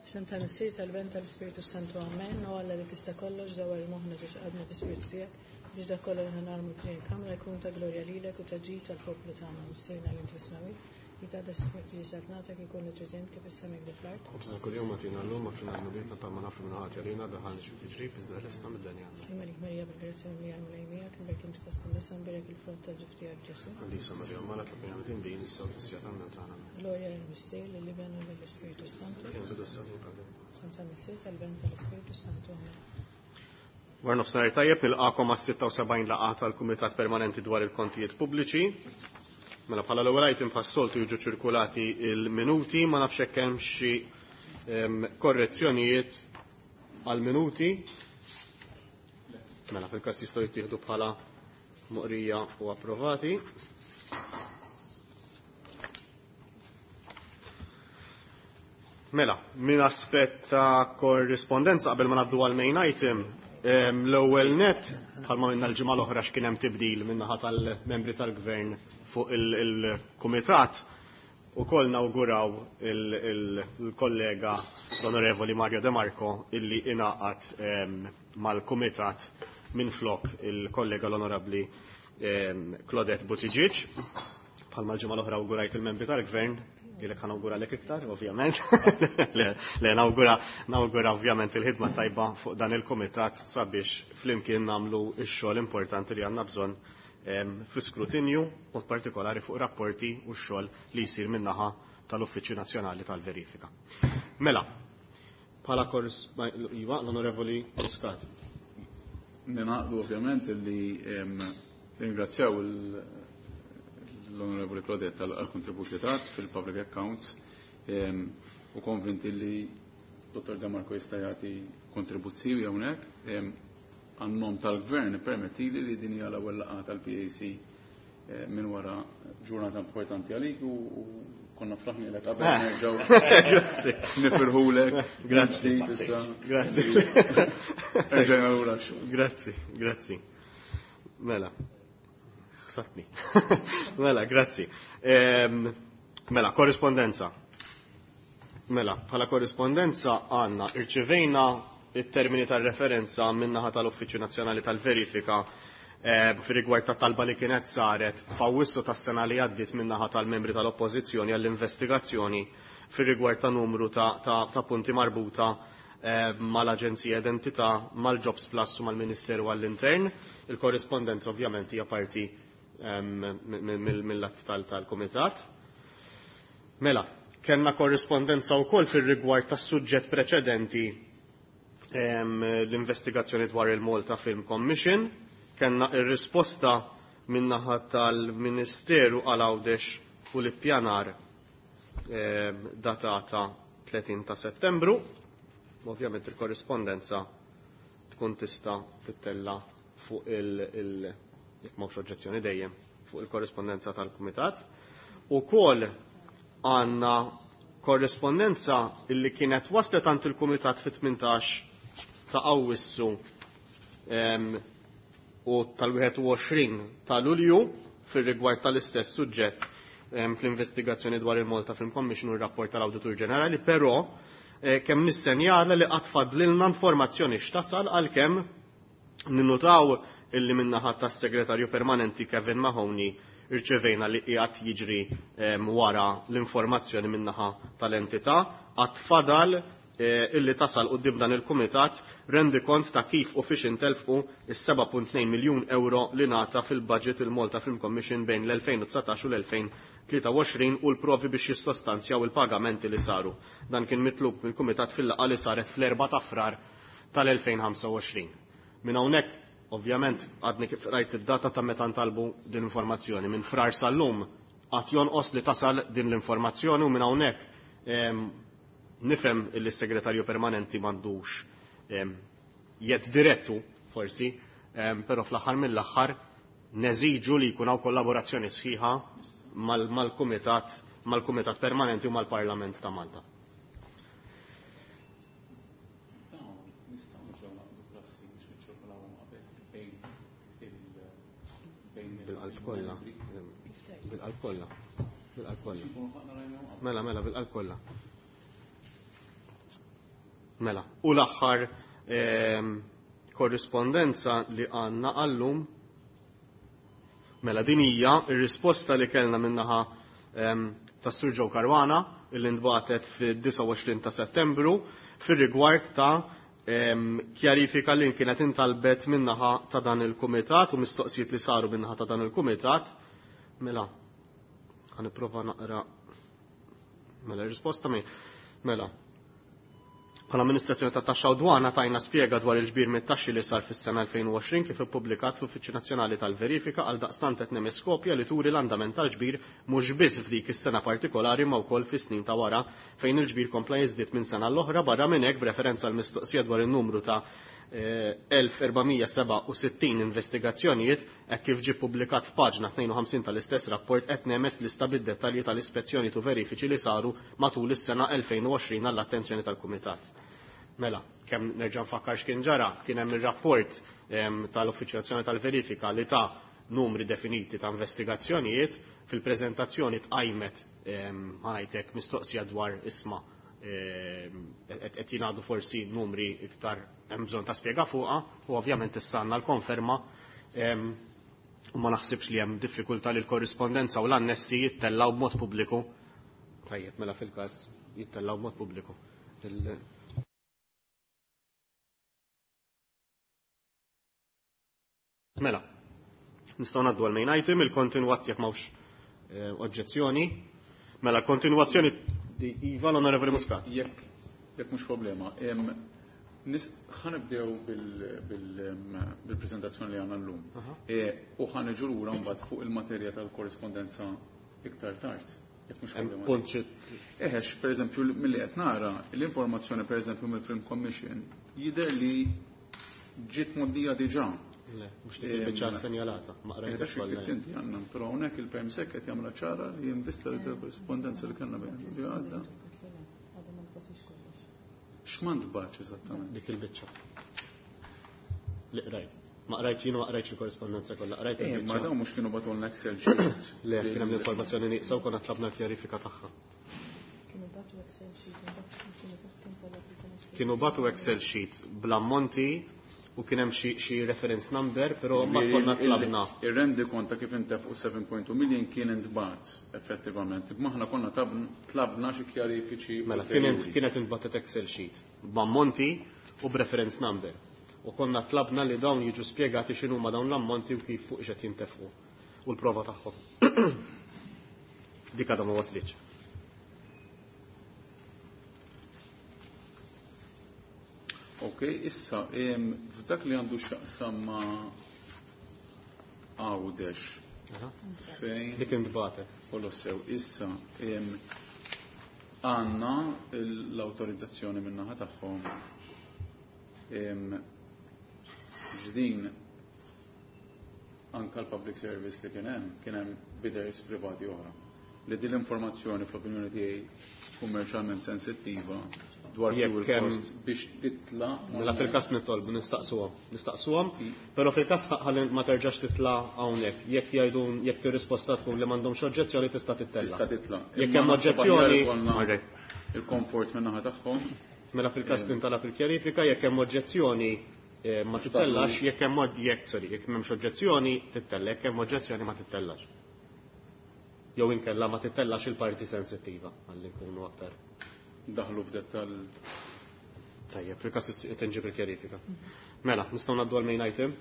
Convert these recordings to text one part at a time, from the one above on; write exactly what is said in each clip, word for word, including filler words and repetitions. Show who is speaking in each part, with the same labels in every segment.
Speaker 1: F'isem tal-Missier, tal-Iben, tal-Ispirtu Santu, amen. O Alla li tista' kollox, dawwar moħħna ġo qalbna bi-Spiritu tiegħek biex dak kollu li ħa nagħmlu f'din il-kamra jkun ta' glorja lilek u ta' ġid tal-poplu tagħna. Missierna li inti fis-smewwiet, jitqaddes ismek, tiġi saltnatek, ikun li trid int kif fis-sema hekk fl-art.
Speaker 2: Ħobżna kuljum agħtina llum, aħfrilna dnubietna bħalma naħfru min hu ħati għalina, tdaħħalniex fit-tiġrib, iżda eħlisna mid-deni. Amen.
Speaker 1: Sliem għalik Marija, bil-grazzja mimlija, l-Mulej miegħek, imbierka inti fost in-nisa, imbierek il-frott tal-ġuf tiegħek Ġesù.
Speaker 2: Qaddisa Marija, Omm Alla, itlob għalina midinbin, issa u fis-siegħa tal-mewt tagħna. Amen.
Speaker 1: Glorja lill-Missier, lill-Iben u lill-Ispirtu Santu.
Speaker 2: Kif kien fil-bidu issa u dejjem.
Speaker 1: F'isem tal-Missier, tal-Iben u tal-Ispirtu Santu. Amen.
Speaker 2: War nofsinhar tajjeb, nilqakom għas-sitta u sebgħin laqgħa tal-Kumitat Permanenti dwar il-Kontijiet Pubbliċi. Mela bħala l-ewwel item bħas-soltu jiġu ċirkulati il-minuti, ma nafx hekk hemm xi korrezzjonijiet għal-minuti. Mela fil-każ jistgħu jittieħdu bħala moqrija u approvati. Mela, minn aspett ta' korrispondenza qabel ma ngħaddu għal main item, l-ewwel net bħalma minna l-ġimgħa l-oħra x'kien hemm tibdil min-naħa tal-membri tal-gvern fuq il-kumitat, ukoll nawguraw il-kollega l-Onorevoli Mario De Marco illi ingħaqad mal-kumitat minn flok il-kollega l-Onorabbli Claudette Buttigieg. Bħalma l-ġimgħa l-oħra awgurajt il-membri tal-gvern, ilek ħa nawguralek iktar, ovvjament. Le, le, nawgura, nawgura ovvjament il-ħidma tajba fuq dan il-kumitat sabiex flimkien nagħmlu x-xogħol importanti li għandna bżonn fl-iskrutinju, mod partikolari fuq rapporti u x-xogħol li jsir min-naħa tal-Uffiċċju Nazzjonali tal-Verifika. Mela, bħala kors, iva, l-Onorevoli Muscat.
Speaker 3: Ninaqdu ovvjament li ringrazzjaw l-Onorevoli Claudette għal-kontributi tat fil-Public Accounts u konvinti li Dottor De Marco jista' jagħti kontribuzzjoni hawnhekk. Għan-nom tal-Gvern permettili li din hija l-ewwel laqgħa tal-P A C minn wara ġurnata importanti għalik u konna fraħnilek qabel nerġgħu.
Speaker 2: Grazzi.
Speaker 3: Nifirħulek.
Speaker 2: Grazzi.
Speaker 3: Issa.
Speaker 2: Grazzi.
Speaker 3: Erġajna lura x-xogħol.
Speaker 2: Grazzi, grazzi. Mela. Ħsatni. Mela, grazzi. Mela, korrispondenza. Mela, bħala korrispondenza għandna irċivejna it-termini tal-referenza min-naħa tal-Uffiċċju Nazzjonali tal-Verifika eh, fir-rigward ta' talba li kienet saret f'Awwissu tas-sena li għaddiet min-naħa tal-membri tal-Oppożizzjoni għall-investigazzjoni fir-rigward ta' numru ta', ta, ta' punti marbuta, eh, mal-Aġenzija Identità, mal-Jobs Plus u mal-Ministeru għall-Intern. Il-korrispondenza ovvjament hija parti, ehm, mill-att tal-Kumitat. Mela, kellna korrispondenza wkoll fir-rigward tas-suġġett preċedenti, ehm, l-investigazzjoni dwar il-Malta Film Commission. Kellna ir-risposta min-naħa tal-Ministeru għal Għawdex u l-Ippjanar, ehm, datata tletin ta' Settembru. Ovvjament il-korrispondenza tkun tista' tittella fuq il-, il-, jekk m'hawnx oġġezzjoni dejjem, fuq il-korrispondenza tal-Kumitat. Ukoll għandna korrispondenza illi kienet waslet għand il-Kumitat fit-tmintax ta' Awwissu, ehm, u tal-wieħed u għoxrin ta' Lulju fir-rigward tal-istess suġġett, ehm, fl-investigazzjoni dwar il-Malta Film Commission u r-rapport tal-Awditur Ġenerali, però, eh, kemm nissenjala li qatt fadlilna informazzjoni x'tasal għalkemm ninnutaw illi min-naħa tas-Segretarju Permanenti Kevin Mahoney irċevejna li qiegħed jiġri, ehm, wara l-informazzjoni min-naħa tal-entità, qatt fadal, eh, illi tasal quddiem dan il-Kumitat rendi kont ta' kif u fiex intelfqu is-seba' punt tnejn miljun euro li ngħata fil-budget il-Malta Film Commission bejn l-elfejn u dsatax u l-elfejn tlieta u għoxrin u l-provi biex jissostanzjaw il-pagamenti li saru. Dan kien mitlub mill-Kumitat fil-laqgħa li saret fl-erba' ta' Frar tal-elfejn ħamsa u għoxrin. Minn hawnhekk, ovvjament, għadni kif rajt id-data ta' meta ntalbu din l-informazzjoni. Minn Frar sal-lum għad jonqos li tasal din l-informazzjoni u minn hawnhekk, ehm, nifhem li s-segretarju permanenti m'għandux, ehm, jedd direttu forsi, ehm, però fl-aħħar mill-aħħar neżiġu li jkun hawn kollaborazzjoni sħiħa mal-, mal-kumitat, mal-kumitat permanenti u mal-Parlament ta' Malta. Bil-qalb kollha. Bil-qalb kollha. Bil-qalb kollha. Mela, mela, bil-qalb kollha. Mela, u l-aħħar ehm, korrispondenza li għandna għallum, mela din hija r-risposta li kellna minnaħa ehm, tas-Sur Joe Caruana illi ntbagħtet fid-disgħa u għoxrin ta' Settembru fir-rigward ta' ehm, kjarifika li kienet intalbet minnaħa ta' dan il-kumitat u mistoqsijiet li saru minnaħa ta' dan il-kumitat. Mela, ħanipprova naqra mela r-risposta mi. Mela, bħala amministrazzjoni ta' taxxa u dwana tajna spjega dwar il-ġbir mit-taxxi li sar fis-sena elfejn u għoxrin kif ippubblikat fl-Uffiċċju Nazzjonali tal-Verifika għal daqstant qed nemes kopja li turi l-andament tal-ġbir mhux biss f'dik is-sena partikolari ma wkoll fis-snin ta' wara fejn il-ġbir kompla jiżdied minn sena l-oħra. Barra minn hekk b'referenza għal mistoqsija dwar in-numru ta' elf erba' mija seba' u sittin investigazzjonijiet hekk kif ġie ppubblikat f'paġna tnejn u ħamsin tal-istess rapport qed nemes lista bid-dettalji tal-ispezzjoni u verifiċi li saru matul is-sena elfejn u għoxrin għall-attenzjoni tal-Kumitat. Mela, kemm nerġa' nfakkar x'kien ġara, kien hemm ir-rapport, ehm, tal-Uffiċċju Nazzjonali tal-Verifika li ta' numri definiti ta' investigazzjonijiet, fil-preżentazzjoni tqajmet, ehm, ħanajtek mistoqsija dwar isma' ehm, qed jingħadu forsi numri iktar hemm bżonn ta' spjega fuqha, u ovvjament issa għandna l-konferma, ehm, u ma naħsibx li hemm diffikultà li l-korrispondenza u l-annessi jittellaw b'mod pubbliku. Tajjeb, mela fil-każ jittellaw b'mod pubbliku. Il- Mela, nistgħu ngħaddu għal main item, il-kontinwat jekk m'hawnx, eh, oġġezzjoni. Mela, kontinwazzjoni di Iva, l-Onorevoli Muscat.
Speaker 3: Jekk, jekk mhux problema, em, nis-, ħanibdew bil-, bil-, em, bil-preżentazzjoni li għandna llum.
Speaker 2: Aha.
Speaker 3: E, u ħaniġu lura mbagħad fuq il-materja tal-korrispondenza iktar tard. Jekk mhux
Speaker 2: Hemm
Speaker 3: problema.
Speaker 2: punt xi-
Speaker 3: Eħex, per eżempju, milli qed nara, l-informazzjoni per eżempju mill-Film Commission jidher li ġiet mgħoddija diġà.
Speaker 2: Le, mhux dik il-biċċa
Speaker 3: Em,
Speaker 2: senjalata, ma qrajtx
Speaker 3: Dak xi
Speaker 2: kollha.
Speaker 3: ktibt inti għandna, però hawnhekk il-Permsec qed jagħmilha ċara li jinvista li korrispondenza li kellna bejn li għadda. X'ma ntbagħatx eżattament?
Speaker 2: Dik il-biċċa. Li qrajt. Ma qrajtx jien, ma qrajtx il-korrispondenza kollha, qrajt
Speaker 3: Eh, ma
Speaker 2: il-biċċa.
Speaker 3: dawn mhux kienu bagħtulna Excel sheet.
Speaker 2: Le, kien hemm l-informazzjoni nieqsa u konna tlabna l-kjarifika tagħha.
Speaker 1: Kienu bagħtu Excel sheet, imbagħad kienu taħt kien talab il-Kummissjoni.
Speaker 2: Kienu bagħtu Excel sheet bl-ammonti u kien hemm xi, xi reference number, però ma
Speaker 3: Il-
Speaker 2: konna
Speaker 3: il-
Speaker 2: tlabna.
Speaker 3: Ir-rendi konta kif intefqu seba' punt tnejn million kien intbagħat effettivament. Imma aħna konna tab-, tlabna xi kjarifiċi
Speaker 2: Mela,
Speaker 3: ulterjuri.
Speaker 2: kienet, kienet intbagħtet Excel sheet b'ammonti u b'reference number. U konna tlabna li dawn jiġu spjegati x'inhuma dawn l-ammonti u kif fuq x'qed jintefqu u l-prova tagħhom. Dik għadha ma waslitx.
Speaker 3: Ok, issa, em, f'dak li għandu x'jaqsam ma' Għawdex,
Speaker 2: Aha.
Speaker 3: fejn
Speaker 2: Dik intbagħtet.
Speaker 3: Kollox sew, issa, em, għandna l-awtorizzazzjoni min-naħa tagħhom. Em, ġdin anka l-public service li kien hemm, kien hemm bidders privati oħra. Li din l-informazzjoni fl-opinjoni tiegħi kummerċjalment sensittiva dwar
Speaker 2: Jekk
Speaker 3: fuel
Speaker 2: hemm
Speaker 3: cost biex titla'
Speaker 2: Mela fil-każ nitolbu nistaqsuhom, nistaqsuhom, però fil-każ ħalli ma terġax titla' hawnhekk. Jekk jgħidu, jekk tir-risposta tkun li m'għandhomx oġġezzjoni tista' tittella'.
Speaker 3: Tista' titla'.
Speaker 2: Jekk
Speaker 3: Imma
Speaker 2: hemm
Speaker 3: naħseb
Speaker 2: oġġezzjoni,
Speaker 3: aħjar ikollna
Speaker 2: marre.
Speaker 3: il-komfort min-naħa tagħhom.
Speaker 2: Mela fil-każ tintalab il-kjarifika, jekk hemm oġġezzjoni, eh, ma titellax, jekk hemm oġ-, jekk, sorry, jekk m'hemmx oġġezzjoni tittella, jekk hemm oġġezzjoni ma titellax. Jew inkella ma titellax il-parti sensittiva, ħalli nkunu aktar.
Speaker 3: Daħlu f'dettall.
Speaker 2: Tajjeb, fil-każ tinġib il-kjarifika. Mela, nistgħu ngħaddu għal main item?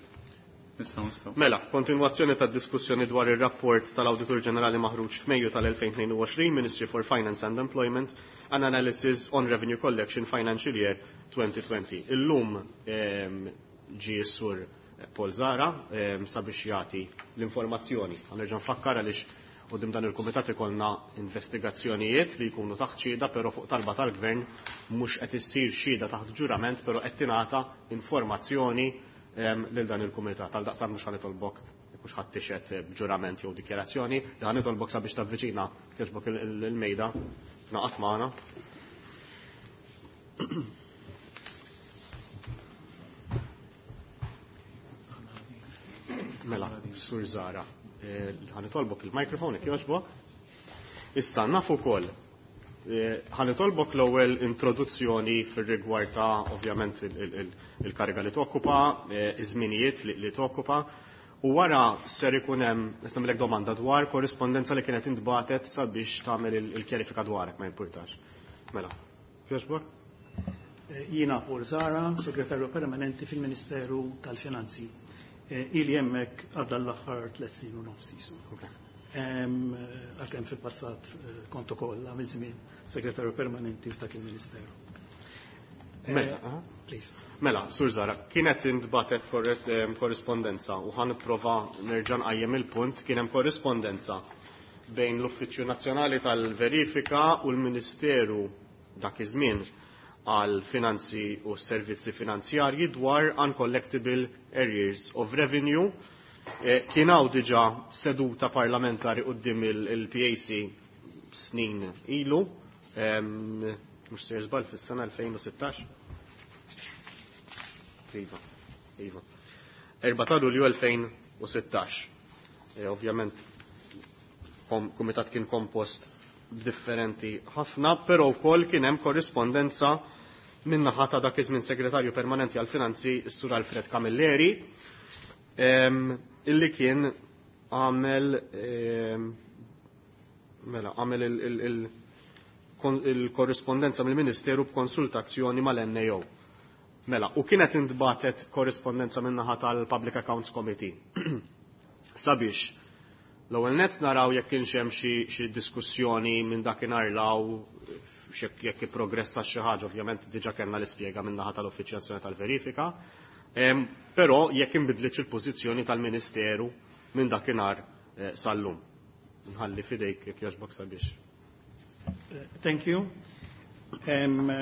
Speaker 3: Nistgħu, nistgħu.
Speaker 2: Mela, kontinwazzjoni tad-diskussjoni dwar ir-rapport tal-Awditur Ġenerali maħruġ f'Mejju tal-elfejn tnejn u għoxrin, Ministry for Finance and Employment, an Analysis on Revenue Collection Financial Year twenty twenty. Illum, ehm, ġie s-sur Paul Zahra, ehm, sabiex jagħti l-informazzjoni. Ħanerġa' nfakkar għaliex quddiem dan il-kumitat ikollna investigazzjonijiet li jkunu taħt xhieda, però fuq talba tal-gvern mhux qed issir xhieda taħt ġurament, però qed tingħata informazzjoni, ehm, lil dan il-kumitat. Għal daqstant mhux ħanitolbok jekk mhux ħadd tixhed b'ġurament jew dikjarazzjoni, li ħanitolbok sabiex tavviċina kieġbok il-, il-, il-mejda naqat magħna. Mela, Sur Zahra, eh, ħanitolbok il-mikrofon jekk jogħġbok. Issa naf ukoll Ħa nitolbok l-ewwel introduzzjoni fir-rigward ta' ovvjament il-kariga li tokkupa, iż-żminijiet li tokkupa, u wara ser ikun hemm qed nagħmlek domanda dwar korrispondenza li kienet intbatet sabiex tagħmel il-kjarifika dwarek, ma jimpurtax. Mela, jogħġbok?
Speaker 4: Jiena Paul Zahra, segretarju permanenti fil-Ministeru tal-Finanzi. Ili hemmhekk għadda l-aħħar tliet snin u nofs isu. Għalkemm fil-passat kont ukoll għamil żmien segretarju permanenti f'dak il-Ministeru.
Speaker 2: Mela,
Speaker 4: Please.
Speaker 2: Mela, Sur Zahra, kienet intbatet korrispondenza u ħa nipprova nerġa' nqajjem il-punt, kien hemm korrispondenza bejn l-Uffiċċju Nazzjonali tal-Verifika u l-Ministeru dak iż-żmien għal finanzi u servizzi finanzjarji dwar uncollectible arrears of revenue. Kien hawn diġà seduta parlamentari quddiem il-P A C snin ilu, mhux se żball, fis-sena elfejn u sittax. Iva, iva. erbgħa ta' Lulju elfejn u sittax. Ovvjament, kumitat kien kompost differenti ħafna, però wkoll kien hemm korrispondenza min-naħa ta' dak iż-żmien segretarju permanenti għal-finanzi, s-Sur Alfred Camilleri, illi kien għamel mela għamel il-korrispondenza mill-Ministeru b'konsultazzjoni mal-N A O. Mela, u kienet intbatet korrispondenza min-naħa tal-Public Accounts Committee sabiex l-ewwel net naraw jekk kienx hemm xi diskussjoni minn dakinhar law, jekk ipprogressa xi ħaġa. Ovvjament diġà kellna l-ispjega min-naħa tal-Uffiċċju Nazzjonali tal-Verifika, però jekk inbidlitx il-pożizzjoni tal-Ministeru minn dakinhar sal-lum. Nħalli fidejk, jekk jogħġbok, sabiex.
Speaker 4: Thank you. Um,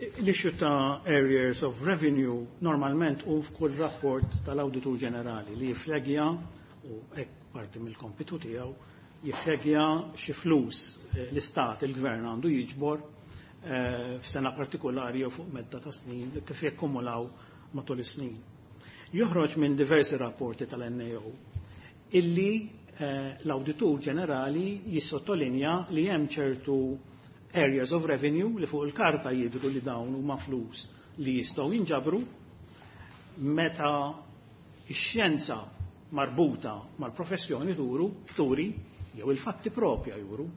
Speaker 4: L-issue ta' arrears of revenue normalment u f'kull rapport tal-Awditur Ġenerali li jiflagja, u hekk parti mill-kompitu tiegħu, jiflagja xi flus l-istat, il-gvern għandu jiġbor f'sena partikolari jew fuq medda ta' snin kif jakkumulaw matul is-snin. Joħroġ minn diversi rapporti tal-N A O illi l-Awditur Ġenerali jissottolinja li hemm ċertu areas of revenue li fuq il-karta jidru li dawn huma flus li jistgħu jinġabru, meta x-xjenza marbuta mal-professjoni turu, turi, jew il-fatti propja juru,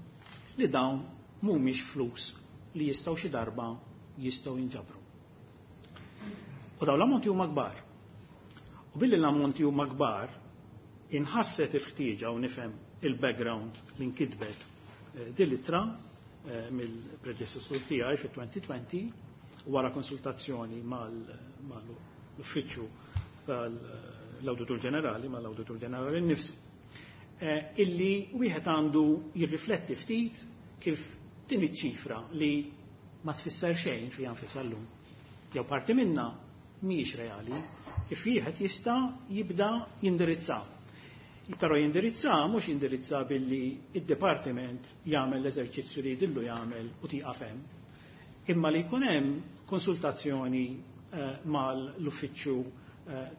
Speaker 4: li dawn mhumiex flus li jistgħu xi darba jistgħu jinġabru. U dawn l-ammonti huma kbar. U billi l-ammonti huma kbar, inħasset il-ħtieġa, u nifhem il-background li nkitbet din l-ittra mill-predeċessur tiegħi fit-elfejn u għoxrin wara konsultazzjoni mal-uffiċċju tal-Awditur Ġenerali, mal-Awditur Ġenerali nnifsu, illi wieħed għandu jirrifletti ftit kif din iċ-ċifra li ma tfisser xejn fiha nfisha llum, jew parti minna mhijiex reali, kif wieħed jista' jibda jindirizza. Però jindirizza mhux jindirizza billi id-dipartiment jagħmel l-eżerċizzju li jidhirlu jagħmel u tieqaf hemm, imma li jkun hemm konsultazzjoni mal-uffiċċju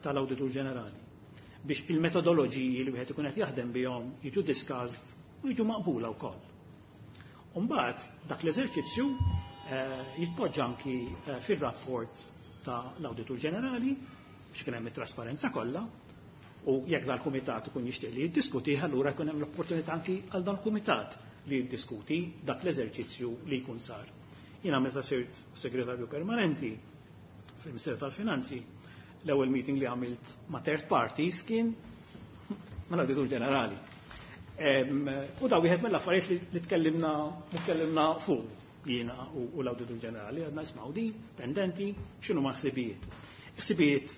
Speaker 4: tal-Awditur Ġenerali biex il-metodoloġiji li wieħed ikun qed jaħdem bihom jiġu discussed u jiġu maqbula wkoll. Umbagħad dak l-eżerċizzju jitpoġġa anki fir-rapport tal-Awditur Ġenerali biex kien hemm it-trasparenza kollha, u jekk dal-kumitat ikun jixtieq li jiddiskuti, allura jkun hemm l-opportunità anki għal dal-kumitat li jiddiskuti dak l-eżerċizzju li jkun sar. Jiena meta sirt segretarju permanenti fil-Ministeru tal-Finanzi, l-ewwel meeting li għamilt ma' third parties kien mal-Awditur Ġenerali. U da wieħed mill-affarijiet li tkellimna li tkellimna fuq jiena u l-Awditur Ġenerali, għedna ismgħu, din pendenti, x'inhuma ħsibijiet. Ħsibijiet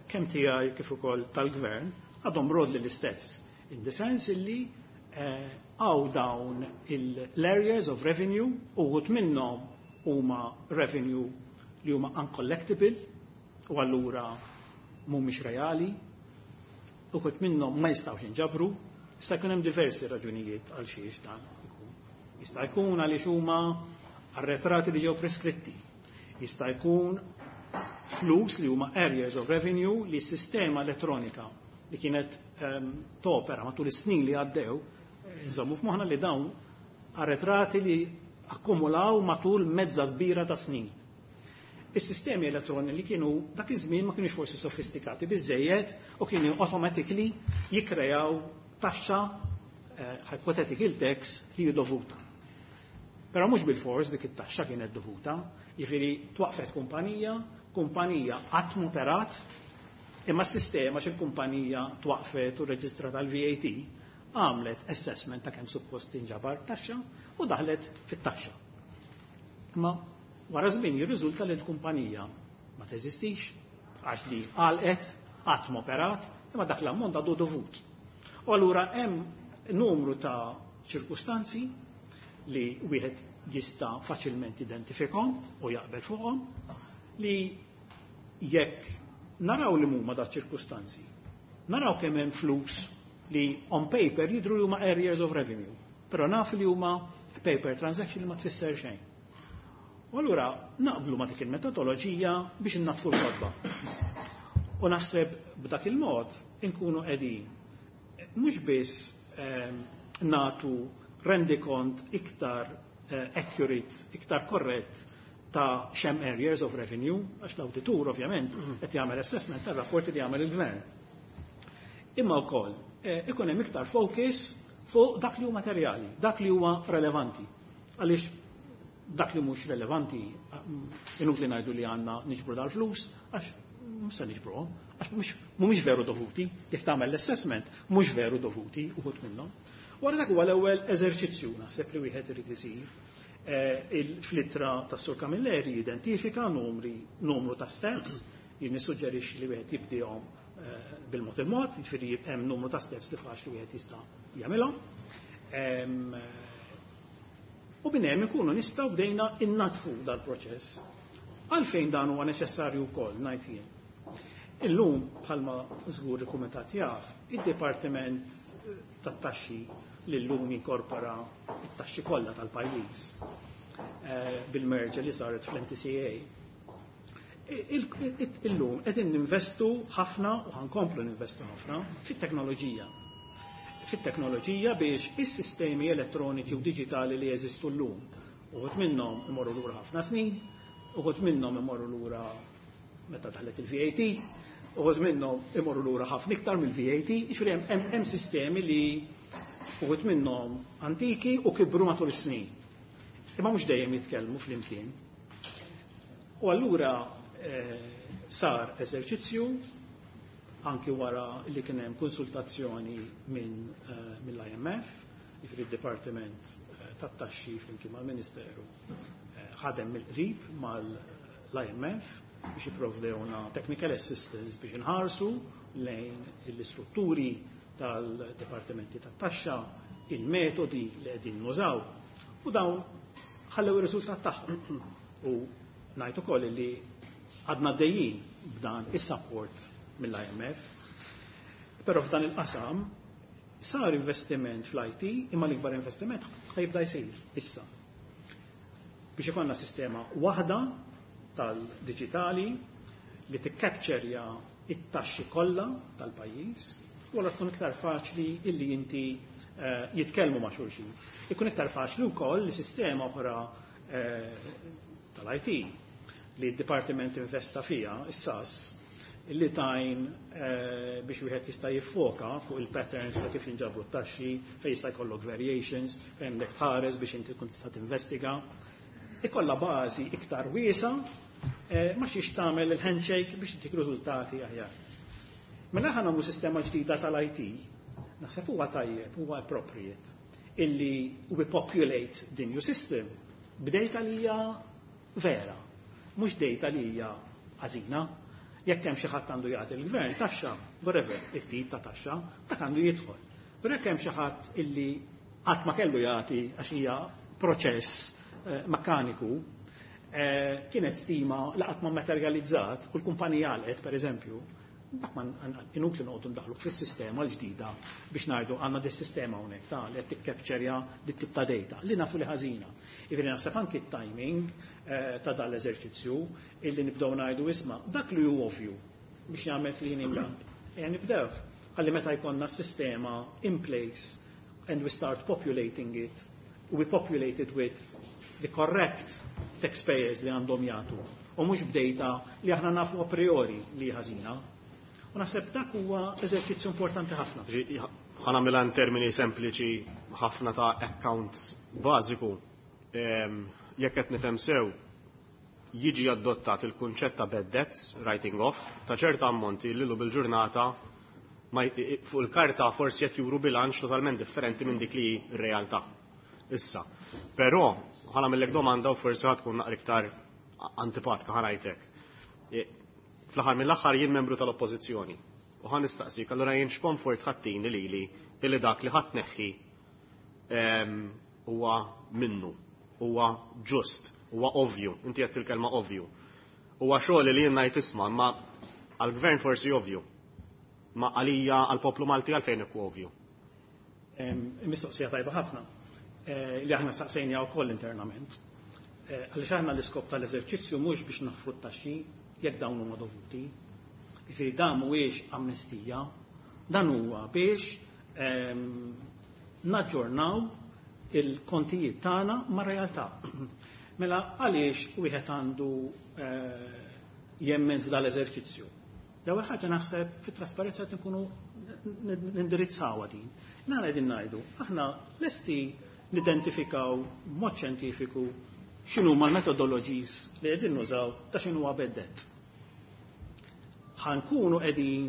Speaker 4: kemm tiegħi kif ukoll tal-gvern għadhom broadly l-istess. In the sense illi għaw dawn l-areas of revenue, uħud minnhom huma revenue li huma uncollectible u allura mhumiex reali, uħud minnhom ma jistgħux jinġabru, jista' jkun hemm diversi raġunijiet għal xiex dan ikun. Jista' jkun għaliex huma arretrati li ġew preskritti. Jista' jkun flus li huma areas of revenue li s-sistema elettronika li kienet um, topera matul is-snin li għaddew, nżommu f'moħħna li dawn arretrati li Akkumulaw matul mezza kbira ta' snin. Is-sistemi elettroni li kienu dak iż-żmien ma kienux forsi sofistikati biżejjed u kienu automatically jikkrejaw taxxa, eh, hypothetical tax, li hi dovuta. Però mhux bil-fors dik it-taxxa kienet dovuta, jiġifieri twaqfet kumpanija, kumpanija qatt operat, imma s-sistema xi kumpanija twaqfet u reġistrata l-V A T għamlet assessment ta' kemm suppost tinġabar taxxa u daħlet fit-taxxa. Imma wara żmien jirriżulta li l-kumpanija ma teżistix għax li għalqet, qatt operat, imma dak l-ammont għadu dovut. U allura hemm numru ta' ċirkustanzi li wieħed jista' faċilment identifikhom u jaqbel fuqhom, li jekk naraw li huma da ċirkustanzi, naraw kemm hemm flus li on paper jidru li huma areas of revenue, però naf li huma paper transaction li ma tfisser xejn. U allura naqblu ma dik il-metodoloġija biex innatfu l-kotba. U naħseb b'dak il-mod inkunu qegħdin mhux biss eh, natu rendikont iktar eh, accurate, iktar korrett ta' x'hemm areas of revenue, għax l-auditur ovvjament qed jagħmel assessment tar-rapporti li jagħmel il-gvern. Imma wkoll eh, ikun hemm iktar focus fuq dak li huwa materjali, dak li huwa relevanti. Għaliex dak li mhux relevanti, inutli ngħidu li għandna niġbru dal-flus, għax mhux se niġbruhom, għax mhumiex veru dovuti, jekk tagħmel l-assessment mhux veru dovuti uħud minnhom. Wara, dak huwa l-ewwel eżerċizzju naħseb li wieħed irid isir. Eh, Fl-ittra ta' Sur Camilleri identifika numri, numru ta' steps, jien nissuġġerixxi li wieħed jibdihom eh, bil-mod il-mod, jiġifieri hemm numru ta' steps li faċli wieħed jista' jagħmilhom. U minn hemm ikunu nistgħu bdejna innatfu dal-proċess. Għalfejn dan huwa neċessarju wkoll, ngħid jien? Illum, bħalma żgur il-kumitat jaf, id-Dipartiment tat-Taxxi li llum jinkorpora it-taxxi kollha tal-pajjiż eh, bil-merger li saret fl-M T C A. Illum qegħdin ninvestu ħafna u ħa nkomplu ninvestu ħafna fit-teknoloġija. Fit-teknoloġija biex is-sistemi elettroniċi u diġitali li jeżistu llum. Uħud minnhom imorru lura ħafna snin, uħud minnhom imorru lura meta daħlet il-V A T, uħud minnhom imorru lura ħafna iktar mill-V A T, jiġifieri hemm sistemi li uħud minnhom antiki u kibru matul is-snin. Imma mhux dejjem jitkellmu flimkien. U allura eh, sar eżerċizzju anki wara li kien hemm konsultazzjoni minn eh, mill-I M F, jiġifieri d-Dipartiment eh, tat-Taxxi flimkien mal-Ministeru ħadem mill-qrib mal-I M F biex jipprovdewna technical assistance biex inħarsu lejn l-istrutturi tal-dipartimenti tat-taxxa, il-metodi li qegħdin nużaw, u dawn ħallew ir-riżultat tagħhom. U ngħid ukoll li għadna dejjin b'dan is-support mill-I M F. Però f'dan il-qasam sar investiment fl-I T, imma l-ikbar investiment ħa jibda jsir issa. Biex ikollna sistema waħda tal-digitali li tikkapċerja it-taxxi kollha tal-pajjiż u allura tkun iktar faċli illi inti eh, jitkellmu ma' xulxin. Ikun iktar faċli wkoll li sistema oħra eh, tal-I T li d-Dipartiment investa fija, is-S A S, li tajn eh, biex wieħed jista' jiffoka fuq il-patterns ta' kif jinġabru t-taxxi, fejn jista' jkollok variations, fejn għandek tħares biex inti tkun tista' tinvestiga. Ikolla bażi iktar wiesa eh, ma xiex tagħmel il-handshake biex tik riżultati aħjar. Mela ħa nagħmlu sistema ġdida tal-I T, naħseb huwa tajjeb, huwa appropriate illi we populate the new system b'data li hija vera, mhux data li hija ħażina. Jekk hemm xi ħadd għandu jagħti l-gvern taxxa, whatever it-tip ta' taxxa, dak għandu jidħol. Però jekk hemm xi ħadd illi qatt ma kellu jagħti għax hija proċess eh, mekkaniku, eh, kienet stima li qatt ma materializzat u l-kumpanija għalqet, per eżempju, dak ma inutli noqogħdu ndaħlu fis-sistema l-ġdida biex ngħidu għandna dis-sistema hawnhekk ta' li qed tikkapċerja dit tip ta' data li nafu li ħażina. Jiġifieri naħseb anki t-timing eh, ta' dan l-eżerċizzju illi nibdew ngħidu, isma', dak li hu ovvju biex jagħmel cleaning up. Ejja nibdew. Ħalli meta jkollna s-sistema in place and we start populating it, we populate it with the correct taxpayers li għandhom jagħtu u mhux b'data li aħna nafu a priori li ħażina. U naħseb dak huwa eżerċizzju importanti ħafna.
Speaker 2: Ħa nagħmilha in termini sempliċi ħafna ta' accounts bażiku. Jekk qed nifhem sew, jiġi adottat il-kunċett ta' bad debts, writing off, ta' ċerta ammonti li bil-ġurnata fuq il-karta forsi qed juru bilanċ totalment differenti minn dik li r-realtà. Issa, però ħa nagħmillek domanda u forsi ħa tkun naqra iktar antipatika ħa ngħidlek. Fl-aħħar mill-aħħar jien membru tal-Oppożizzjoni. U ħa nistaqsik, allura jien x'komfort ħa ttini lili illi dak li ħa tneħħi huwa minnu, huwa ġust, huwa ovvju, inti qed il-kelma ovvju. Huwa xogħol li jien ngħid isma' ma għall-gvern forsi ovvju. Ma għalija għall-poplu Malti għalfejn ikun ovvju.
Speaker 4: Mistoqsija tajba ħafna li aħna saqsejna wkoll internament. Għaliex aħna l-iskop tal-eżerċizzju mhux biex naħfru t-taxxi jekk dawn huma dovuti. Jiġifieri dan mhuwiex amnestija, dan huwa biex naġġornaw il-kontijiet tagħna mar-realtà. Mela għaliex wieħed għandu jemmen f'dal-eżerċizzju? L-ewwel ħaġa naħseb fit-trasparenza qed nkunu nindirizzawha din. Nara qegħdin ngħidu, aħna lesti nidentifikaw b'mod xjentifiku x'inhu ma l-methodologies li qegħdin nużaw ta' x'inhu bad debt. Ħa nkunu qegħdin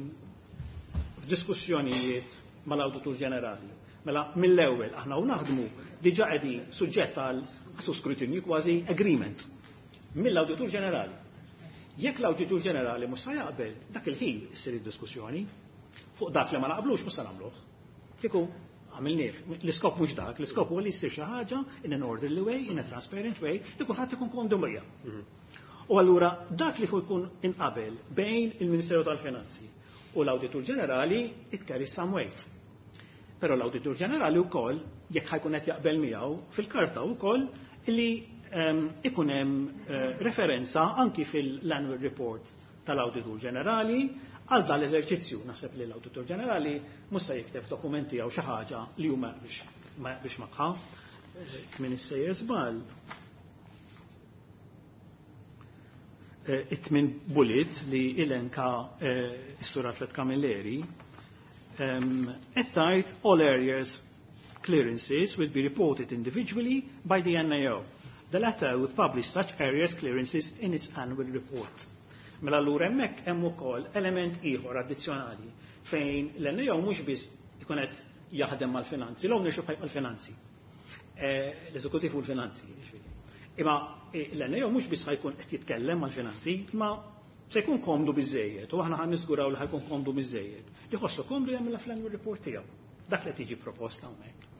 Speaker 4: f'diskussjonijiet mal-Awditur Ġenerali. Mela mill-ewwel aħna u naħdmu diġà qegħdin suġġett għal skrutinju kważi agreement mill-Awditur Ġenerali. Jekk l-Awditur Ġenerali mhux se jaqbel, dak il-ħin issir id-diskussjoni fuq dak li ma naqblux mhux se nagħmluh. Kieku għamilnieh. L-iskop mhux dak, l-iskop huwa li jsir xi ħaġa in an orderly way, in a transparent way, li kulħadd ikun komdu miegħha. U allura dak li jkun inqabel bejn il-Ministeru tal-Finanzi u l-Awditur Ġenerali it carries some weight. Però l-Awditur Ġenerali wkoll jekk ħa jkun qed jaqbel miegħu fil-karta wkoll li ikun hemm referenza anki fil-annual report tal-Awditur Ġenerali għal dan l-eżerċizzju. Naħseb li l-Awditur Ġenerali mhux se jikteb dokumenti jew xi ħaġa li huma biex biex magħha. Kmin issejjer żball. It-tmien bullet li elenka s-Sur Alfred Camilleri qed tgħid all areas clearances will be reported individually by the N A O. The latter would publish such areas clearances in its annual report. Mela allura hemmhekk hemm ukoll element ieħor addizzjonali fejn l-N A O mhux biss ikun qed jaħdem mal-finanzi, l-ownership mal-finanzi. L-eżekutiv u l-finanzi, jiġifieri. Imma l-N A O mhux biss ħa jkun qed jitkellem mal-finanzi, imma se jkun komdu biżejjed, u aħna ħa niżguraw li ħa jkun komdu biżejjed. Li ħossu komdu jagħmilha fl-annual report tiegħu. Dak li tiġi proposta hawnhekk.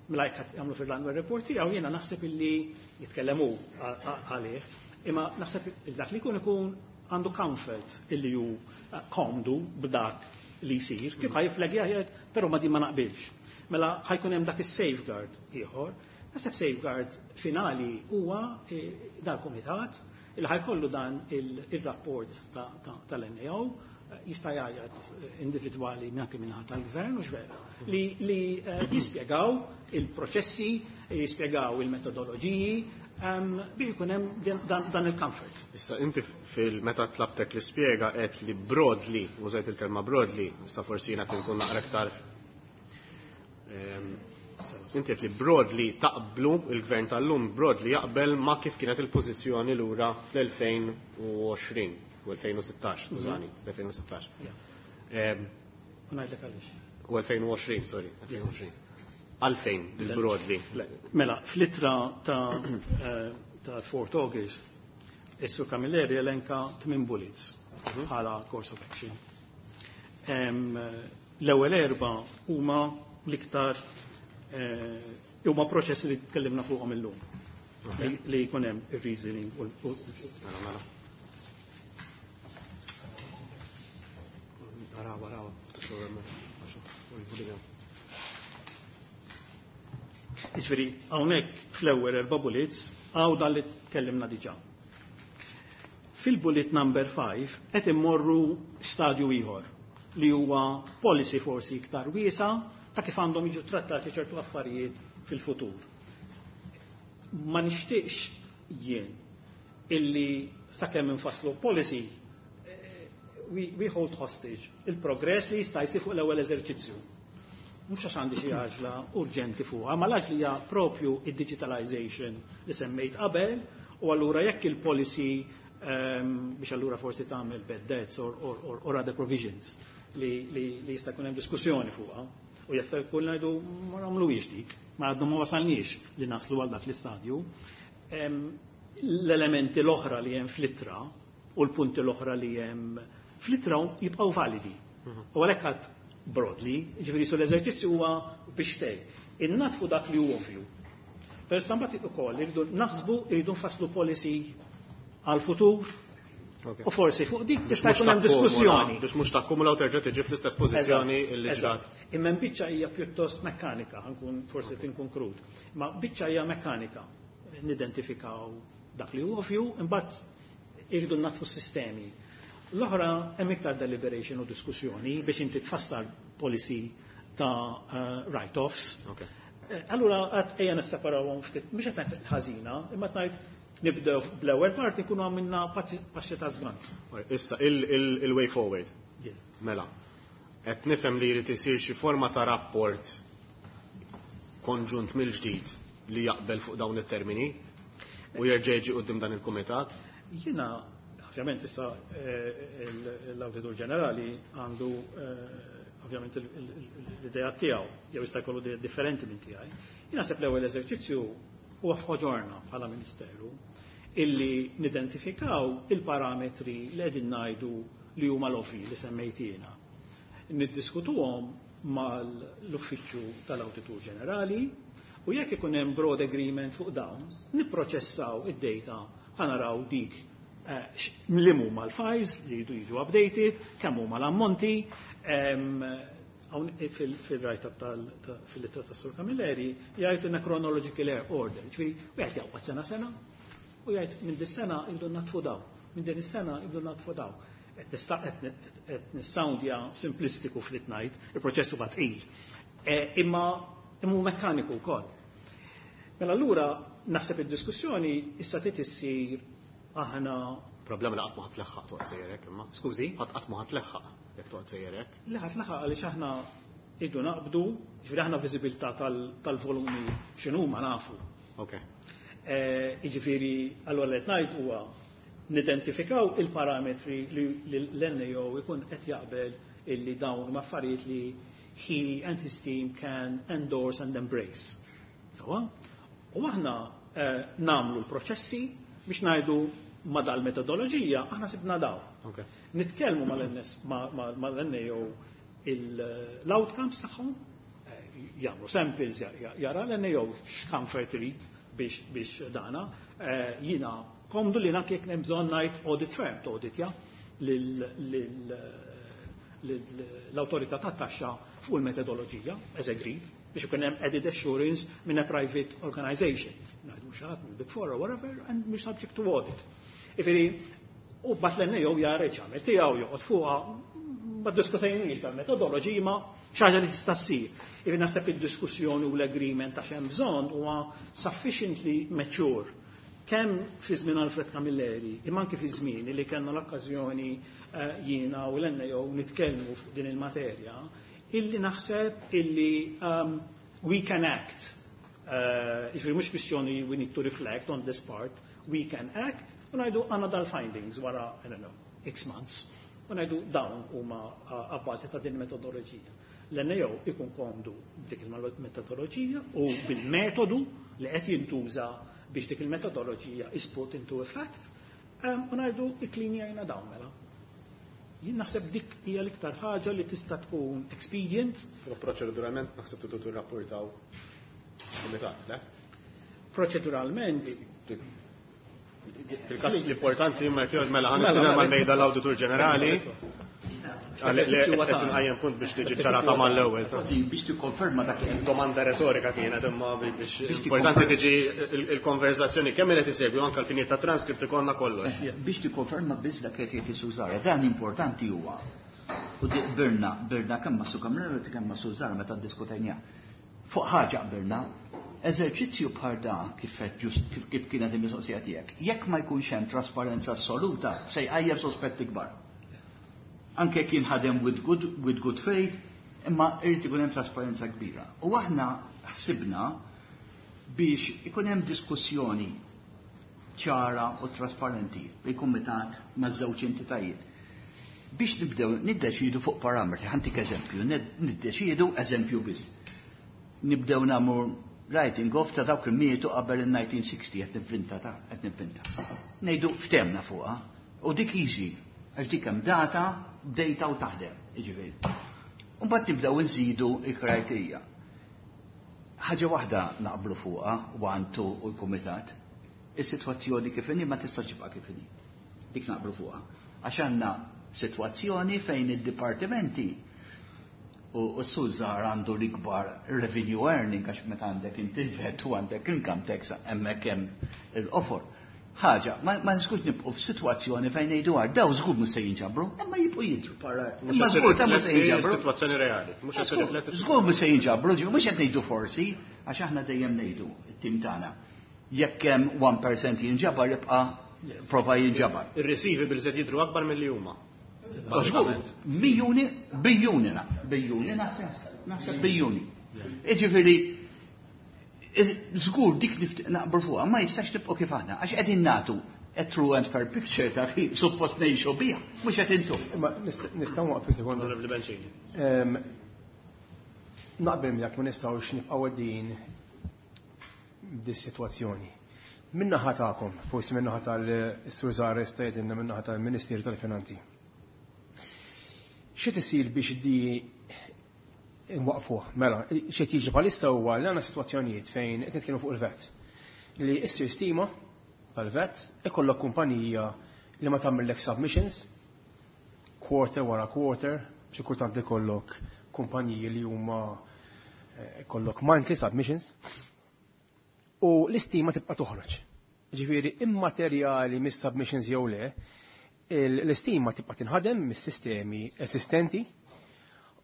Speaker 4: Mela jekk jagħmlu fil-annual report tiegħu jiena naħseb illi jitkellemu għalih, imma naħseb dak li jkun ikun għandu comfort illi hu komdu b'dak li jsir, kif ħa jifflaggja jgħid, però ma din ma naqbilx. Mela ħa jkun hemm dak is-safeguard ieħor. Naħseb safeguard finali huwa dal-kumitat il ħa jkollu dan il-rapport tal-N A O jista' jgħajjat individwali anke minnaħa tal-gvern u vera li, li jispjegaw il-proċessi, jispjegaw il-metodoloġiji biex ikun hemm dan, dan il-comfort.
Speaker 2: Issa inti fil-meta tlabtek li spjega qed li broadly, użajt il-kelma broadly, issa forsi jiena tinkun naqra iktar inti qed li broadly taqblu il-gvern tal-lum broadly jaqbel ma kif kienet il-pożizzjoni lura fl-elfejn u għoxrin u elfejn u sittax, skużani, elfejn u sittax.
Speaker 4: U ngħidlek għaliex.
Speaker 2: U elfejn u għoxrin, sorry, elfejn u għoxrin. Għalfejn il-broadly?
Speaker 4: Mela, fl-ittra ta' ta' fourth August, is-Sur Camilleri elenka tmien bullets bħala course of action. L-ewwel erba' huma l-iktar huma proċessi li tkellimna fuqhom illum. Li jkun hemm ir-reasoning u
Speaker 2: Mela, mela. Araw, araw, tislu.
Speaker 4: Jiġifieri hawnhekk fl-ewwel erba' bullets hawn dan li tkellimna diġà. Fil-bullet number five qed immorru stadju ieħor li huwa policy forsi iktar wiesa ta' kif għandhom jiġu trattati ċertu affarijiet fil-futur. Ma nixtieqx jien illi sakemm infasslu policy eh, we, we hold hostage il-progress li jista' jsir fuq l-ewwel eżerċizzju. Mhux għax għandi xi għaġla urġenti fuqha, ma l-għaġla hija propju id-digitalization li semmejt qabel u allura jekk il-policy um, biex allura forsi tagħmel bad debts or, or, or, or other provisions li, li, li jista' jkun hemm diskussjoni fuqha. U jista' jkun ngħidu ma nagħmluhiex dik, ma għadna ma wasalniex li naslu għal dak l-istadju. Em, L-elementi l-oħra li hemm fl-ittra u l-punti l-oħra li hemm fl-ittra jibqgħu validi. U għalhekk għad broadly, ġifieri su l-eżerċizzju huwa biex tgħid. Innatfu dak li hu ovvju. Per mbagħad ukoll irridu naħsbu irridu nfasslu policy għal-futur u forsi fuq dik tista' jkun hemm diskussjoni.
Speaker 2: Biex mhux takkumula u terġa' tiġi fl-istess pożizzjoni illi ġrat.
Speaker 4: Eżatt. Imma biċċa hija pjuttost mekkanika, ħa nkun forsi tinkun krud. Ma biċċa hija mekkanika. Nidentifikaw dak li hu ovvju, imbagħad irridu natfu sistemi. L-oħra hemm iktar deliberation u diskussjoni biex inti tfassal policy ta' uh, write-offs.
Speaker 2: Okay.
Speaker 4: Eh, Allura għad ejja nisseparawhom ftit, mhux qed ngħid ħażina, imma ngħid nibdew bl-ewwel parti nkunu għamilna passi ta' żgant.
Speaker 2: Issa, il-way forward.
Speaker 4: Yes.
Speaker 2: Mela, qed nifhem li jrid isir xi forma ta' rapport konġunt mill-ġdid li jaqbel fuq dawn it-termini u jerġa' jiġi quddiem dan il-kumitat.
Speaker 4: Jiena, ovvjament issa eh, l-Awditur Ġenerali għandu eh, ovvjament l-idea tiegħu, jew jista' jkollu differenti minn tiegħi. Jien naħseb l-ewwel eżerċizzju huwa f'ħoġorna bħala Ministeru illi nidentifikaw il-parametri li qegħdin ngħidu li huma l-ovvi li semmejt jiena. Niddiskutuhom mal-Uffiċċju tal-Awditur Ġenerali u jekk ikun hemm broad agreement fuq dawn, nipproċessaw id-data ħa naraw dik eh, li huma l-files li jridu jiġu updated, kemm huma l-ammonti, fil-write-up fil-ittra ta' Sur Camilleri jgħid in a chronological order, ġifieri wieħed jaqbad sena sena u jgħid minn dis-sena jridu natfu daw, minn din is-sena jridu natfu daw. Qed nissoundja simplistiku fl-itnajt, il-proċess huwa tqil. E, imma imma mekkaniku wkoll. Mela allura naħseb id-diskussjoni issa trid issir aħna
Speaker 2: Problema li qatt ma ħa tleħħaq toqgħod sejjerek imma.
Speaker 4: Skużi?
Speaker 2: Qatt qatt ma ħa tleħħaq jekk toqgħod sejjerek.
Speaker 4: Le ħa tleħħaq għaliex aħna iddu naqbdu, ġifieri aħna viżibilità tal-volumi x'inhu ma nafu.
Speaker 2: Ok.
Speaker 4: Jiġifieri allura li qed ngħid huwa nidentifikaw il-parametri li l-N A O ikun qed jaqbel illi dawn huma affarijiet li he and his team can endorse and embrace. Sawa? U aħna eh, namlu l-proċessi biex ngħidu ma dal-metodoloġija aħna sibna daw.
Speaker 2: Okay.
Speaker 4: Nitkellmu mal-N A O l-outcomes tagħhom, eh, jagħmlu samples, jara l-N A O x'comfort irid biex biex dana, eh, jiena komdu li nak jekk hemm bżonn ngħid audit firm auditja l-awtorità tat-taxxa fuq il-metodoloġija, as agreed, biex ikun hemm added assurance minn a private organization. Ngħidu xi ħadd mill Big Four or whatever, and mhux subject to audit. Ifiri, u bat l-N A O jara ċamel tiegħu joqgħod fuqha, ma diskutejniex dal-metodoloġija ma xi ħaġa li tista' ssir. Ifiri naħseb id-diskussjoni u l-agreement ta' x'hemm bżonn huwa sufficiently mature kemm fi żmien Alfred Camilleri, imma anke fi żmien li kellna l-okkażjoni eh, jiena u l-N A O nitkellmu fuq din il-materja, illi naħseb illi um, we can act. Uh, Ġifieri mhux kwistjoni we need to reflect on this part, we can act, u ngħidu għandna dal-findings wara, I don't know, X months, u ngħidu dawn huma abbażi ta' din metodoloġija. L-N A O ikun komdu b'dik il-metodoloġija u bil-metodu li qed jintuża biex dik il-metodoloġija is put into effect, um, u ngħidu ikklinjajna dawn mela. Jien naħseb dik hija l-iktar ħaġa li tista' tkun expedient.
Speaker 2: Però proċeduralment naħseb tridu tirrapportaw kumitat, le?
Speaker 4: Proċeduralment
Speaker 2: Fil-każ l-importanti imma jekk mela ħa nistieden mal-mejda l-Awditur Ġenerali. Qed inqajjem punt biex tiġi ċarata mal-ewwel.
Speaker 5: Biex tikkonferma dak li
Speaker 2: Domanda retorika kienet imma biex importanti tiġi il-konverzazzjoni kemm qed isegwi anke l-finijiet ta' transcript ikollna kollox.
Speaker 5: Biex tikkonferma biss dak qed jgħid Sużara, dan importanti huwa. U birna, birna kemm ma' Su Camilleri kemm ma' Sużara meta ddiskutejna. Fuq ħaġa qbilna, Eżerċizzju bħal dan kif kif, kif kienet il-mistoqsija tiegħek, jekk ma jkunx hemm trasparenza assoluta, se jqajjem sospetti kbar. Anke jekk jinħadem with good, with good faith, imma irid ikun hemm trasparenza kbira. U aħna ħsibna biex ikun hemm diskussjoni ċara u trasparenti bil-kumitat maż-żewġ entitajiet biex nibdew niddeċidu fuq parametri, ħa ntik eżempju, niddeċidu eżempju biss. Nibdew nagħmlu writing off ta' dawk li mietu qabel il-elf disa' mija u sittin, qed nivvinta ta' qed nivvinta. Ngħidu ftehemna fuqha u dik easy, għax dik hemm data, data u taħdem, jiġifieri. Mbagħad nibdew nżidu il-kriterja. Ħaġa waħda naqblu fuqha, one, two u l-kumitat, is-sitwazzjoni kif inhi ma tistax tibqa' kif inhi. Dik naqblu fuqha. Għax għandna sitwazzjoni fejn id-dipartimenti u s-sużar għandu l-ikbar revenue earning, għax meta għandek inti il-VAT u għandek income tax, hemmhekk hemm il-offer. Ħaġa, ma, ma nistgħux nibqgħu f'sitwazzjoni fejn ngħidu għar daw żgur mhux se jinġabru, imma jibqgħu jidhru para. Imma żgur ta' mhux se jinġabru.
Speaker 2: Situazzjoni reali. Mhux qed tirrifletti.
Speaker 5: Żgur mhux se jinġabru, mhux qed ngħidu forsi, għax aħna dejjem ngħidu it-tim tagħna. Jekk hemm wieħed fil-mija jinġabar, jibqa' prova jinġabar.
Speaker 2: Ir-receivables qed jidhru akbar milli huma.
Speaker 5: Żgur, miljuni, biljuni na, biljuni naħseb, naħseb biljuni. Iġifieri, żgur dik naqbru fuqha, ma jistax tibqgħu kif aħna, għax qegħdin nagħtu a true and fair picture ta' kif suppost ngħixu biha, mhux qed intu.
Speaker 6: Ma nistgħu waqfu sekonda.
Speaker 2: Onorevoli Bencini.
Speaker 6: Naqbel miegħek, ma nistgħux nibqgħu għaddejjin dis-sitwazzjoni. Min-naħa tagħkom, forsi min-naħa tal-Sur Zares tgħidilna, min-naħa tal-Ministeru tal-Finanzi. Xi tisir biex di nwaqfuh? Mela, xi tiġi bħalissa huwa li għandna sitwazzjonijiet fejn qed nitkellmu fuq il-VAT. Li issir stima tal-VAT, ikollok kumpanija li ma tagħmellek submissions, quarter wara quarter, xi kultant ikollok kumpaniji li huma eh, ikollok monthly submissions, u l-istima tibqa' toħroġ. Ġifieri immaterjali mis-submissions jew le, l-istima tibqa' tinħadem mis-sistemi esistenti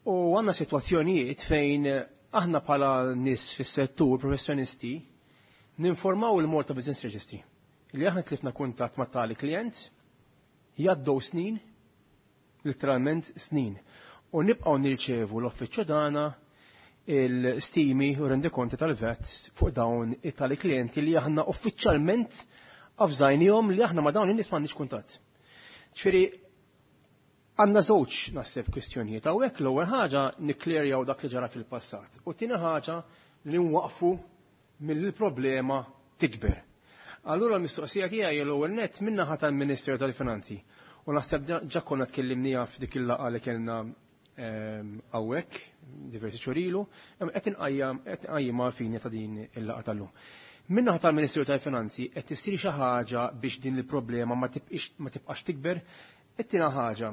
Speaker 6: u għandna sitwazzjonijiet fejn aħna bħala nies fis-settur, professjonisti, ninformaw il-Malta Business Registry li aħna tlifna kuntatt ma' tali klient, jgħaddu snin, literalment snin, u nibqgħu nirċevu l-uffiċċju tagħna il-stimi u rendikonti tal-VAT fuq dawn it-tali klienti li aħna uffiċjalment avżajnihom li aħna ma' dawn in-nies m'għandniex kuntatt. Ġifieri għandna żewġ naħseb kwistjonijiet hawnhekk. L-ewwel ħaġa, nikklerjaw dak li ġara fil-passat. U tieni ħaġa, li nwaqfu mill-problema tikber. Allura l-mistoqsija tiegħi, l-ewwel nett min-naħa tal-Ministeru tal-Finanzi. U naħseb ġa konna tkellimniha f'dik il-laqgħa li kellna hawnhekk diversi xhur ilu, qed inqajjimha fini ta' din il-laqgħa tal-lum. Min-naħa tal-Ministeru tal-Finanzi qed issir xi ħaġa biex din il-problema ma tibqax tikber? It-tieni ħaġa,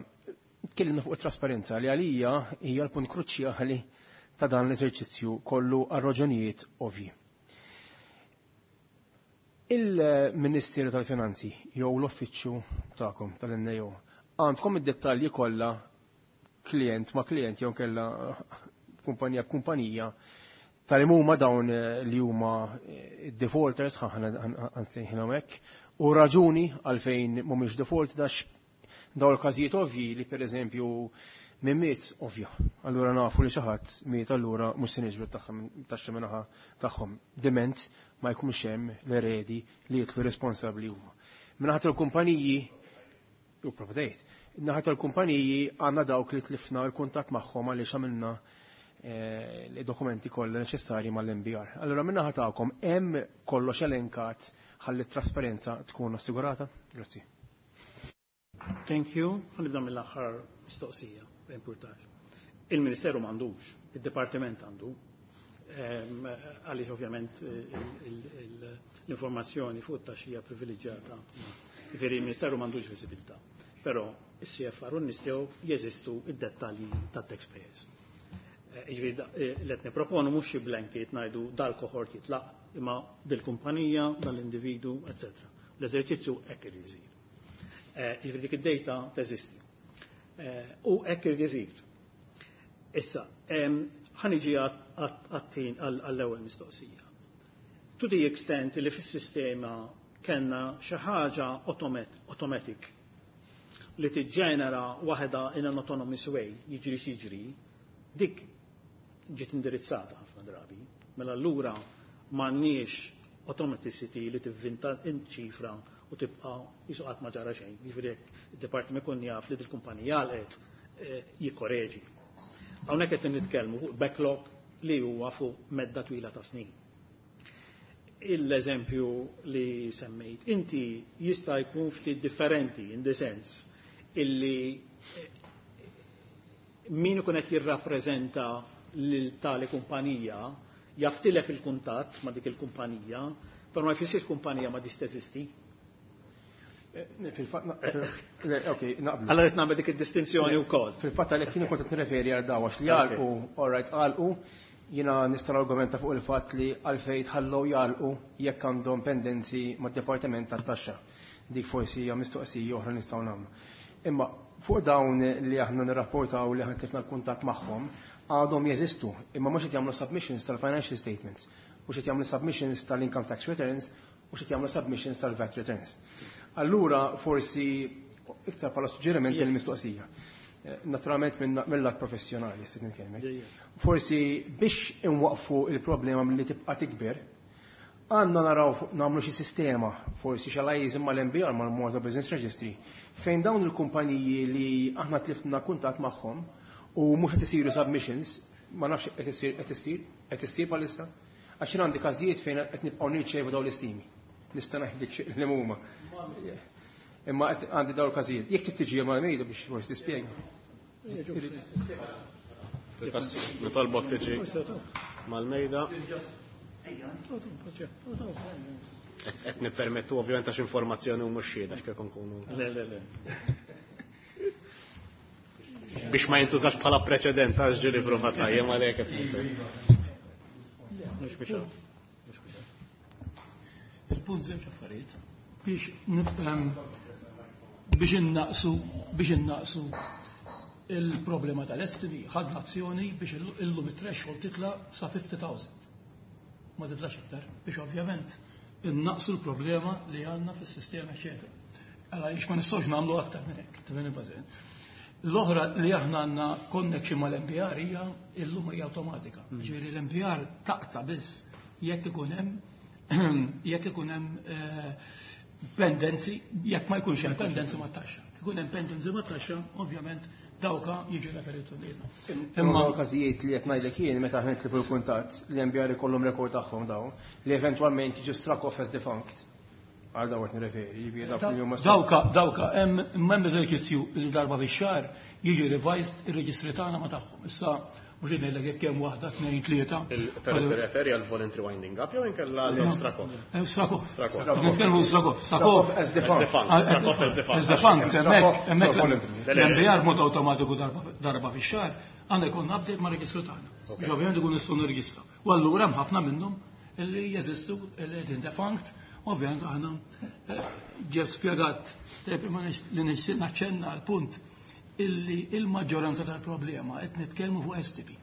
Speaker 6: tkellimna fuq it-trasparenza li għalija hija l-punt kruċjali ta' dan l-eżerċizzju kollu għal raġunijiet ovvji. Il-Ministeru tal-Finanzi jew l-uffiċċju tagħkom tal-N A O għandkom id-dettalji kollha klient ma' klient jew kella kumpanija b'kumpanija tal huma dawn li huma defaulters, ħa nsejħilhom hekk, u raġuni għalfejn mhumiex default dax dawn il-każijiet ovvji li pereżempju min miet ovvja. Allura nafu li xi ħadd miet, allura mhux se niġbru taxxa min-naħa tagħhom. Diment ma jkunx hemm l-eredi li jitlu responsabbli huma. Min-naħa tal-kumpaniji u proprjetajiet. Naħa tal-kumpaniji għandna dawk li tlifna l-kuntatt magħhom għaliex għamilna l-dokumenti kollha neċessarji mal-N B R. Allura min-naħa tagħkom hemm kollox elenkat ħalli t-trasparenza tkun assigurata? Grazzi.
Speaker 4: Thank you. Nibda mill-aħħar mistoqsija, importanti. Il-Ministeru m'għandux, il-Dipartiment għandu. Għaliex ovvjament l-informazzjoni fuq it-taxxija privileġġjata. Ġifieri il-Ministeru m'għandux visibilità. Però il-C F R u nistgħu jeżistu id-dettalji tat-taxpayers. Ġifieri li qed nipproponu mhux xi blanket ngħidu dal-kohort jitlaq, imma dil-kumpanija, dal-individu, eċċetera. L-eżerċizzju hekk irid isir. Ġifieri dik id-data teżisti. U hekk irid isir. Issa, ħa niġi għat-tin għall-ewwel mistoqsija. To the extent li fis-sistema kellna xi ħaġa automatic li tiġġenera waħda in an autonomous way, jiġri x'jiġri, dik ġiet indirizzata ħafna drabi. Mela allura m'għandniex automaticity li tivvinta ċifra u tibqa' qisu qatt ma ġara xejn. Jiġifieri jekk id-dipartiment ikun jaf li dil-kumpanija għalqet eh, jikkoreġi. Hawnhekk qed nitkellmu fuq backlog li huwa fuq medda twila ta' snin. Il-eżempju li semmejt inti jista' jkun ftit differenti in the sense illi eh, min ikun qed jirrappreżenta lil tali kumpanija jaf tilef il-kuntatt ma' dik il-kumpanija, però ma jfissirx kumpanija ma dix teżisti.
Speaker 6: Eh, Fil-fatt, ok, naqblu.
Speaker 4: Allora qed nagħmel dik id-distinzjoni wkoll.
Speaker 6: Fil-fatt għalhekk jien kont qed nirreferi għal daw għax li għalqu, all right, għalqu, jiena nista' argumenta fuq il-fatt li għalfejn tħallew jagħlqu jekk għandhom pendenzi mad-Dipartiment tat-Taxxa. Dik forsi hija mistoqsija oħra nistgħu nagħmlu. Imma fuq dawn li aħna nirrapportaw li aħna tlifna l-kuntatt magħhom, għadhom jeżistu, imma mhux qed jagħmlu submissions tal-financial statements, mhux qed jagħmlu submissions tal-income tax returns, mhux qed jagħmlu submissions tal-VAT returns. Allura forsi iktar bħala suġġeriment
Speaker 4: Yes.
Speaker 6: mill-mistoqsija. Eh, Naturalment minn mill-lat professjonali, se nitkellmek. Forsi biex inwaqfu il-problema milli tibqa' tikber, għandna naraw fuq- nagħmlu xi sistema, forsi xi liaison mal-M B R, mal-Malta Business Registry, fejn dawn il-kumpaniji li aħna tlifna kuntatt magħhom u mhux qed isiru submissions, ma nafx qed isir qed isir qed issir bħalissa, għax jien għandi każijiet fejn qed nibqgħu nirċevu dawn l-istimi. Nista' ngħidlek xi li huma. Imma qed għandi dawn il-każijiet. Jekk trid tiġi mal-mejda biex forsi tispjega.
Speaker 2: Nitolbok tiġi mal-mejda. Qed nippermettu ovvjament għax informazzjoni u mhux xhieda x'kif nkunu.
Speaker 4: Le, le, le.
Speaker 2: Biex ma jintużax bħala preċedent għax ġieli prova tajjem għalhekk qed ngħid.
Speaker 4: Mhux biex mhux biex.
Speaker 7: Il-punt żewġ affarijiet biex nifhem biex innaqsu biex innaqsu il-problema tal-estimi, ħadna azzjoni biex illum it-threshold titla sa fifty thousand. Ma titlax iktar biex ovvjament innaqsu l-problema li għandna fis-sistema, eċetera. Għala ix ma nistgħux nagħmlu aktar minn hekk, tifhimni bażin. L-oħra li aħna għandna connection mal-M B R hija illum hija awtomatika. Ġifieri l-M B R taqta' biss jekk ikun hemm jekk ikun hemm eh, pendenzi, jekk ma jkunx hemm pendenzi mat-taxxa. Ikun hemm pendenzi mat-taxxa, ovvjament dawka jiġu referitu lilna.
Speaker 6: Imma każijiet li qed ngħidlek jien meta aħna nitlifu l-kuntatt, li M B R ikollhom rekord tagħhom dawn li eventwalment jiġu struck off as defunct. Għal dawn qed nirreferi, jiġifieri dawk li huma
Speaker 7: Dawka, dawka, hemm hemm eżerċizzju li darba fix-xahar jiġi revised ir-reġistri tagħna ma tagħhom. Issa mhux qed ngħidlek jekk hemm waħda, tnejn, tlieta.
Speaker 2: Però tirreferi għal voluntary winding up jew inkella l struck off?
Speaker 7: Eh, struck off.
Speaker 2: Struck off.
Speaker 7: Nitkellmu struck off. Struck off.
Speaker 6: As defunct.
Speaker 2: As defunct. Struck off as defunct.
Speaker 7: As defunct, hemmhekk, hemmhekk
Speaker 6: voluntary.
Speaker 7: l-M B R mod awtomatiku darba darba fix-xahar għandna jkun update ma' reġistru tagħna. Biex ovvjament ikun nistgħu nirreġistraw. U allura hemm ħafna minnhom illi jeżistu illi qegħdin defunct, ovvjament aħna eh, ġeb spjegat tajjeb, imma nix- li nixtieq naċċenna l-punt illi il-maġġoranza tal-problema qed nitkellmu fuq estimi,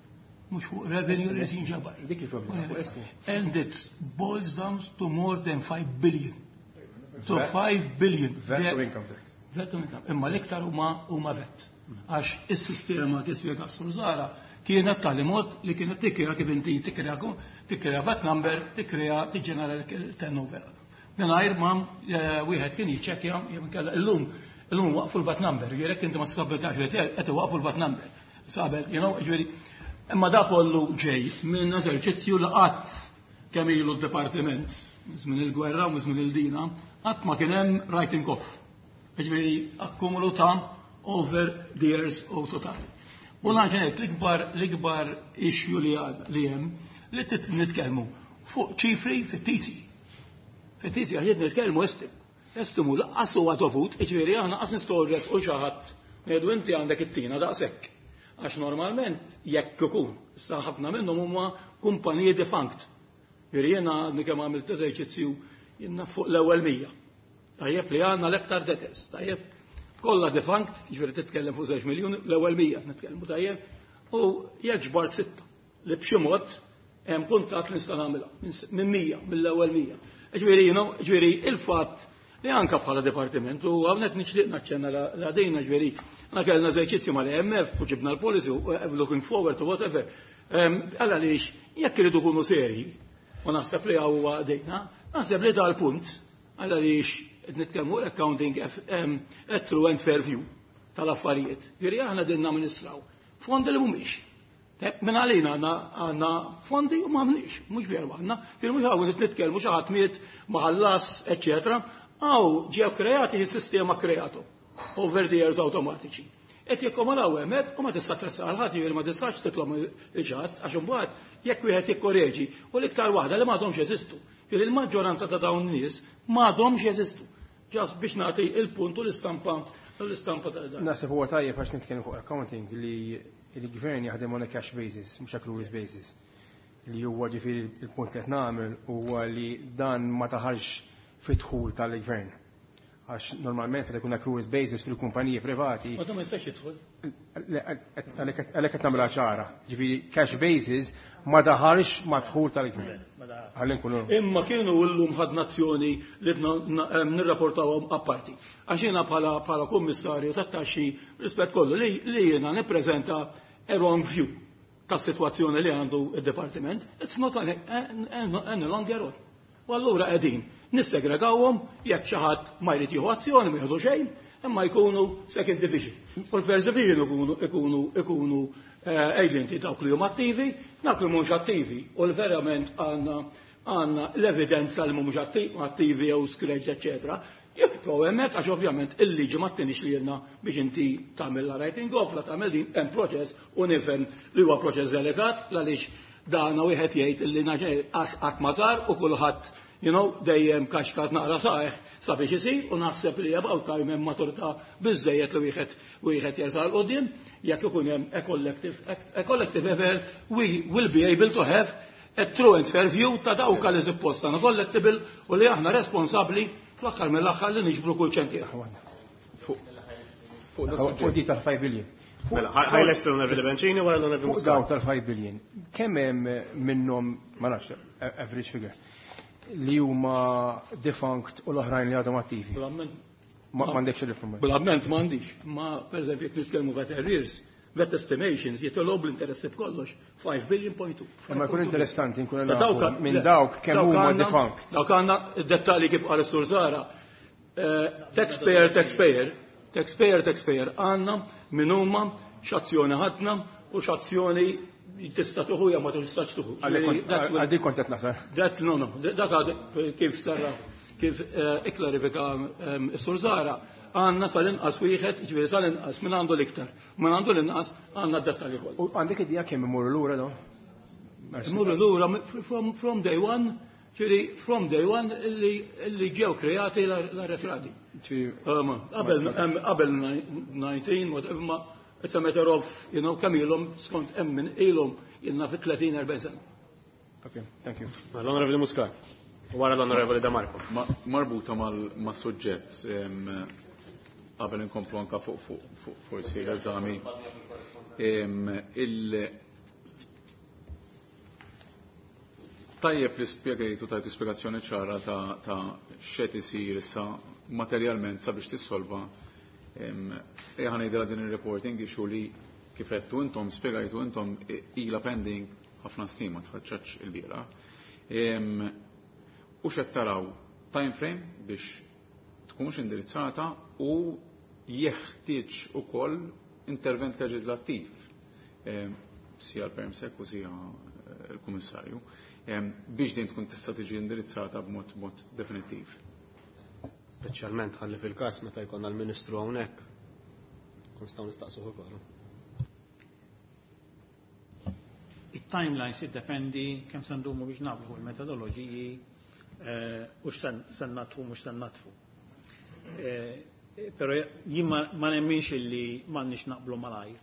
Speaker 7: mhux fuq revenue li jinġabar.
Speaker 6: Dik il-problema, fuq estimi.
Speaker 7: And it boils down to more than five billion. To five billion.
Speaker 6: VAT u income tax.
Speaker 7: VAT u income. Imma l-iktar huma huma VAT. Għax is-sistema kif spjega Sur Zara kienet tali mod li kienet tikkrea kif inti tikkrea tikkrea VAT number, tikkrea tiġġenera l-turnover. Mingħajr ma eh, wieħed kien jiċċekkja jew inkella illum illum waqfu l-VAT number, jekk inti ma tsabbitax li qed iwaqfu l-VAT number. Sabel, you know, ġifieri, imma da kollu ġej minn eżerċizzju li qatt kemm ilu d-dipartiment, żmien il-gwerra u żmien il-dina, qatt ma kien hemm writing off. Ġifieri akkumulu ta' over the years u totali. U lanġenet l-ikbar l-ikbar issue li għad- li hemm li tit nitkellmu fuq ċifri fittizji. Fittizji għax nitkellmu estim. Estimu laqqas huwa dovut, ġifieri aħna qas nistgħu u xi ħadd ngħidu inti għandek it-tina daqshekk. Għax normalment jekk ikun, issa ħafna minnhom huma kumpaniji defunct. Ġifieri jiena għadni kemm għamilt eżerċizzju jiena fuq l-ewwel mija. Tajjeb li għandna l-iktar debtors, tajjeb kollha defunct, ġifieri titkellem fuq żewġ miljun, l-ewwel mija nitkellmu tajjeb, u jekk ġbart sitta li b'xi mod Hemm kuntatt li nista' nagħmilha minn mija, mill-ewwel mija. Ġifieri, ġifieri il-fatt li anka bħala dipartiment u hawnhekk nixtieq naċċenna la dejna ġifieri aħna kellna eżerċizzju mal-E M F u ġibna l-policy u looking forward to whatever. Għalla għaliex jekk iridu kunu seri u naħseb li huwa dejna, naħseb li dal-punt għalla għaliex qed nitkellmu accounting a true and fair view tal-affarijiet. Ġifieri aħna din namministraw fondi li mhumiex. Minn għalina għandna fondi u m'għandniex, mhux veru għandna, ġifieri mhux hawn nitkellmu xi ħadd miet maħallas, eċetera. Hawn ġew kreati is-sistema kreatu over the years automatiċi. Et jekkomalaw hemmhekk u ma tista' tressaq għal ħadd, jiġifieri ma tistax titlob il-ġadd għax imbagħad jekk wieħed jikkoreġi u l-iktar waħda li m'għadhomx jeżistu. Jiġifieri il-maġġoranza ta' dawn nies m'għadhomx jeżistu. Just biex nagħti il-punt u l-istampa l-istampa ta' dan.
Speaker 6: Naħseb huwa tajjeb għax nitkellmu fuq accounting li il-gvern jaħdem on a cash basis, mhux accruals basis. Li huwa ġifieri il-punt li qed nagħmel huwa li dan ma taħarx fid-dħul tal-gvern. Għax normalment meta jkun accruals basis fil-kumpaniji privati.
Speaker 7: Ma ma jistax jidħol.
Speaker 6: Għalhekk qed nagħmilha ċara. Ġifieri cash basis ma daħalx mad-dħul tal-gvern. Ħalli nkunu.
Speaker 7: Imma kienu llum ħadna azzjoni li nirrapportawhom apparti. Għax jiena bħala bħala kummissarju tat-taxxi rispett kollu li jiena nippreżenta a wrong view tas-sitwazzjoni li għandu id-departiment. It's not any longer wrong. U allura qegħdin nissegregawhom jekk xi ħadd ma jrid jieħu azzjoni ma jieħdu xejn, imma jkunu second division. U l-first division ikunu ikunu ikunu agenti dawk li huma attivi, dawk li mhux attivi. U l-verament għandna għandna l-evidenza li mhumiex attivi jew scratch, eċetera. Jibqgħu hemmhekk għax ovvjament il-liġi ma ttinix li lilna biex inti tagħmel la writing off, la tagħmel din hemm proċess u nifhem li huwa proċess delikat għaliex dana wieħed jgħid li naġel għax qatt ma sar u kulħadd you know, dejjem kaxkat naqra saħ sabiex isir u naħseb li about time hemm maturità biżejjed li wieħed wieħed jersaq 'l quddiem jekk ikun hemm a collective a collective effort, we will be able to have a true and fair view ta' dawk li suppost għandna collectible u li aħna responsabbli fl-aħħar mill-aħħar li niġbru kull ċentieħ.
Speaker 6: Fuq di tal-five billion.
Speaker 2: Mela, ħa jlesti l-Onorevoli Bencini wara l-Onorevoli
Speaker 6: Fuq daw tal-five billion. Kemm hemm minnhom, ma nafx, average figure, li huma defunct u l-oħrajn li għadhom attivi? Ma m'għandekx l-informazzjoni.
Speaker 7: Bl-amment m'għandix. Ma pereżempju jekk nitkellmu VAT arrears, VAT estimations jitolbu l-interessi b'kollox five billion point two.
Speaker 6: Ma jkun interessanti nkunu nafu minn dawk kemm huma defunct.
Speaker 7: Dawk għandna dettalji kif qal is-Sur Zara. Taxpayer, taxpayer, taxpayer, taxpayer għandna min huma x'azzjoni ħadna u x'azzjoni tista' tuħu jew ma tistax tuħu.
Speaker 6: Għal dik kont qed nasal.
Speaker 7: That no no, dak kif sarra kif ikklarifika is-Sur Zara, għandna sal-inqas wieħed, ġifieri sal-inqas min għandu l-iktar. Min għandu l-inqas għandna d-dettalji kollha.
Speaker 6: U għandek idea kemm imorru lura dawn?
Speaker 7: Imorru lura from, from day one, ġifieri from day one li ġew kreati l-arretrati. Qabel qabel nineteen, ma it's a matter of, you know, kemm ilhom skont hemm min ilhom ilna fi tletin erbgħin sena.
Speaker 6: Okay, thank you.
Speaker 2: L-Onorevoli Muscat. Wara l-Onorevoli De Marco.
Speaker 3: Marbuta mal-suġġett, qabel inkomplu anka fuq fuq forsi l-eżami. Il tajjeb li spjegajtu tajtu spjegazzjoni ċara ta' ta' x'qed isir issa materjalment sabiex tissolva ejja ngħidilha din ir-reporting issue li kif għedtu intom spjegajtu intom ilha pending ħafna snin ma tħaċċax il-bieraħ. U x'qed taraw time frame biex tkunx indirizzata u jeħtieġ ukoll intervent leġislattiv sia l-Permsec u sia l-Kummissarju biex din tkun tista' tiġi indirizzata b'mod mod definittiv.
Speaker 2: Speċjalment ħalli fil-każ meta jkollna l-Ministru hawnhekk kun nistgħu nistaqsuh ukoll.
Speaker 4: It-timelines jiddependi kemm se ndumu biex naqblu fuq il-metodoloġiji u x'se natfu mhux se natfu. Però jien ma nemminx illi m'għandniex naqblu malajr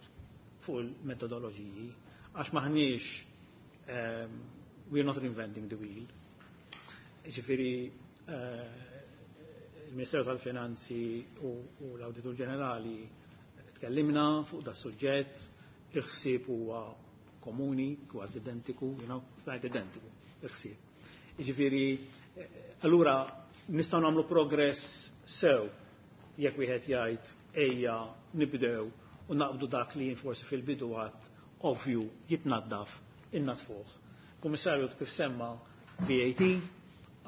Speaker 4: fuq il-metodoloġiji għax maħniex we are not reinventing the wheel. Ġifieri il-Ministeru tal-Finanzi u l-Awditur Ġenerali tkellimna fuq da suġġett, il-ħsieb huwa komuni, kważi identiku, you know, stajt identiku, il-ħsieb. Jiġifieri, allura nistgħu nagħmlu progress sew jekk wieħed jgħid ejja nibdew u naqbdu dak li forsi fil-bidu għad ovvju jitnaddaf innadfuh. Kummissarju kif semma V A T,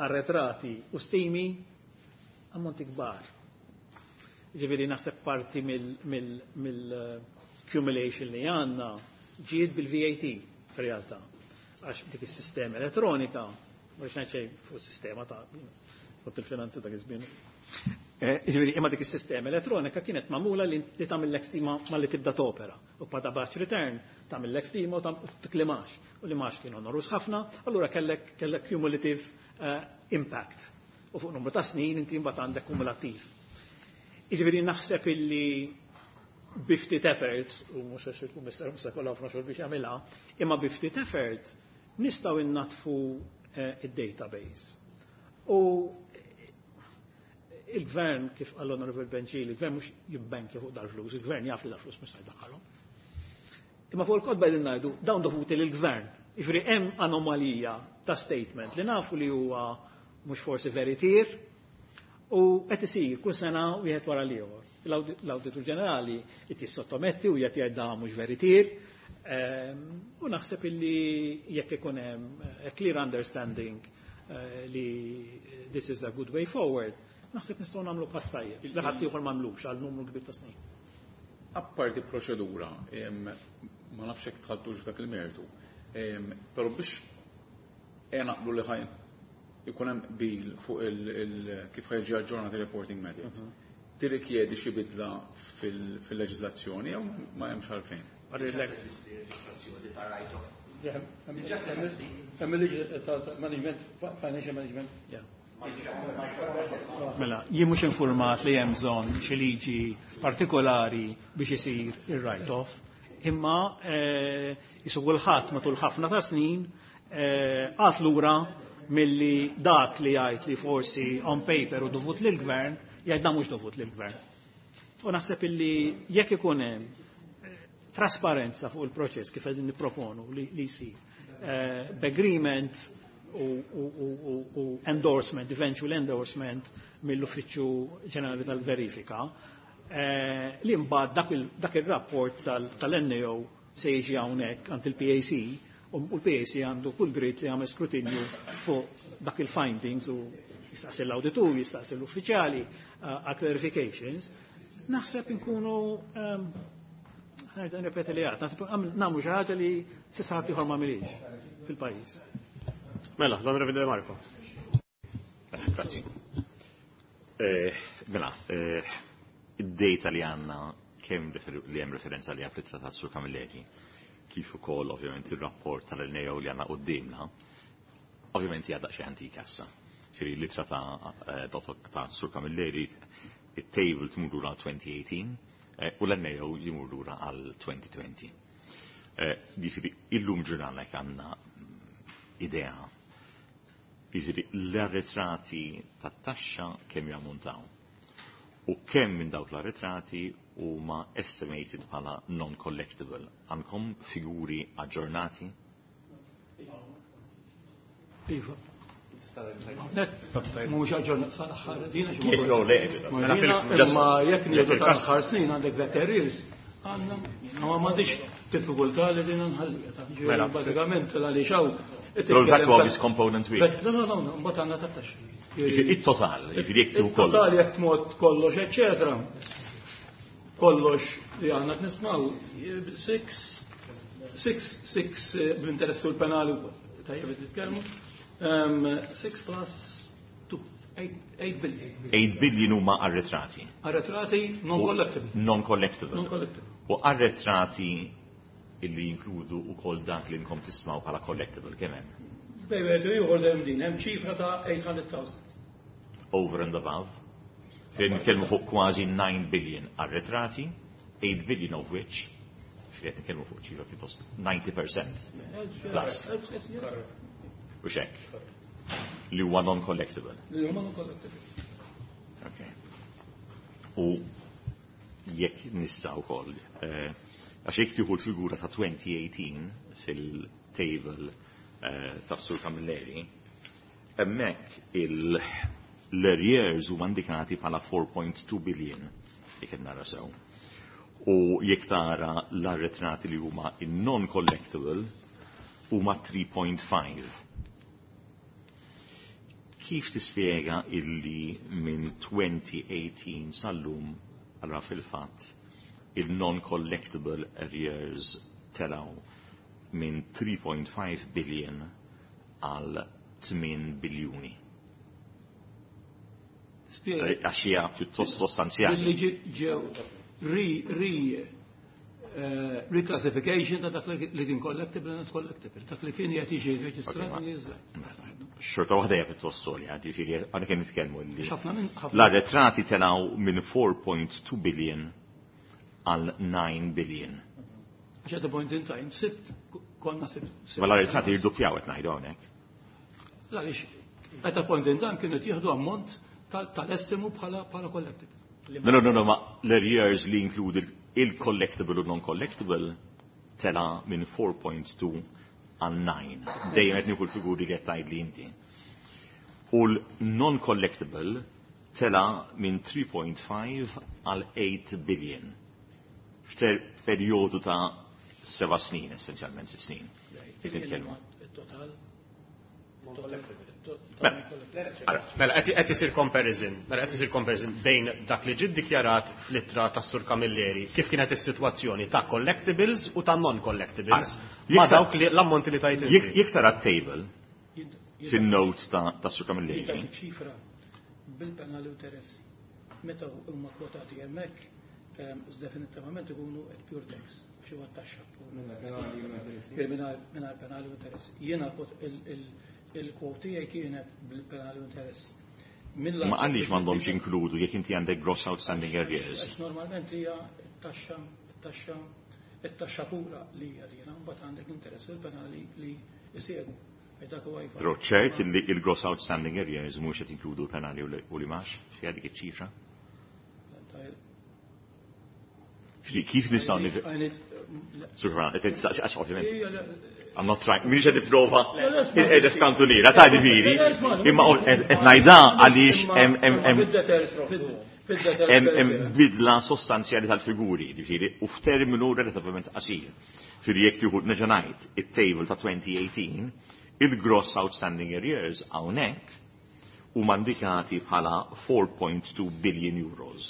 Speaker 4: arretrati u stimi ammonti kbar. Ġifieri naħseb parti mill-accumulation li għandna ġiet bil-V A T f'realtà. Għax dik is-sistema elettronika, mhux ngħid xejn fuq sistema ta' kont il-finanzi ta' iż-żmien. Ġifieri imma dik is-sistema elettronika kienet magħmula li tagħmel stima malli tibda topera. U bada batch return tagħmel stima u tiklimax. U li max kienu onerous ħafna, allura kellek kellek cumulative impact. U fuq numru ta' snin inti mbagħad għandek kumulattiv. Jiġifieri naħseb illi bi ftit effort, u mhux għax il-kummissarju mhux se jkollha ħafna xogħol biex jagħmilha, imma bi ftit effort nistgħu innatfu id-database. U il-gvern, kif qal l-Honorable Benġili, il-gvern mhux jibbenki fuq dal-flus, il-gvern jaf li dal-flus mhux se jdaħħalhom. Imma fuq il-kotba qegħdin ngħidu dawn dovuti lill-gvern. Jiġifieri hemm anomalija ta' statement li nafu li huwa mhux forsi veritier u qed isir kull sena wieħed wara l-ieħor. L-Awditur Ġenerali qed jissottometti u qed jgħid da mhux veritier. U naħseb illi jekk ikun hemm a clear understanding li this is a good way forward, naħseb nistgħu nagħmlu pass tajjeb. Li ħadd ieħor m'għamlux għal numru kbir ta' snin.
Speaker 3: Apparti proċedura, ma nafx hekk dħaltux f'dak il-mertu, però biex naqblu li ħajn ikun hemm qbil fuq kif ħa jiġi aġġornat il-reporting method. Tirrikjedi xi bidla fil-leġiżlazzjoni jew ma hemmx għalfejn?
Speaker 5: Leġiżlazzjoni ta' write-off.
Speaker 7: Hemm il-liġi ta' management, financial management.
Speaker 4: Mela, jien mhux informat li hemm bżonn xi liġi partikolari biex isir ir-write-off, imma jisu kulħadd matul ħafna ta' snin qagħad lura milli dak li jgħid li forsi on paper u dovut lill-gvern, jgħid da mhux dovut lill-gvern. U naħseb illi jekk ikun hemm trasparenza fuq il-proċess kif qegħdin nipproponu li jsir, b'agreement u, u, u, u endorsement, eventual endorsement mill-Uffiċċju Ġenerali tal-Verifika, eh, li mbagħad dak il-rapport tal-N A O se jiġi hawnhekk għand il-P A C u l-P A C għandu kull dritt li jagħmel skrutinju fuq dak il-findings u jistaqsi l-awditur, jistaqsi l-uffiċjali għal clarifications, naħseb inkunu nerġa' nirrepeti li għad, naħseb nagħmlu xi ħaġa li s'issa ħadd ieħor m'għamilhiex fil-pajjiż.
Speaker 2: Mela, l-Onorevoli De Marco.
Speaker 8: Grazzi. Mela, id-data li għandna kemm li hemm referenza li għaf trattat Sur Camilleri, kif ukoll ovvjament ir-rapport tal-N A O li għandna qudiemna, ovvjament hija daqsxejn antika issa. Ġifieri l-ittra ta' ta' Sur Camilleri, it-table tmur lura elfejn u tmintax u l-N A O jimur lura għal elfejn u għoxrin. Ġifieri illum ġurnalek għandna idea. Ġifieri l-arretrati tat-taxxa kemm jammuntaw. U kemm minn dawk l-arretrati huma estimated bħala non-collectible. Għandkom figuri aġġornati?
Speaker 7: Iva. Mhux aġġornat sal-aħħar dina. Imma jekk nieħdu tal-aħħar snin għandek VAT arrears, għandna ma m'għandix diffikultà li dina nħallija.
Speaker 8: Mela.
Speaker 7: Bażikament għaliex hawn.
Speaker 8: Però l-VAT huwa biss component wieħed.
Speaker 7: No, no, no, mbagħad għandna tat-taxxa.
Speaker 8: Il-total, jiġifieri jekk tieħu kollox.
Speaker 7: Il-total jekk tmod kollox, eċetera. Kollox li għandna nismaw, six, six, six bl-interess u l-penali u tajjeb nitkellmu. Six plus two, eight billion.
Speaker 8: eight billion huma arretrati.
Speaker 7: Arretrati non-collectible.
Speaker 8: Non-collectible.
Speaker 7: Non-collectible.
Speaker 8: U arretrati illi jinkludu ukoll dak li nkom tismaw bħala collectible, kemm hemm?
Speaker 7: Bejn wieħed u ieħor hemm din, hemm ċifra ta' eight hundred thousand.
Speaker 8: Over and above. Fejn nitkellmu fuq kważi nine billion arretrati, eight billion of which, fejn qed nitkellmu fuq ċifra pjuttost ninety percent plus. U xek. Li huwa non-collectible.
Speaker 7: Li huma non-collectible.
Speaker 8: Okay. U jekk nista' wkoll, eh, Għax jekk tieħu l-figura ta' twenty eighteen fil-table eh, ta' Sur Camilleri, hemmhekk l-arrears huma indikati bħala four point two billion, jekk qed nara sew. U jekk tara l-arretrati li huma non-collectible huma three point five. Kif tispjega illi minn twenty eighteen sal-lum, allura fil-fatt il-non-collectible arrears telaw minn three point five billion għal eight biljuni?
Speaker 7: Spjega.
Speaker 8: Għax hija pjuttost sostanzjali.
Speaker 7: Billi ġew ri ri eh, reclassification ta' dak li kien collectible, not collectible, dak li kien qed jiġi reġistrat.
Speaker 8: Xorta waħda hija pjuttost għolja, ġifieri għandna kien nitkellmu li
Speaker 7: ħafna minn ħafna
Speaker 8: l-arretrati telaw minn four point two billion għal nine billion.
Speaker 7: Għax at a point in time, sitt, konna sitt.
Speaker 8: Ma l-arretrati jirduppjaw qed ngħidu hawnhekk.
Speaker 7: Għaliex at a point in time kienu jieħdu ammont tal-estimu bħala bħala collectible.
Speaker 8: No, no, no, no, ma l-arrears li include il-collectible u non-collectible tela minn four point two għal nine. Dejjem qed nieħu l-figuri li qed tgħid li inti. U l-non-collectible tela minn three point five għal eight billion. F'ter perjodu ta' seba' snin, essenzjalment sitt snin. Jekk nitkellmu.
Speaker 7: Il-total.
Speaker 2: Mela, mela, qed isir comparison, mela qed isir comparison bejn dak li ġie ddikjarat fl-ittra tas Sur Camilleri kif kienet is-sitwazzjoni ta' collectibles u ta' non-collectibles ma' dawk li l-ammonti li tajt inti.
Speaker 8: Jekk tara table fin-note ta' ta' Sur Camilleri,
Speaker 7: Dik ċifra bil-penali u interessi. Meta huma kwotati hemmhekk, ehm, definitivament ikunu at pure tax, xi huwa taxxa. Mingħajr penali u interessi. Jiena il-kwot tiegħi kienet bil-penali u interessi.
Speaker 8: Ma għaliex m'għandhomx inkludu jekk inti għandek gross outstanding arrears?
Speaker 7: Għax normalment hija t-taxxa, it-taxxa, it-taxxa pura li hija dina, mbagħad għandek interess u l-penali li jsegwu. Dak huwa iva.
Speaker 8: Però ċert li il-gross outstanding arrears mhux qed inkludu l-penali u l-imgħax fiha dik iċ-ċifra? Kif nistgħu nif... Sukra, qed għax ovvjament. I'm not trying, m'iniex qed nipprova qiegħed f'kantuniera ta' ġifieri, imma qed ngħidha għaliex hemm hemm hemm bidla sostanzjali tal-figuri, ġifieri, u f'terminu relativament qasir. Ġifieri jekk tieħu, nerġa' ngħid, it-table ta' twenty eighteen, il-gross outstanding arrears hawnhekk huma indikati bħala four point two billion euros.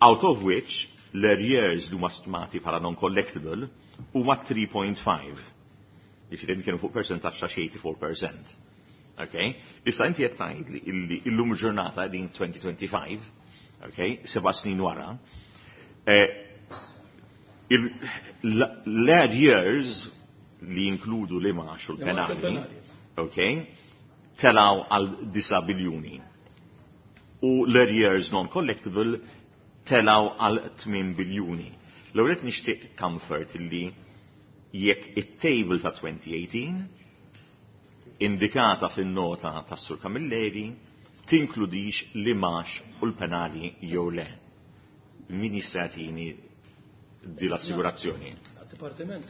Speaker 8: Out of which l-arrears li huma stmati bħala non-collectible huma three point five. Jiġifieri kienu fuq percentaġġ ta' eighty-four percent. Okay? Issa inti qed tgħid li illi illum il-ġurnata din twenty twenty-five, okay, seba' snin wara, eh, l-arrears li jinkludu l-imgħax u l-penali, okay, telaw għal disa' biljuni. U l-arrears non-collectible telaw għal tmien biljuni. L-ewwel nixtieq comfort illi jekk it-table ta' twenty eighteen indikata fin-nota ta' Sur Camilleri tinkludix l-imgħax u l-penali jew le. Min jista' jagħtini di l-assigurazzjoni?
Speaker 7: Dipartiment.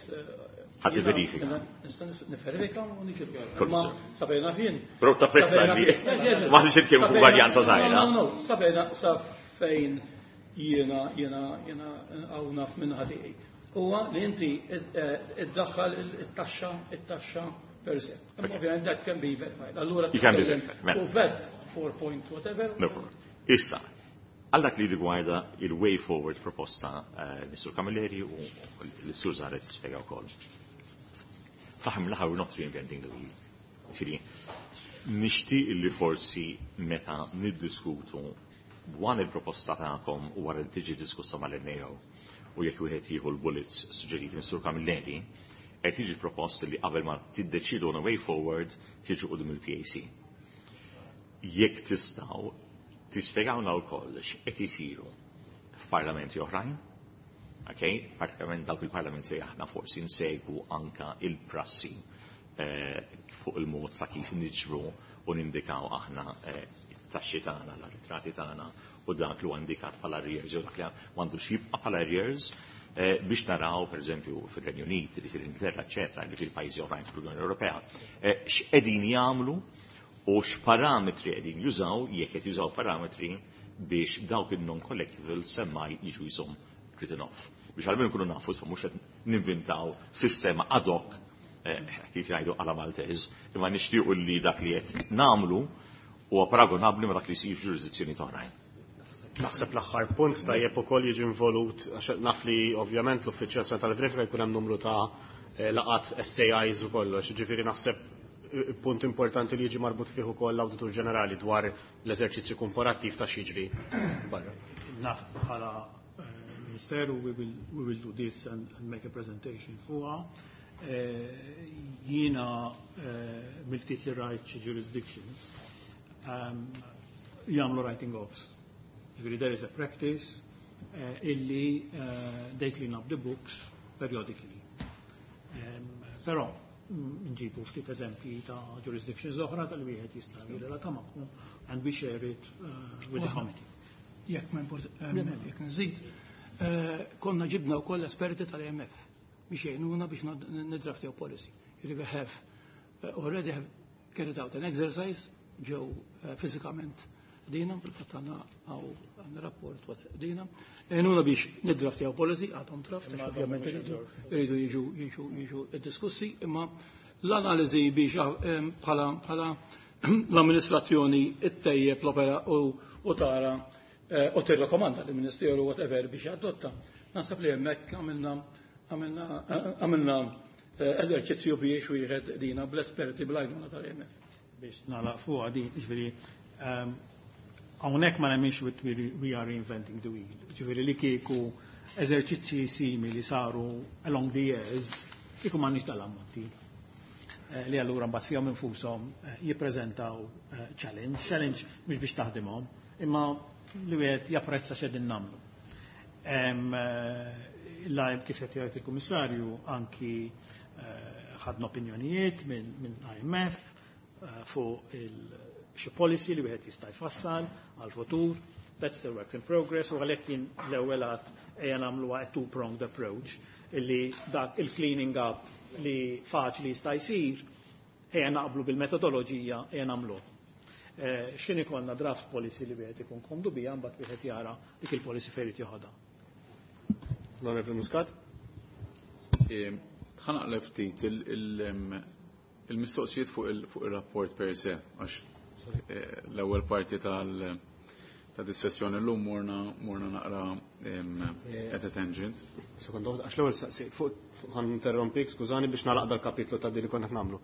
Speaker 8: Ħa tivverifika.
Speaker 7: Nista' nifverifika u niġi. Ma sabejna fin.
Speaker 8: Però tapprezza li ma nix nitkellmu fuq varjanza żgħira.
Speaker 7: No, no, sabejna sa fejn jiena jiena jiena hawn naf minn ħatiqi. Huwa li inti iddaħħal it-taxxa it-taxxa per se. Ovvjament that can be verified. Allura
Speaker 8: You can be verified.
Speaker 7: U VAT four point whatever.
Speaker 8: No problem. Issa, għal dak li rigwarda il-way forward proposta uh, Mister Camilleri u l-Sur Zaret jispjega wkoll. Fl-aħħar mill-aħħar we're not reinventing the wheel. Ġifieri, nixtieq li forsi meta niddiskutu wan il-proposta tagħkom u wara li tiġi diskussa mal-N A O u jekk wieħed jieħu l-bullets suġġeriti Mister Camilleri, qed jiġi propost li qabel ma tiddeċidu on a way forward tiġu quddiem il-P A C. Jekk tistgħu tispjegawna wkoll x'qed isiru f'parlamenti oħrajn, okay? Partikolarment dawk il-parlamenti li aħna forsi nsegwu anka il-prassi eh, fuq il-mod ta' kif niġbru u nindikaw aħna eh, it-taxxi tagħna, l-arretrati tagħna u dak li huwa indikat bħala arrears jew dak li m'għandux jibqa' bħala arrears. eh, biex naraw, per eżempju, fil-Renju Unit, fil-Ingilterra, eċetera, li fil-pajjiżi oħrajn fl-Unjoni Ewropea, eh, x'qegħdin jagħmlu u x'parametri qegħdin jużaw, jekk qed jużaw parametri biex dawk il-non-collectible semmai jiġu jisom written off. Biex għalmenu nkunu nafu, mhux qed ninvintaw sistema ad hoc, eh, kif jgħidu għala Maltez, imma nixtiequ li dak li qed nagħmlu huwa paragonabbli ma dak li jsir f'ġurisdizzjoni oħrajn.
Speaker 2: Naħseb l-aħħar punt tajjeb ukoll jiġi involut, għax naf li ovvjament l-Uffiċċju Nazzjonali tal-Verifika jkun hemm numru ta' eh, laqat S A Is u kollox, ġifieri naħseb eh, punt importanti li jiġi marbut fih ukoll l-Awditur Ġenerali dwar l-eżerċizzju komparattiv ta' x'jiġri barra.
Speaker 4: Naf bħala eh, Ministeru we will, we will do this and, and make a presentation fuqha. Eh, Jiena eh, mill-ftit li rajt xi jurisdictions um, jagħmlu writing offs. Ġifieri there is a practice eh, illi eh, they clean up the books periodically. Um, però mm, nġibu ftit eżempji ta' jurisdictions oħra tal-wieħed jista' jirrelata magħhom and we share it uh, with the committee.
Speaker 7: Jekk ma import, jekk nżid, eh, konna ġibna wkoll esperti tal-I M F biex jgħinuna biex nidraftjaw policy. Jiġifieri we have uh, already have carried out an exercise ġew uh, fiżikament dina, fil-fatt għandna għaw għandna rapport waqt dina. Għenuna biex nidraftjaw policy, għadhom draft, għax ovvjament iridu iridu jiġu jiġu jiġu diskussi, imma l-analiżi biex eh, bħala bħala l-amministrazzjoni ittejjeb l-opera u, u tara eh, u tirrakkomanda l-Ministeru whatever biex adotta. Naħseb li hemmhekk għamilna għamilna għamilna eh, eżerċizzju biex wieħed dina bl-esperti bl-għajnuna tal-I M F.
Speaker 4: Biex nagħlaq fuq din, ġifieri, um, hawnhekk ma nemminx we we are reinventing the wheel. Ġifieri li kieku eżerċizzji simili saru along the years, kieku m'għandniex dal-ammonti. Eh, li allura mbagħad fihom infushom eh, jippreżentaw eh, challenge, challenge mhux biex taħdimhom, imma li wieħed japprezza x'qegħdin nagħmlu. Em, eh, Lajb kif qed jgħid il-Kummissarju, anki eh, ħadna opinjonijiet minn min I M F eh, fuq il xi policy li wieħed jista' jfassal għal futur. That's the work in progress u għalhekk jien l-ewwel għad ejja nagħmlu a two-pronged approach, illi dak il-cleaning up li faċli jista' jsir, ejja naqblu bil-metodoloġija, ejja nagħmluh. Eh, X'inhi konna draft policy li wieħed ikun komdu biha, mbagħad wieħed jara dik il-policy fejn irid joħodha.
Speaker 2: L-Onorevoli Muscat?
Speaker 3: Ħa naqleb ftit il-mistoqsijiet fuq il-rapport per se, għax eh, l-ewwel parti tal- ta' dis-sessjoni llum morna morna naqra at a tangent.
Speaker 2: Sekonda, għax l-ewwel saqsi, fuq ħa ninterrompik, skużani, biex nagħlaq dal-kapitlu ta' li konna nagħmlu.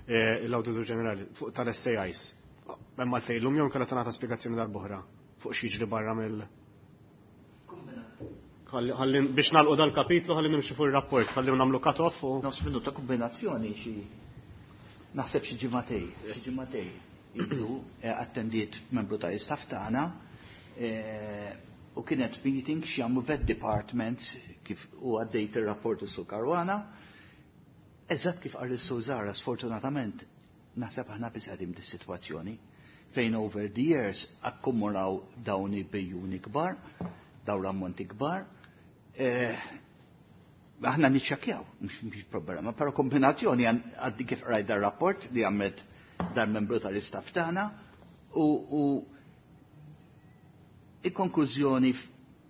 Speaker 2: Eh, L-Awditur Ġenerali fuq tal-S A Is. Hemm għalfejn llum jew kellha tingħata spjegazzjoni darb'oħra fuq x'jiġri barra mill Ħalli biex nagħlqu dal-kapitlu, ħalli nimxu fuq ir-rapport, ħalli nagħmlu cut-off u
Speaker 5: Nofs minuta kombinazzjoni, xi naħseb xi ġimagħtejn, xi ġimagħtejn ilu eh, attendiet membru ta' istaff tagħna eh, u kienet meeting x'jagħmlu VAT departments kif u għaddejt ir-rapport is-Sur Caruana. Eżatt kif qal is-Sur Zara, sfortunatament naħseb aħna biss qegħdin dis-sitwazzjoni fejn over the years akkumulaw dawn il-bejjuni kbar, dawn l-ammonti kbar. Eh, aħna niċċekkjaw, mhux mhux problema, però kombinazzjoni għaddi kif rajt dar rapport li għamlet dar membru tal-istaff tagħna u, u il-konklużjoni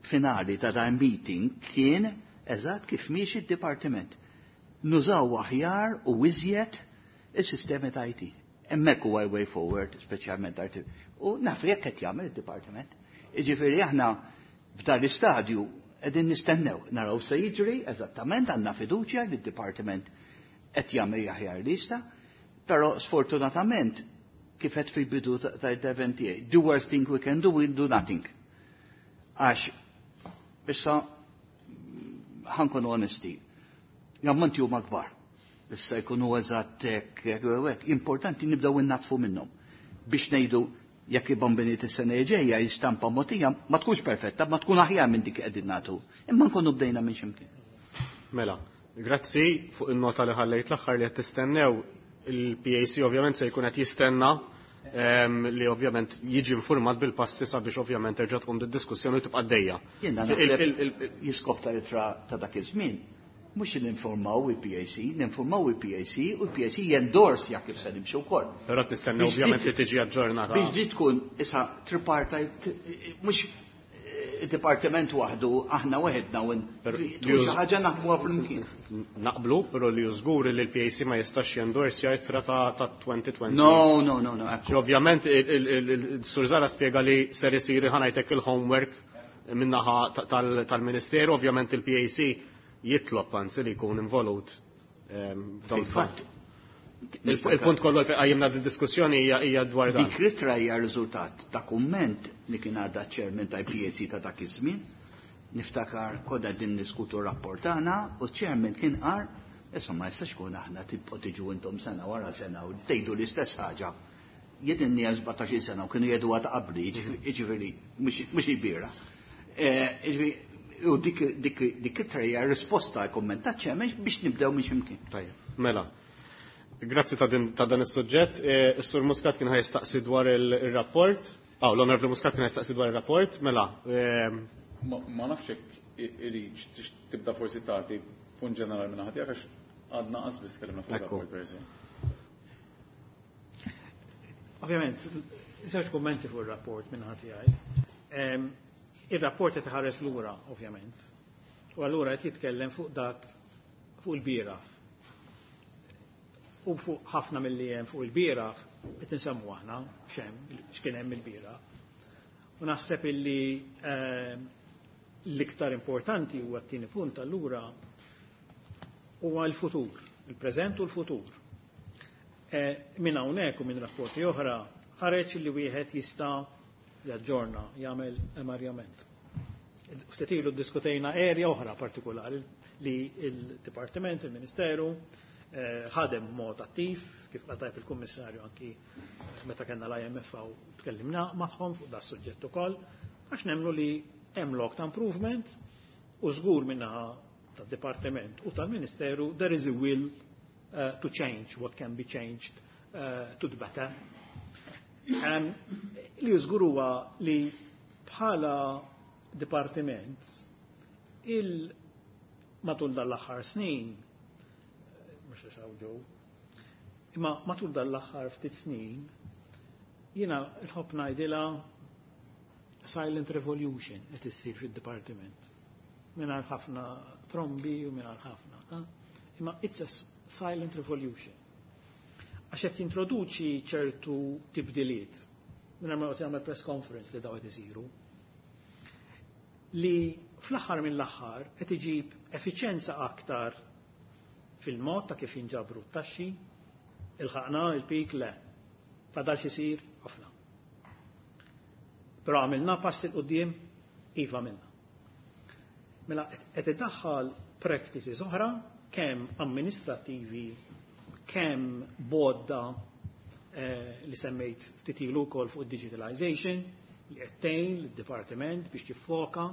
Speaker 5: finali ta' dan meeting kien eżatt kif miexi id-dipartiment. Nużaw aħjar u iżjed is-sistemi ta' I T. Hemmhekk huwa way forward, speċjalment I T. U naf li jekk qed jagħmel id-dipartiment. Jiġifieri aħna f'dan l-istadju qegħdin nistennew, naraw se jiġri eżattament, għandna fiduċja li d-dipartiment qed jagħmel aħjar lista, però sfortunatament kif qed fil-bidu ta' intervent tiegħi, the worst thing we can do, we do nothing. Għax issa ħa nkunu onesti, l-ammonti huma kbar. Issa jkunu eżatt hekk, hekk, hekk. Importanti nibdew innatfu minnhom biex ngħidu jekk il-bombiniet is-sena ġejja jistampa motija ma tkunx perfetta, ma tkun aħjar minn dik qegħdin nagħtu. Imma nkunu bdejna minn x'imkien.
Speaker 2: Mela, grazzi fuq il-nota li ħallejt l-aħħar li qed tistennew. Il-P A C ovvjament se jkun qed jistenna ehm, li ovvjament jiġi informat bil-passi sabiex ovvjament terġa' tqum diskussjoni tibqa' għaddejja.
Speaker 5: Jiena naħseb l-iskop tal-ittra ta' dak iż-żmien mhux ninformaw il-P A C, ninformaw il-P A C u il-P A C jendorsja kif se nimxu wkoll.
Speaker 2: Però tistenna ovvjament li tiġi aġġornata.
Speaker 5: Biex di tkun issa tripartite, mhux id-dipartiment waħdu, aħna waħedna u tkun xi ħaġa naħdmuha flimkien.
Speaker 2: Naqblu, però li żgur li l-P A C ma jistax jendorsja ittra ta' elfejn u għoxrin.
Speaker 5: No, no, no, no.
Speaker 2: Ovvjament il-Sur Zara spjega li ser isir, ħa ngħidlek, il-homework min-naħa tal-Ministeru, ovvjament il-P A C jitlob anzi li jkun involut.
Speaker 5: Ehm, Fil-fatt,
Speaker 2: il-punt kollu li qajjimna diskussjoni hija dwar dan.
Speaker 5: Dik l-ittra hija riżultat ta' kumment li kien għadda chairman ta' P A C ta' dak iż-żmien. Niftakar konna din niskutu rapport tagħna u chairman kien qal, "Issa ma jistax kun aħna tibqgħu tiġu intom sena wara sena u tgħidu l-istess ħaġa." Jien inni sbatax-il sena u kienu jgħidu ta' qabli, jiġifieri mhux il-bieraħ. Eh, u dik dik ittra hija risposta għal kumment ta' chairman biex nibdew minn x'imkien.
Speaker 2: Tajjeb, mela. Grazzi ta' dan is-suġġett. E, is-Sur Muscat kien ħa jistaqsi dwar il-rapport. Ah, l-Onorevoli Muscat kien ħa jistaqsi dwar il-rapport. Mela. E,
Speaker 3: Ma nafx hekk iridx tibda forsi tagħti punt ġenerali minn ħadd għax għadna qas biss tkellimna fuq il-rapport per se.
Speaker 4: Ovvjament, żewġ kummenti fuq ir-rapport minn ħadd tiegħi. Ir-rapport qed iħares lura, ovvjament. U allura qed jitkellem fuq dak fuq il-bieraħ. U fuq ħafna mill-li hemm fuq il-bieraħ qed insemmu aħna x'hemm, x'kien hemm il-bieraħ. U naħseb illi ehm, l-iktar importanti huwa t-tieni punt allura huwa l-futur, il-preżent u l-futur. E, minn hawnhekk u minn rapporti oħra ħareġ li wieħed jista' jaġġorna, jagħmel emarjament. Ftit ilu ddiskutejna area oħra partikolari li il-Dipartiment, il-Ministeru, eh, ħadem mod attiv, kif qal il-Kummissarju anki meta kellna l-I M F u tkellimna magħhom fuq da suġġett ukoll, għax nemmnu li hemm lok ta' improvement u żgur min-naħa tad-Dipartiment u tal-Ministeru there is a will uh, to change what can be changed uh, to the better. Um, li żgur huwa li bħala dipartiment il matul dal-aħħar snin, mhux għax ġew, imma matul dal-aħħar ftit snin, jiena nħobb ngħidilha silent revolution qed issir fid-dipartiment. Mingħajr ħafna trombi u mingħajr ħafna. Imma it's a silent revolution. Għax qed jintroduċi ċertu tibdiliet mingħajr ma jagħmel press conference li daw qed isiru. Li fl-aħħar mill-aħħar qed iġib effiċjenza aktar fil-mod ta' kif jinġabru t-taxxi, ilħaqna il-peak? Le. Fadal x'isir ħafna. Però għamilna pass 'il quddiem, iva minna. Mela qed idaħħal practices oħra kemm amministrativi, kemm bodda eh, li semmejt ftit ilu wkoll fuq digitalization li qed tgħin lid-dipartiment biex tiffoka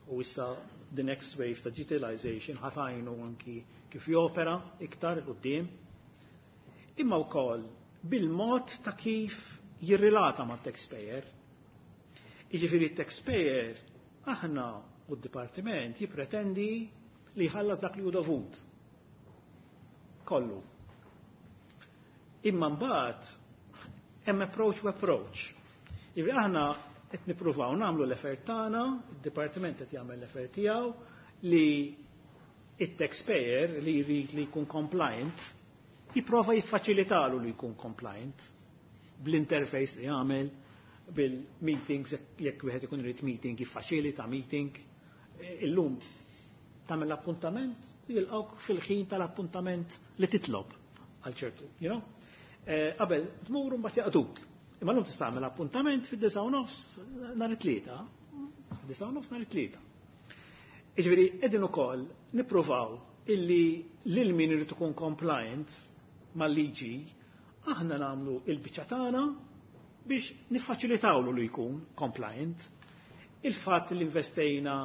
Speaker 4: u issa the next wave ta' digitalization ħa tgħinu anki kif jopera iktar 'il quddiem. Imma wkoll bil-mod ta' kif jirrilata ma' taxpayer. Jiġifieri taxpayer aħna u d-dipartiment jipretendi li jħallas dak li hu dovut. Kollu. Imma mbagħad hemm approach u approach. Jiġifieri aħna qed nippruvaw nagħmlu l-effort tagħna, id-dipartiment qed jagħmel l-effort tiegħu li it-taxpayer li jrid li jkun compliant jipprova jiffaċilitalu li jkun compliant bl-interface li jagħmel, bil-meetings, jekk wieħed ikun irid meeting, jiffaċilita meeting. Illum tagħmel l-appuntament, jilqgħuk fil-ħin tal-appuntament li titlob għal ċertu, you know? Eh, qabel tmur mbagħad jaqduk. Imma llum tista' tagħmel appuntament fid-disgħa u nofs nhar it-Tlieta. Fid-disgħa u nofs nhar it-Tlieta. Jiġifieri qegħdin ukoll nippruvaw illi lil min irid ikun compliant mal-liġi aħna nagħmlu il-biċċa tagħna biex niffaċilitawlu li jkun compliant. Il-fatt li investejna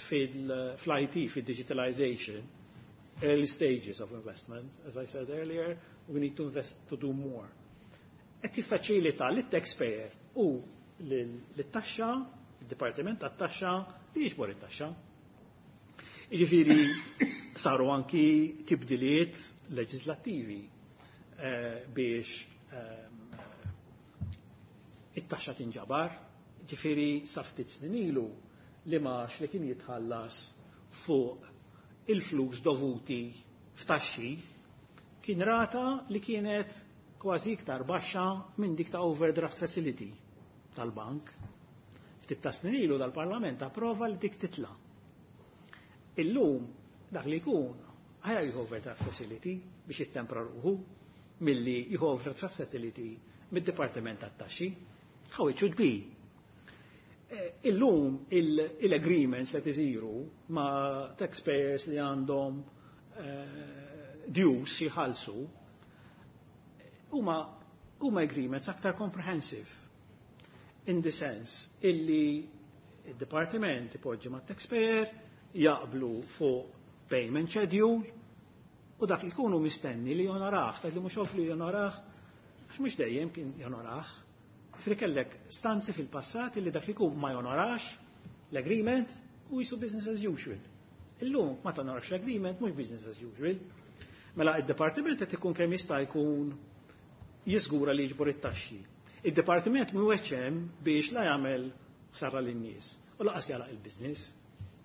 Speaker 4: fil-I T, fil-digitalization, early stages of investment, as I said earlier, we need to invest to do more. Qed jiffaċilita lit-taxpayer u lit-taxxa, id-Dipartiment tat-Taxxa li jiġbor it-taxxa. Jiġifieri saru anki tibdiliet leġislattivi eh, biex ehm, it-taxxa tinġabar, ġifieri sa ftit snin ilu li max li kien jitħallas fuq il-flus dovuti f'taxxi kien rata li kienet kważi iktar baxxa minn dik ta' overdraft facility tal-bank. Ftit ta' snin ilu dal-Parlament approva li dik titla'. Illum dak li jkun aħjar jieħu overdraft facility biex jittempra ruħu milli jieħu overdraft facility mid-Dipartiment tat-Taxxi. How it should be. Eh, illum il-agreements li isiru ma' taxpayers li għandhom eh, dues jħallsu huma huma agreements aktar comprehensive in the sense illi il-departiment ipoġġi ma' taxpayer jaqblu fuq payment schedule u dak li jkunu mistenni li jonorah, dak li mhux li jonorah, għax mhux dejjem kien jonorah. Fri kellek stanzi fil-passat li dak li jkun ma jonorax l-agreement u jisu business as usual. Illum ma tonorax l-agreement mhux business as usual. Mela id-departiment qed ikun kemm jista' jkun jiżgura li jiġbor it-taxxi. Id-departiment mhuwiex hemm biex la jagħmel ħsara lin-nies u lanqas jagħlaq il-business.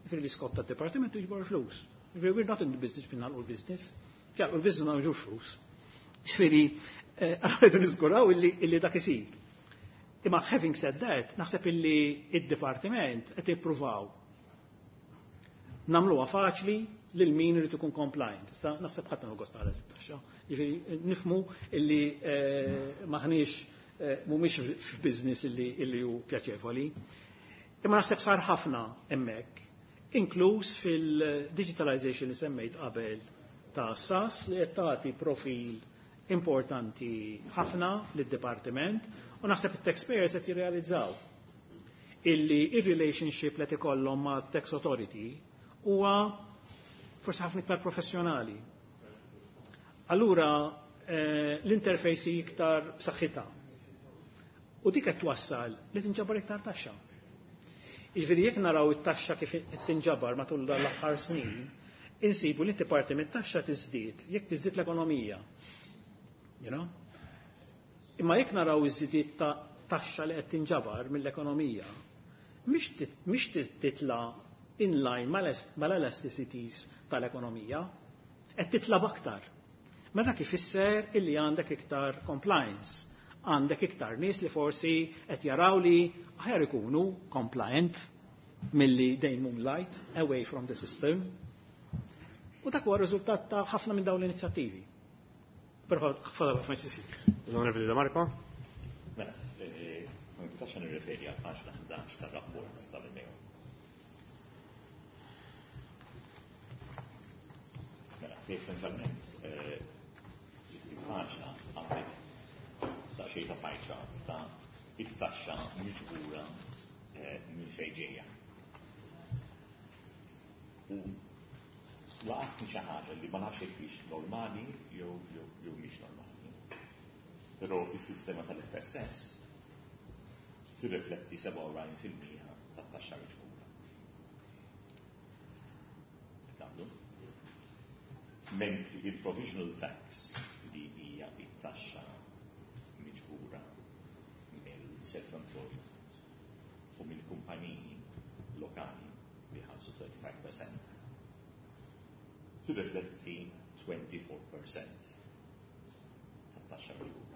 Speaker 4: Ġifieri l-iskop tad-departiment jiġbor flus. Ġifieri we're not in the business biex nagħlqu l-business. Jagħlqu l-business ma nġux flus. Ġifieri rridu niżguraw illi dak isir. Imma having said that, naħseb illi id-dipartiment qed jippruvaw nagħmluha faċli lil min irid ikun compliant. Issa naħseb ħadd ma gost ħares it-taxxa. Ġifieri nifhmu illi eh, maħniex eh, mhumiex f'business illi illi hu pjaċevoli. Imma naħseb sar ħafna hemmhekk, inkluż fil-digitalization li semmejt qabel ta' S A S li qed tagħti profil importanti ħafna lid-dipartiment u naħseb it-taxpayers qed jirrealizzaw illi ir-relationship li ikollhom ma' tax authority huwa forsi ħafna iktar professjonali. Allura eh, l-interface iktar b'saħħitha. U dik qed twassal li tinġabar iktar taxxa. Jiġifieri jekk naraw it-taxxa kif qed tinġabar matul dan l-aħħar snin, insibu li parti mit-taxxa tiżdied jekk tiżdied l-ekonomija. You know? Imma jekk naraw iż-żidiet ta' taxxa li qed tinġabar mill-ekonomija, mhix titla in line mal-elasticities tal-ekonomija, qed titla aktar. Mela dak ifisser illi għandek iktar compliance, għandek iktar nies li forsi qed jaraw li aħjar ikunu compliant milli they moonlight away from the system. U dak huwa riżultat ta' ħafna minn dawn l-inizjattivi. Però fadal ħafna x'isir.
Speaker 2: L-Onorevoli De Marco?
Speaker 8: Mela, eh, ma nistax nirreferi għal paġna ħdax tar-rapport tal-N A O. Mela, essenzjalment, eh, il-paġna għandek daqsxejn ta' pie chart ta' it-taxxa miġbura eh, minn fejn ġejja. U laqatni xi ħaġa li ma nafx jekk hix normali jew jew jew mhix normali. Però is-sistema tal-F S S tirrifletti sebgħa u erbgħin fil-mija tat-taxxa miġbura. Nagħmlu. Mentri il-provisional tax, li hija it-taxxa miġbura mill-self-employed u mill-kumpaniji lokali li ħallsu twenty-five percent, tirrifletti twenty-four percent tat-taxxa miġbura.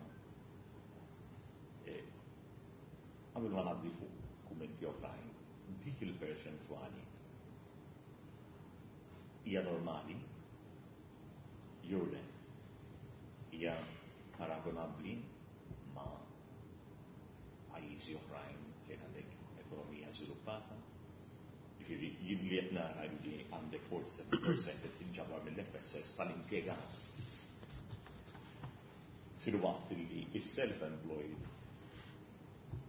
Speaker 8: Qabel ma ngħaddi fuq kummenti oħrajn, dik il-perċentwali hija normali jew le, hija paragonabbli ma' pajjiżi oħrajn fejn għandek ekonomija żviluppata? Ġifieri jien li qed nara li għandek forty-seven percent qed tinġabar mill-F S S tal-impjegat, filwaqt li is-self-employed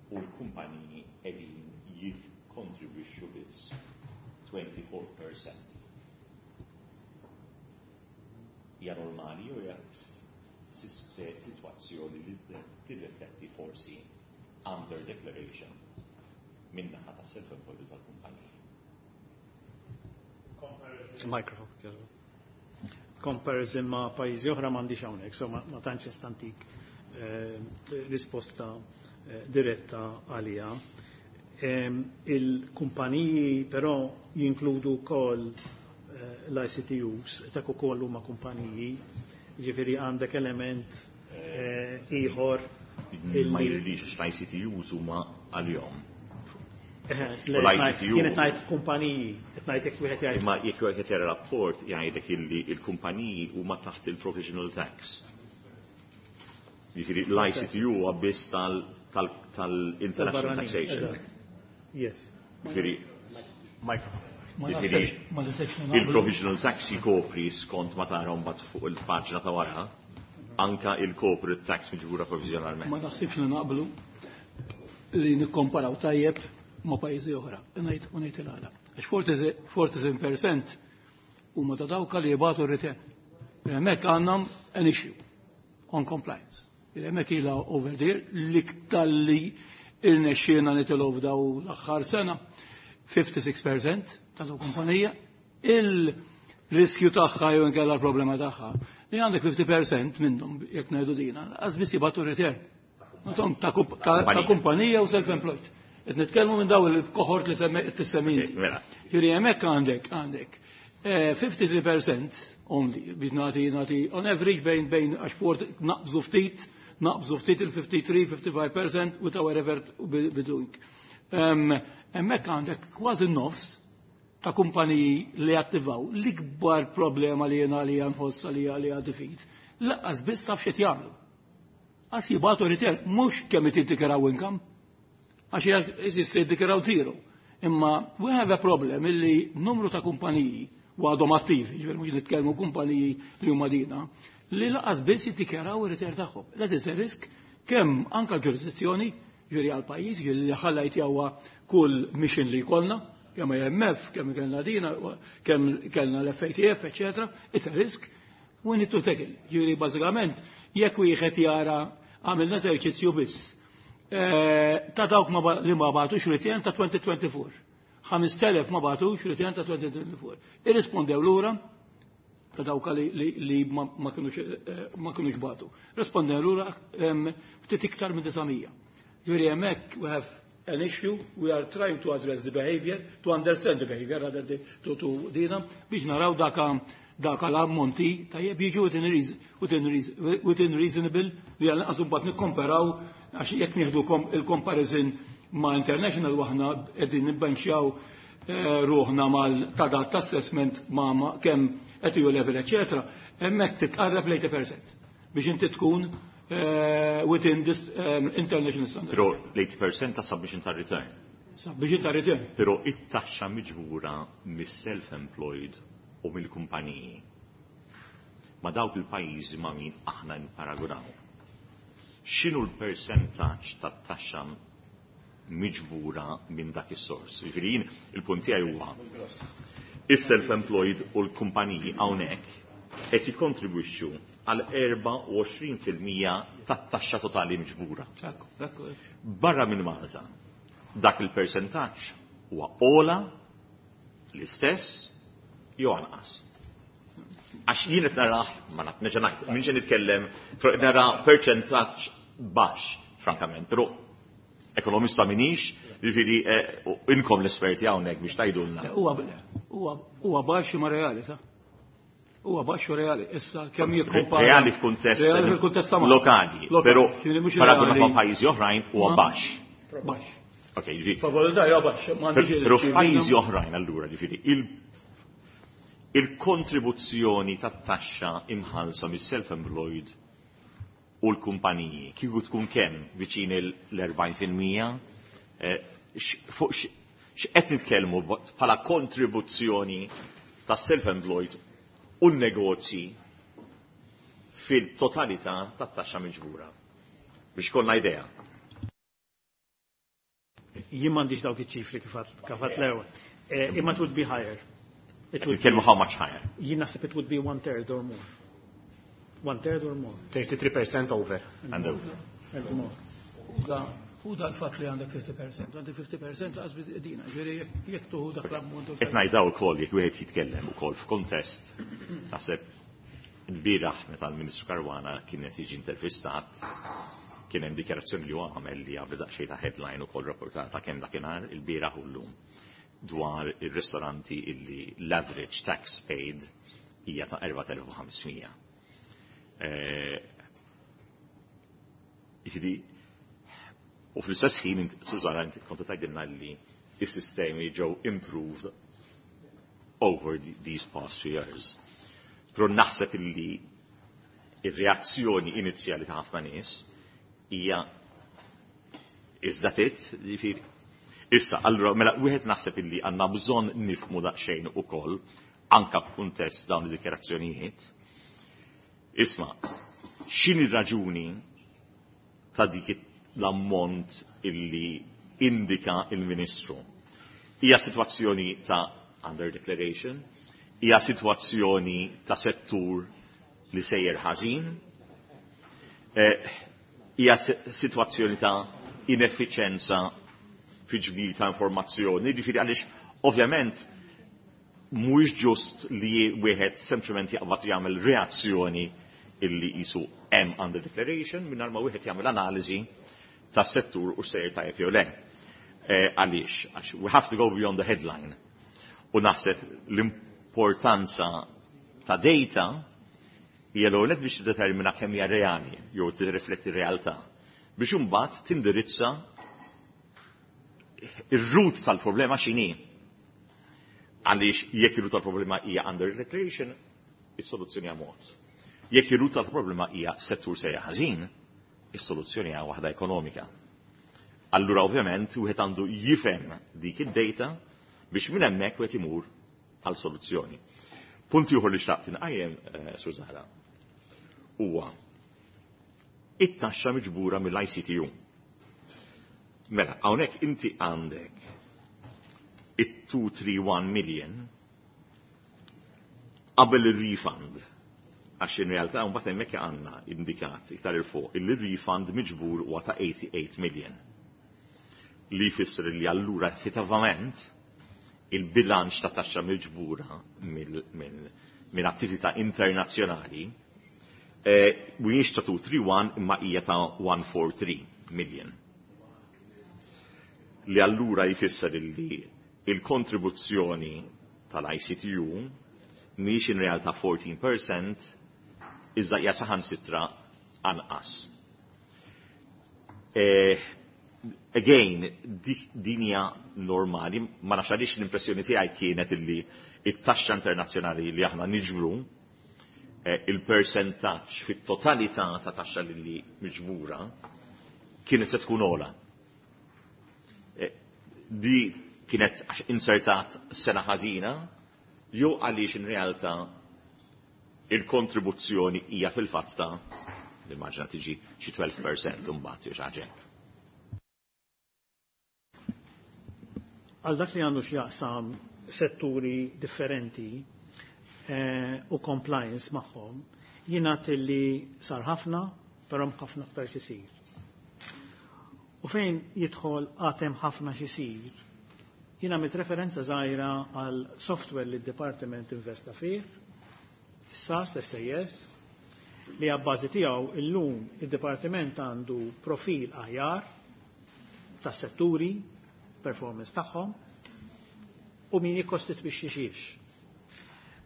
Speaker 8: u l-kumpaniji qegħdin jikkontribwixxu biss twenty-four percent. Hija normali jew hija Sitwazzjoni li tirrifletti forsi under declaration min-naħa ta' self-employed tal-kumpaniji.
Speaker 4: Microphone. Comparison ma' pajjiżi oħra m'għandix hawnhekk, so ma, ma tantx nista' ntik eh, risposta eh, diretta għalija. Eh, il-kumpaniji però jinkludu wkoll eh, l-I C T Us, dak ukoll huma kumpaniji, ġifieri għandek element eh, ieħor.
Speaker 8: Ma jridix, l-I C T Us huma għalihom.
Speaker 4: U l-I C T U. Jien qed ngħid kumpaniji, qed ngħid jekk wieħed jgħid.
Speaker 8: Imma jekk wieħed jara rapport, jgħidlek illi il-kumpaniji huma taħt il-provisional tax. Jiġifieri l-I C T U huwa biss tal-international taxation.
Speaker 4: Yes.
Speaker 8: Jiġifieri
Speaker 7: Ma naħsebx
Speaker 8: il-provisional tax jkopri, skont ma tara mbagħad fuq il-paġna ta' wara, anka il-corporate tax miġbura provizjonalment.
Speaker 7: Ma naħsibx li naqblu li nikkomparaw tajjeb ma' pajjiżi oħra. Ngħid u ngħid il-għala. Għax erbgħa u erbgħin percent huma ta' dawk li jibagħtu r-return. Hemmhekk għandna an issue on compliance. Hemmhekk ilha over there l-iktar li irnexxielna nitilgħu f'daw l-aħħar sena, ħamsa u sittin percent ta' daw kumpanija, il-riskju tagħha jew inkella l-problema tagħha li għandek ħamsin percent minnhom, jekk ngħidu dina, lanqas biss jibagħtu return. Ta' kumpanija u self-employed. Qed nitkellmu minn daw il-kohort li tissemmi inti.
Speaker 8: Mela.
Speaker 7: Ġifieri hemmhekk għandek għandek ħamsa u tletin percent only biex nagħti nagħti on average bejn bejn għax fort naqbżu ftit naqbżu ftit il-ħamsa u ħamsin, ħamsa u ħamsin percent with our effort be doing. Hemmhekk għandek kważi nofs ta' kumpaniji li attivaw. L-ikbar problema li jena li nħossa li li għad lanqas biss taf x'qed jagħmlu. Għas jibagħtu return, mhux kemm jiddikjaraw income, għax jista' jiddikjaraw zero. Imma we have a problem illi numru ta' kumpaniji u għadhom attivi, ġifieri mhux nitkellmu kumpaniji li huma dina, li lanqas biss jiddikjaraw ir-return tagħhom. That is a risk kemm anka l-ġurisdizzjoni, ġifieri għal pajjiż, ġifieri li ħallajt jawwa kull mission li jkollna, kemm I M F, kemm kellna dina, kemm kellna l-F A T F, eccetera. It's a risk we need to tackle. Ġifieri bażikament jekk wieħed jara, għamilna eżerċizzju biss Eh, ta' dawk li ma bagħtux return ta' elfejn u erbgħa u għoxrin. ħamest elef ma bagħtux return ta' elfejn u erbgħa u għoxrin. Irrispondew lura ta' dawk li, li ma kinux eh, bagħtu. Rispondew lura ftit iktar minn disa' mija. Ġifieri hemmhekk we have an issue, we are trying to address the behavior, to understand the behavior rather than to, to dina, biex naraw daka daka l-ammonti tajjeb jiġu within, within reasonable li għal mbagħad nikkomparaw, għax jekk nieħdu il-comparison ma' international, waħna qegħdin nibbenxjaw eh, ruħna mal ta' dat assessment ma' kemm qed E U level, eċetera, hemmhekk titqarreb l-tmenin percent biex inti tkun eh, within this um, international standard.
Speaker 8: Però l-tmenin percent ta' submission ta' return.
Speaker 7: Submission ta' return.
Speaker 8: Però it-taxxa miġbura mis-self-employed u mill-kumpaniji ma' dawk il-pajjiżi ma' min aħna niparagunaw, x'inhu l-percentaġġ tat-taxxa miġbura minn dak is-sors? Jiġifieri jien il-punt tiegħi huwa is-self-employed u l-kumpaniji hawnhekk qed jikkontribwixxu għal erbgħa u għoxrin fil-mija tat-taxxa totali miġbura. Barra minn Malta, dak il-percentaġġ huwa ogħla, l-istess jew anqas? Għax jien qed narah, ma naf, nerġa' ngħid, minn nitkellem, nara percentaġġ baxx, frankament, però ekonomista minix, jiġifieri eh, inkom l-esperti hawnhekk biex tgħidulna.
Speaker 7: Huwa baxx ma reali, ta' huwa baxx reali. Issa kemm jikkompara.
Speaker 8: Reali f'kuntest
Speaker 7: Reali f'kuntest
Speaker 8: lokali, però paragunat ma' pajjiżi oħrajn huwa baxx.
Speaker 7: Baxx.
Speaker 8: Ok, jiġifieri.
Speaker 7: Favore huwa baxx.
Speaker 8: Però f'pajjiżi oħrajn allura, jiġifieri il-kontribuzzjoni tat-taxxa imħallsa mis-self-employed u l-kumpaniji, kieku tkun kemm, viċin l-erbgħin fil-mija, eh, fuq x'qed nitkellmu bħala kontribuzzjoni tas self-employed u n-negozji fil-totalità tat-taxxa miġbura? Biex konna idea.
Speaker 4: Jien m'għandix dawk iċ-ċifri kif għedt l-ewwel. Eh, imma it would be higher.
Speaker 8: It would be how much higher?
Speaker 4: Jien naħseb it would be one third or more. One third or more.
Speaker 2: thirty-three percent over.
Speaker 8: And over.
Speaker 4: And more.
Speaker 7: U da l-fatt li għandek fifty percent, għandek fifty percent għazbit dina, ġifieri jekk tuħu dak l-ammont.
Speaker 8: Qed ngħidaw ukoll jekk wieħed jitkellem ukoll f'kontest, naħseb il-bieraħ meta l-Ministru Caruana kien qed jiġi intervistat, kien hemm dikjarazzjoni li huwa għamel li għamel daqsxejn ta' headline ukoll rapportata kemm dakinhar il-bieraħ u llum dwar ir-ristoranti illi l-average tax paid hija ta' erbat elef u ħames mija. Eh, Jiġifieri, u fl-istess ħin, Susanna, inti konta tgħidilna li is-sistemi ġew improved over the, these past few years. Però naħseb illi ir-reazzjoni inizjali ta' ħafna nies hija, "Is that it?" Jiġifieri, issa, allura, mela, wieħed naħseb illi għandna bżonn nifhmu daqsxejn ukoll, anka b'kuntest dawn id-dikjarazzjonijiet. Isma', x'inhi raġuni ta' dik l-ammont illi indika il-Ministru? Hija sitwazzjoni ta' under declaration, hija sitwazzjoni ta' settur li sejjer ħażin, eh, hija sitwazzjoni ta' ineffiċenza fi ġbir ta' informazzjoni, ġifieri għaliex ovvjament mhuwiex ġust li wieħed sempliċement jaqbad jagħmel reazzjoni illi jisu hemm under declaration mingħajr ma wieħed jagħmel analiżi tas-settur u sejjer tajjeb jew le. Eh, għaliex, għax we have to go beyond the headline. U naħseb l-importanza ta' data hija l biex tiddetermina kemm hija reali jew tirrifletti realtà biex imbagħad tindirizza ir-root tal-problema x'inhi. Għaliex jekk ir-root tal-problema hija under declaration, is-soluzzjoni hija mod. Jekk ir-root tal-problema hija settur sejjer ħażin, is-soluzzjoni hija waħda ekonomika. Allura ovvjament wieħed għandu jifhem dik id-data biex minn hemmhekk wieħed imur għal soluzzjoni. Punt ieħor li xtaqt inqajjem, eh, Sur Zahra, huwa it-taxxa miġbura mill-I C T U. Mela, hawnhekk inti għandek it-two hundred thirty-one million qabel il-refund, għax in realtà mbagħad hemmhekk għandna indikat iktar 'il fuq il-refund miġbur huwa ta' eighty-eight million. Li jfisser li allura effettivament il-bilanċ ta' taxxa miġbura minn attività internazzjonali eh, mhuwiex ta' two hundred thirty-one imma hija ta' one hundred forty-three million. Li allura jfisser li il-kontribuzzjoni tal-I C T U mhix in realtà fourteen percent iżda hija saħansitra anqas. Eh, again, din hija normali, ma nafx għaliex l-impressjoni tiegħi kienet illi it-taxxa internazzjonali li aħna niġbru eh, il-percentaġġ fit-totalità ta' taxxa li miġbura kienet se tkun ogħla. Eh, di kienet insertat sena ħażina jew għaliex in realtà il-kontribuzzjoni hija fil-fatt ta' l-immaġna tiġi xi tnax fil-mija mbagħad jew xi ħaġa hekk?
Speaker 4: Għal dak li għandu x'jaqsam setturi differenti eh, u compliance magħhom, jingħad li sar ħafna, però ħafna aktar xisir. U fejn jidħol għad hemm ħafna xisir, jien għamilt referenza żgħira għal software li d-Departiment investa fih, S A S, S A S, li għabbażi tiegħu illum id-Dipartiment għandu profil aħjar tas setturi, performance tagħhom, u min jikkostitwixxi xiex.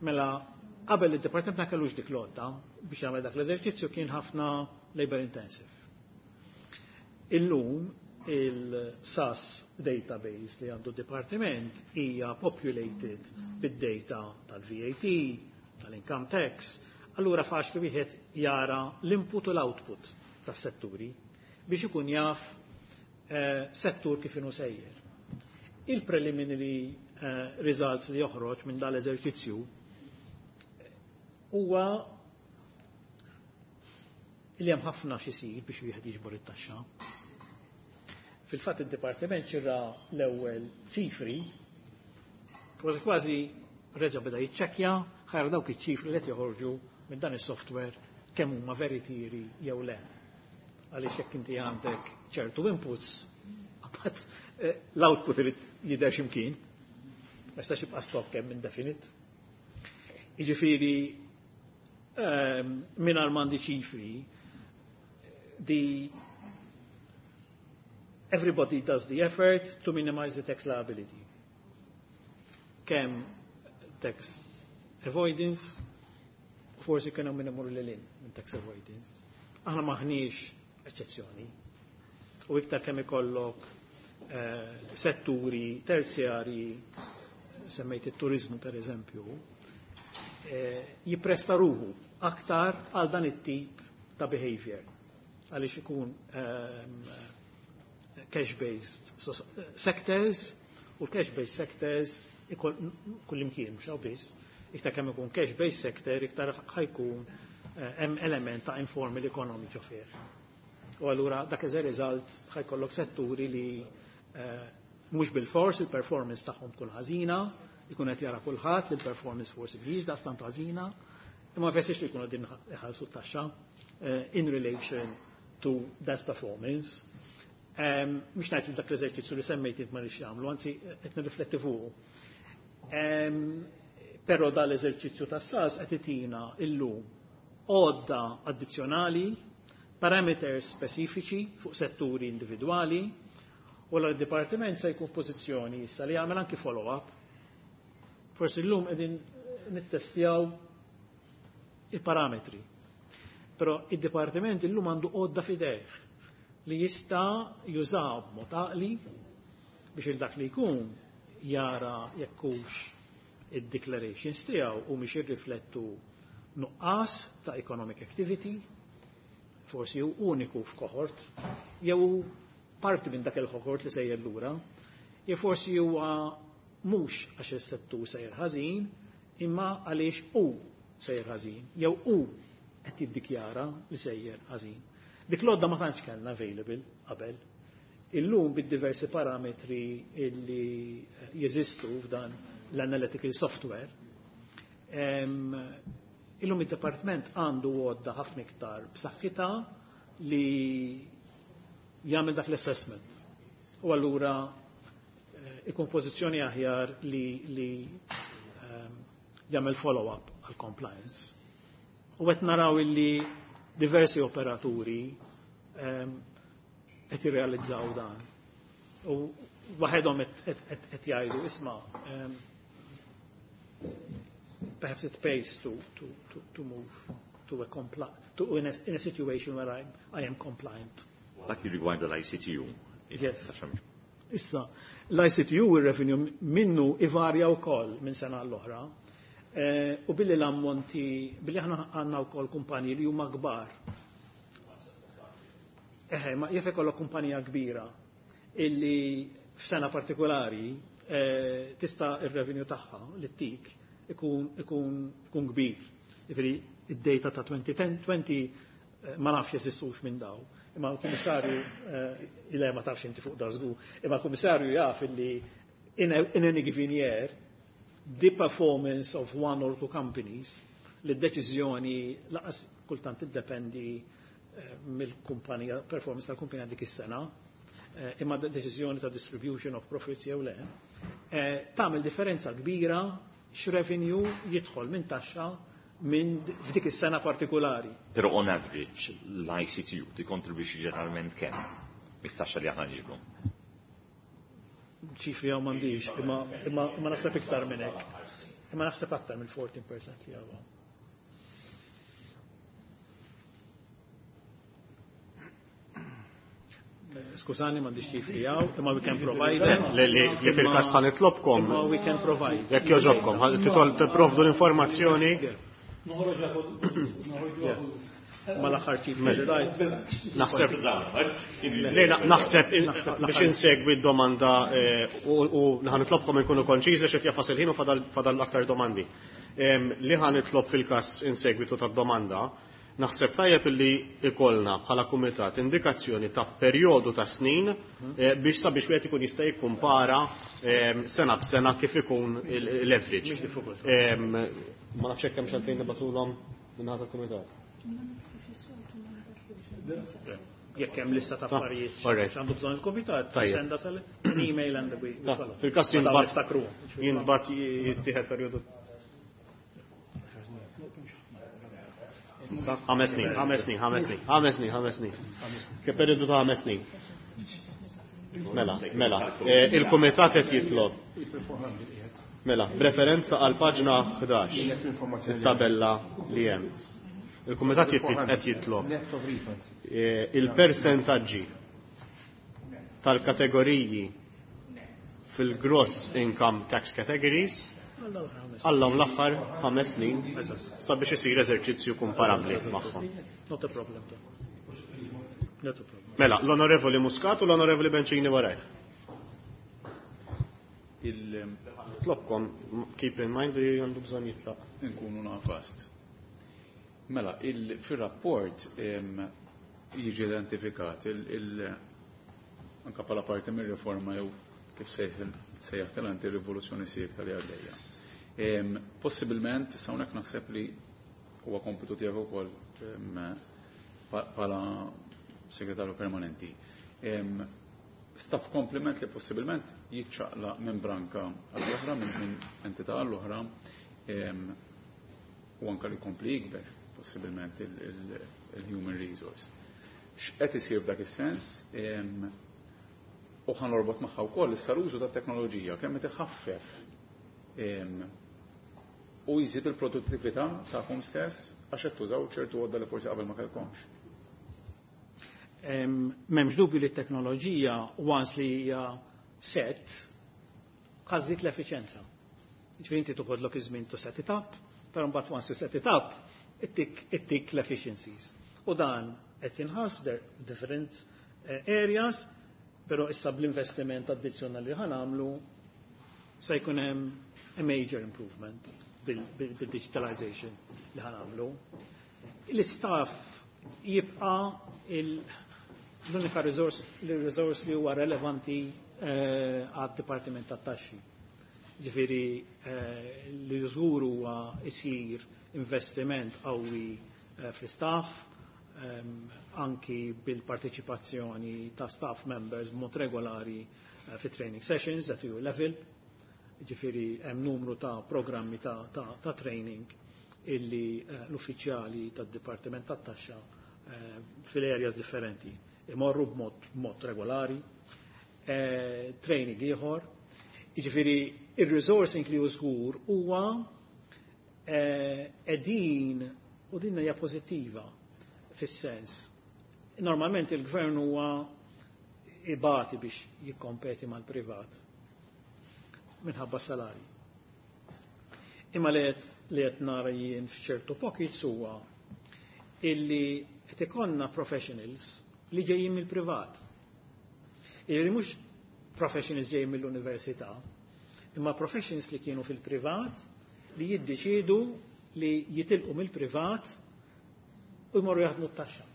Speaker 4: Mela, qabel id-Dipartiment ma kellux dik l-għodda biex jagħmel dak l-eżerċizzju, kien ħafna labor intensive. Illum il-S A S database li għandu d-Dipartiment hija populated bid-data tal-V A T, tal-income tax, allura faċli wieħed jara l-input u l-output tas-setturi biex ikun jaf eh, settur kif inhu sejjer. Il-preliminary eh, results li joħroġ minn dal-eżerċizzju huwa li hemm ħafna x'isir biex wieħed jiġbor it-taxxa. Fil-fatt id-dipartiment xirra l-ewwel ċifri, kważi kważi reġa' beda jiċċekkja ħajra dawk iċ-ċifri li qed joħorġu minn dan is-software kemm huma veritieri jew le. Għaliex jekk inti għandek ċertu inputs, għabat eh, l-output irid jidher x'imkien. Ma jistax jibqa' stock hemm indefinite. Jiġifieri ehm, mingħajr m'għandi ċifri, the everybody does the effort to minimize the tax liability. Kemm tax avoidance, forsi kien hemm min imur lil hinn minn tax avoidance. Aħna maħniex eċċezzjoni. U iktar kemm ikollok eh, setturi terzjari, semmejt it-turizmu per eżempju, eh, jippresta ruħu aktar għal dan it-tip ta' behavior. Għaliex ikun ehm, cash-based so, sectors u cash-based sectors kullimkien, mhux hawn biss, iktar kemm ikun cash-based sector, iktar ħa jkun eh, hemm element ta' informal economy ġo fih. U allura dak as a result ħa jkollok setturi li eh, mhux bil-fors il-performance tagħhom tkun ħażina, ikun qed jara kulħadd li l-performance forsi mhijiex daqstant ħażina, imma ma jfissirx li jkunu qegħdin iħallsu t-taxxa eh, in relation to that performance. Mhux ngħid li dak l-eżerċizzju li semmejt int ma rridx jagħmlu, anzi qed nirrifletti fuqu. Però dal-eżerċizzju tas-SAS qed itina illum għodda addizzjonali, parameters speċifiċi fuq setturi individwali, u l-dipartiment se jkun f'pożizzjoni issa li jagħmel anki follow-up. Forsi llum qegħdin nittestjaw il-parametri. Però id-dipartiment illum għandu għodda f'idejh li jista' jużaw b'mod għaqli biex il dak li jkun jara jekk hux id-declarations tiegħu u mhix jirriflettu nuqqas ta' economic activity, forsi hu uniku f'cohort, jew parti minn dak il-cohort li sejjer lura, jew forsi huwa mhux għax is-settur sejjer ħażin, imma għaliex hu sejjer ħażin, jew hu qed jiddikjara li sejjer ħażin. Dik l-għodda ma tantx kellna available qabel. Illum bid-diversi parametri illi jeżistu f'dan l-analytical software, illum id-department għandu għodda ħafna iktar b'saħħitha li jagħmel dak l-assessment. U allura eh, ikun pożizzjoni aħjar li, li um, jagħmel follow-up għal compliance. U qed naraw illi diversi operaturi um, qed jirrealizzaw dan. U waħedhom qed jgħidu isma' um, perhaps it pays to, to, to, to move to a compli to in a, in a situation where I, I am compliant.
Speaker 8: Dak jirrigwarda l-I C T U.
Speaker 4: Yes. Issa, l-I C T U il-revenue minnu ivarja wkoll minn sena l-oħra. Eh, u billi l-ammonti, billi aħna għandna wkoll kumpaniji li huma kbar. Eħe, ma jaf ikollok kumpanija kbira illi f'sena partikolari eh, tista' ir-revenue tagħha li tik ikun, ikun, ikun kbir. Jiġifieri id-data ta' elfejn u għaxra eh, ma nafx jeżistux minn daw. Imma l-Kummissarju eh, illa ma tafx inti fuq da żgur, imma l-Kummissarju jaf illi in, a, in any given year the performance of one or two companies li d-deċiżjoni lanqas kultant tiddependi eh, mill-kumpanija, performance tal-kumpanija dik is-sena, eh, imma deċiżjoni ta' distribution of profits jew le, eh, tagħmel differenza kbira x'revenue jidħol minn taxxa minn f'dik is-sena partikolari.
Speaker 8: Però on average, l-I C T U tikkontribwixxi ġeneralment kemm mit-taxxa li aħna niġbru?
Speaker 4: Ċifri hawn m'għandix, imma imma imma naħseb iktar minn hekk. Imma naħseb aktar mill-erbatax fil-mija li hawn. Skużani, m'għandix ċifri hawn, imma we can provide them.
Speaker 2: Li li li fil-każ ħa nitlobkom,
Speaker 4: Imma we can provide.
Speaker 2: Jekk jogħġobkom, titol tipprovdu l-informazzjoni.
Speaker 7: Noħroġ noħroġ.
Speaker 4: Ma l-aħħar ċifri li rajt.
Speaker 2: Naħseb Le, na- naħseb in- biex insegwi d-domanda eh, u u ħa nitlobkom inkunu konċiżi x'qed jagħfas il-ħin u fadal fadal aktar domandi. Em, Li ħa nitlob fil-każ insegwitu tad-domanda, naħseb tajjeb illi ikollna bħala kumitat indikazzjoni ta' perjodu ta' snin eh, biex sabiex wieħed ikun jista' jikkumpara em, sena b'sena kif ikun il- l-average.
Speaker 4: Mhix diffikultà.
Speaker 2: Em, Ma nafx hekk hemm xalfejn nibagħtulhom minn tal-kumitat.
Speaker 4: Jekk hemm lista ta' affarijiet għandu bżonn il-kumitat, senda tal-email and we follow.
Speaker 2: Fil-każ jintbagħat jintbagħat jittieħed perjodu ħames snin, ħames snin, ħames snin, ħames snin, ħames snin. Ke perjodu ta' ħames snin. Mela, mela, il-kumitat qed jitlob. Mela, b'referenza għal paġna ħdax, it-tabella li hemm. Il-kumitat qed jitlob il-persentaġġi tal-kategoriji fil-gross income tax categories għallhom l-aħħar ħames snin sabiex isir eżerċizzju komparabbli magħhom.
Speaker 4: Not a problem. Not a problem.
Speaker 2: Mela, l-Onorevoli Muscat u l-Onorevoli Bencini warajh. Tlobkom, keep in mind li għandu bżonn jitlaq.
Speaker 3: Inkunu nafast. Mela, fil-rapport jiġi identifikat anka bħala parti mir-riforma jew kif sejjaħt inti rivoluzzjoni sieħ li għaddejja. Possibilment, hawnhekk naħseb li huwa kompitu tiegħek ukoll bħala segretarju permanenti. Staff complement li possibilment jiċċaqla minn branka għall-oħra, minn entità għall-oħra, u anka li kompli jikber possibilment il-human resource. X'qed isir f'dak is-sens? U ħa norbot magħha wkoll issa l-użu tat-teknoloġija kemm qed iħaffef u jżid il-produttività tagħhom stess għax qed tużaw ċertu għodda li forsi qabel ma kellkomx.
Speaker 4: M'hemmx dubju li t-teknoloġija once li hija set ħa żżid l-effiċenza. Ġifieri inti toħodlok iż-żmien to set it up, però mbagħad once you set it up, ittik ittik l-efficiencies. U dan qed jinħass different areas, però issa bl-investiment addizzjonali li ħa nagħmlu se jkun hemm a major improvement bil-digitalization li ħa nagħmlu. L-istaff jibqa' l-unika resource, resource li huwa relevanti għad-Dipartiment tat-Taxxi. Ġifieri li żgur huwa isir investiment qawwi fl-istaff, anki bil-parteċipazzjoni ta' staff members b'mod regolari fi training sessions at E U level. Ġifieri hemm numru ta' programmi ta', ta, ta training illi l-uffiċjali tad-Dipartiment tat-Taxxa fil-areas differenti imorru b'mod b'mod regolari, training ieħor. Jiġifieri ir-resourcing li hu żgur huwa qegħdin u din hija pożittiva fis-sens. Normalment il-gvern huwa ibati biex jikkompeti mal-privat minħabba salari. Imma li qed nara jien f'ċertu pockets huwa illi qed ikollna professionals li ġejjin mill-privat. Jiġifieri mhux professionals ġejjin mill-università, imma professionals li kienu fil-privat li jiddeċiedu li jitilqu mill-privat u jmorru jaħdmu t-taxxa.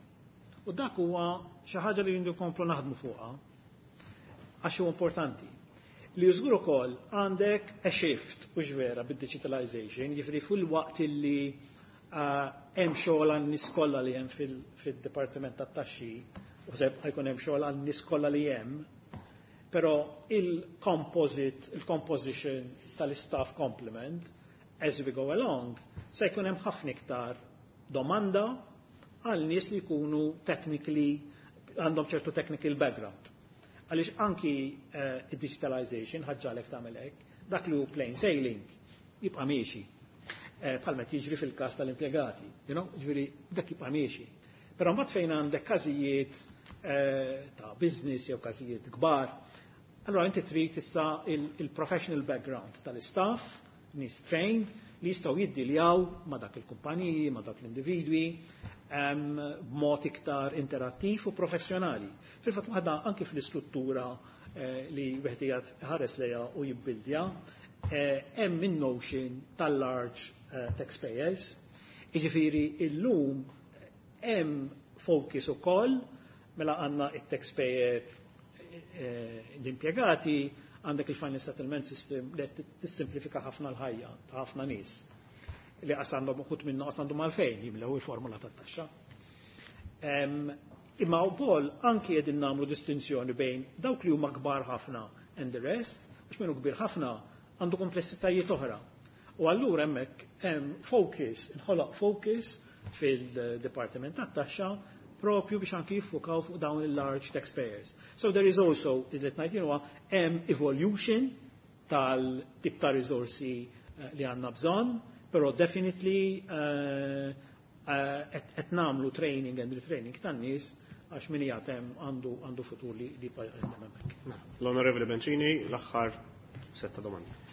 Speaker 4: U dak huwa xi ħaġa li jindu komplu naħdmu fuqha għax huwa importanti. Li żgur ukoll għandek a shift u vera bid-digitalization, jiġifieri fil-waqt illi hemm xogħol għan-nies kollha li hemm fid-Dipartiment tat-Taxxi, u se jkun hemm xogħol għan-nies kollha li hemm, però il-composite, il-composition tal-staff complement as we go along, se jkun hemm ħafna iktar domanda għal nies li jkunu technically għandhom ċertu technical background. Għaliex anki uh, digitalization ħaġġalek tagħmel hekk, dak li hu plain sailing jibqa' miexi. Bħalma jiġri fil-każ tal-impjegati, you know, ġifieri dak jibqa' miexi. Però mbagħad fejn għandek każijiet ta' business jew każijiet kbar, allora inti trid tista' il-professional background tal-istaff, nies trained, li jistgħu jiddiljaw ma' dak il-kumpaniji, ma' dak l-individwi, b'mod iktar interattiv u professjonali. Fil-fatt waħda anki fl-istruttura li wieħed qiegħed ħares lejha u jibbildja, hemm in-notion tal-large taxpayers. Jiġifieri illum hemm focus ukoll mela għandna it-taxpayer l-impjegati, għandek il-final settlement system li tissimplifika ħafna l-ħajja ta' ħafna nies. li qas għandhom uħud minnu qas għandhom għalfejn jimlew il-formula tat-taxxa. Imma wkoll anki qegħdin nagħmlu distinzjoni bejn dawk li huma kbar ħafna and the rest, għax minnu kbir ħafna għandu komplessitajiet oħra. U allura hemmhekk hemm focus, inħoloq focus fil-Dipartiment tat-Taxxa propju biex anki jiffukaw fuq dawn il-large taxpayers. So there is also, li ngħid huwa hemm evolution tal-tip ta' risorsi eh, li għandna bżonn, però definitely eh, eh, qed nagħmlu training and retraining tan-nies għax min jagħtem għandu għandu futur li li hemmhekk.
Speaker 2: L-Onorevoli Bencini, l-aħħar setta domandi.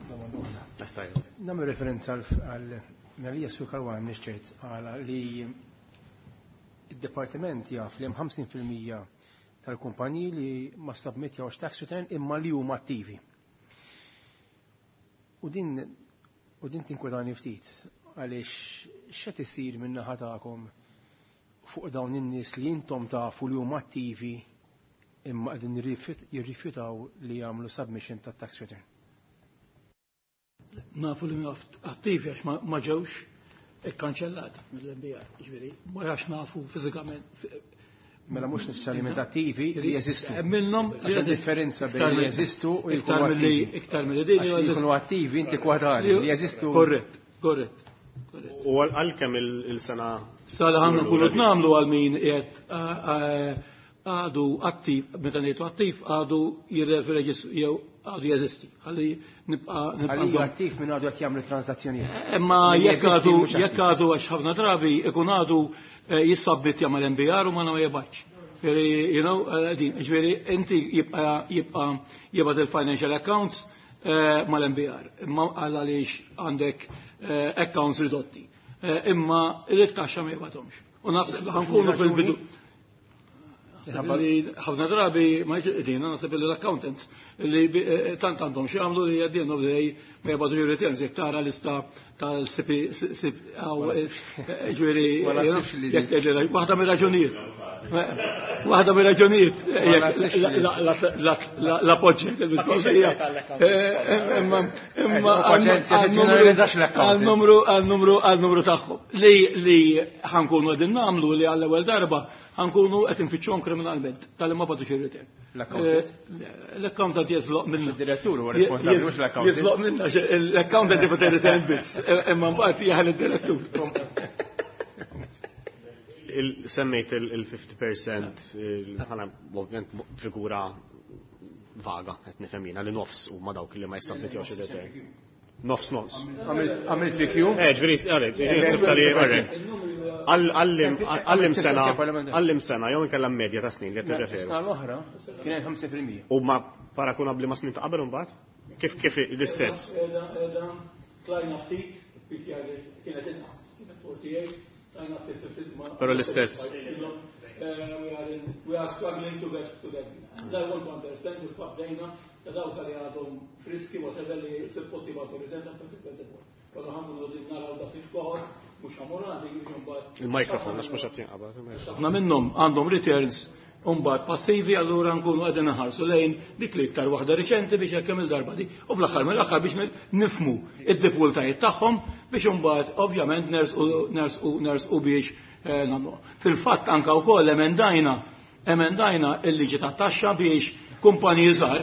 Speaker 6: Nagħmel referenza għal Marija Sur Caruana nixċert għala li id-departiment jaf li hemm ħamsin fil-mija tal-kumpaniji li ma submittjawx tax return imma li huma attivi. U din u din tinkwetani ftit għaliex x'qed isir min-naħa tagħkom fuq dawn in-nies li intom tafu li huma attivi imma qegħdin jirrifjutaw li jagħmlu submission ta' tax return.
Speaker 7: Nafu li attivi għax ma ġewx ikkanċellati mill-M B R, ġifieri, ma għax nafu fiżikament.
Speaker 6: Mela mhux neċessarjament attivi li jeżistu.
Speaker 7: Minnhom
Speaker 6: Għax differenza bejn li jeżistu u jkunu attivi.
Speaker 7: Iktar milli din
Speaker 6: li jkunu attivi inti kwadali li jeżistu.
Speaker 7: Korrett, korrett.
Speaker 2: U għal kemm il-sena?
Speaker 7: Sala ħanna nkunu nagħmlu għal min qiegħed għadu attiv, meta ngħidu attiv għadu jirreferi jew għadu jeżisti. Ħalli nibqa'
Speaker 6: nibqa' attiv minn għadu qed jagħmlu transazzjonijiet.
Speaker 7: Imma jekk għadu jekk għadu għax ħafna drabi ikun għadu jissabbittja mal-M B R u ma ma jibgħatx. You know, din, ġifieri inti jibqa' jibqa' jibgħat il-financial accounts mal-M B R. Imma għal għaliex għandek accounts ridotti. Imma il-taxxa ma jibgħathomx. U naħseb ħankunu fil-bidu. Ħafna drabi ma jġedina, naħseb li l-accountants li tant għandhom xi għamlu li għaddin of day ma jibgħatu returns jekk tara lista tal-C P, ġifieri waħda mir-raġunijiet. Waħda mir-raġunijiet l-appoġġ il-mistoqsija. Imma għal-numru għal-numru għal-numru tagħhom li li ħankunu qegħdin nagħmlu li għall-ewwel darba ħankunu qed infittxuhom kriminalment tal ma bagħtux ir-return. L-accountant jeżloq minna.
Speaker 6: Id-direttur huwa responsabbli mhux l-accountant.
Speaker 7: Jeżloq minna, l-accountant jibgħat ir-return biss, imma mbagħad jaħel id-direttur.
Speaker 2: Semmejt il-fifty percent, ħana ovvjament figura vaga, qed nifhem jiena li nofs huma dawk li ma jissabmittjawx ir-return. Nofs nofs.
Speaker 6: Għamilt P Q?
Speaker 2: Eh, ġifieri, ġifieri, għallim sena, għallim sena, jew inkella medja ta' snin li qed tirreferu.
Speaker 6: Sena l-oħra kien hemm ħamsa fil-mija.
Speaker 2: U ma paragunabbli ma' snin ta' qabel imbagħad? Kif kif l-istess?
Speaker 7: Tlajna ftit, kienet inqas, kienet forty-eight, tlajna ftit.
Speaker 2: Però l-istess.
Speaker 7: We are struggling to get to that. And I want to understand if bdejna ta' dawk li għadhom friski whatever li suppost jibgħatu return ta' twenty twenty-four. Però ħankunu naraw da ftit cohort mhux ħamurati biex imbagħad.
Speaker 2: Il-mikrofon għax mhux qed jinqabad.
Speaker 7: Ħafna minnhom għandhom returns mbagħad passivi, allura nkunu qegħdin nħarsu lejn dik li iktar waħda riċenti biex hekk kemm il-darba di. U fl-aħħar mill-aħħar biex nifmu id-diffikultajiet tagħhom biex imbagħad ovvjament nersqu nersqu nersqu biex nagħmlu. Fil-fatt anka wkoll emendajna emendajna il-liġi tat-taxxa biex kumpaniji żgħar,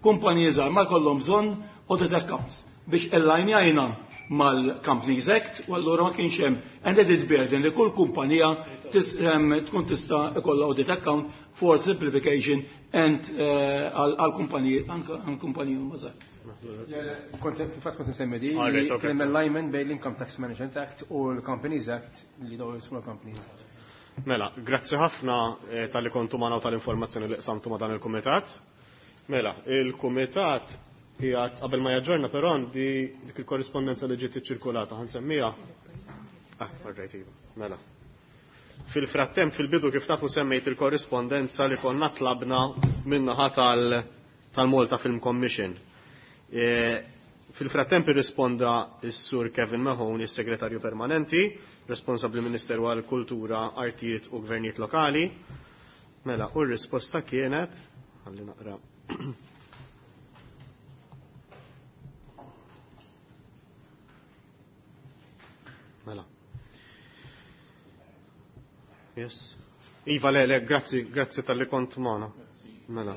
Speaker 7: kumpaniji żgħar ma jkollhom bżonn audit accounts biex allignjajna mal-Companies Act u allura ma kienx hemm an added burden li kull kumpanija tkun tista' ikollha audit account for simplification and għal kumpaniji anke għal kumpaniji huma żgħar.
Speaker 6: Kont fil-fatt kont nsemmi di li kien hemm alignment bejn l-Income Tax Management Act u l-Companies Act li dawn small companies.
Speaker 2: Mela, grazzi ħafna talli kontu magħna u tal-informazzjoni li qsamtu ma' dan il-kumitat. Mela, il-kumitat qiegħed qabel ma jaġġorna, però għandi dik il-korrispondenza li ġiet iċċirkulata ħansemmija. Ah, alright, iva. Mela. Fil-frattemp fil-bidu kif tafu semmejt il-korrispondenza li konna tlabna min-naħa tal-Malta Film Commission. Fil-frattemp irrisponda s-sur Kevin Mahoney, is-segretarju permanenti, responsabbli Ministeru għal Kultura, Artijiet u Gvernijiet Lokali. Mela, u r-risposta kienet, ħalli naqra. Yes. Iva, le, le, grazzi, grazzi talli kont magħna. Mela.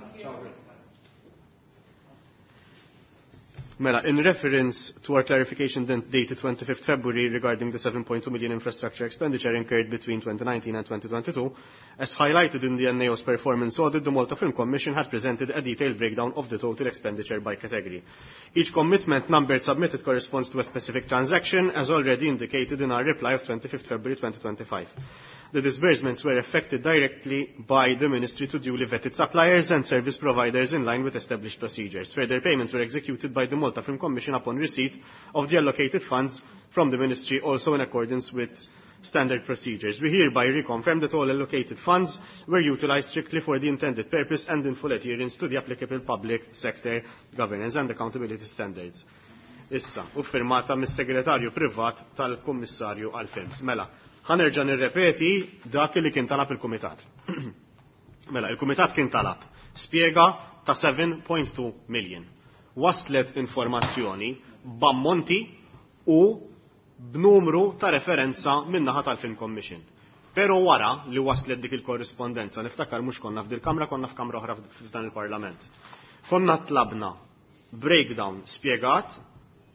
Speaker 2: Mela, in reference to our clarification dated twenty-fifth February regarding the seven point two million infrastructure expenditure incurred between twenty nineteen and twenty twenty-two, as highlighted in the N A O's performance audit, the Malta Film Commission had presented a detailed breakdown of the total expenditure by category. Each commitment number submitted corresponds to a specific transaction, as already indicated in our reply of twenty-fifth February twenty twenty-five. The disbursements were effected directly by the Ministry to duly vetted suppliers and service providers in line with established procedures. Further payments were executed by the Malta Film Commission upon receipt of the allocated funds from the Ministry, also in accordance with standard procedures. We hereby reconfirm that all allocated funds were utilized strictly for the intended purpose and in full adherence to the applicable public sector governance and accountability standards. Issa, u firmata mis-segretarju privat tal-Kummissarju għal-Films. Mela, ħanerġa' nirrepeti dak li kien talab il-Kumitat. Mela, il-Kumitat kien talab spjega ta' seven point two million. Waslet informazzjoni b'ammonti u b'numru ta' referenza min-naħa tal-Film Commission. Pero wara li waslet dik il-korrispondenza, niftakar mhux konna f'dil kamra, konna f'kamra oħra f'dan il-Parlament. Konna tlabna breakdown spjegat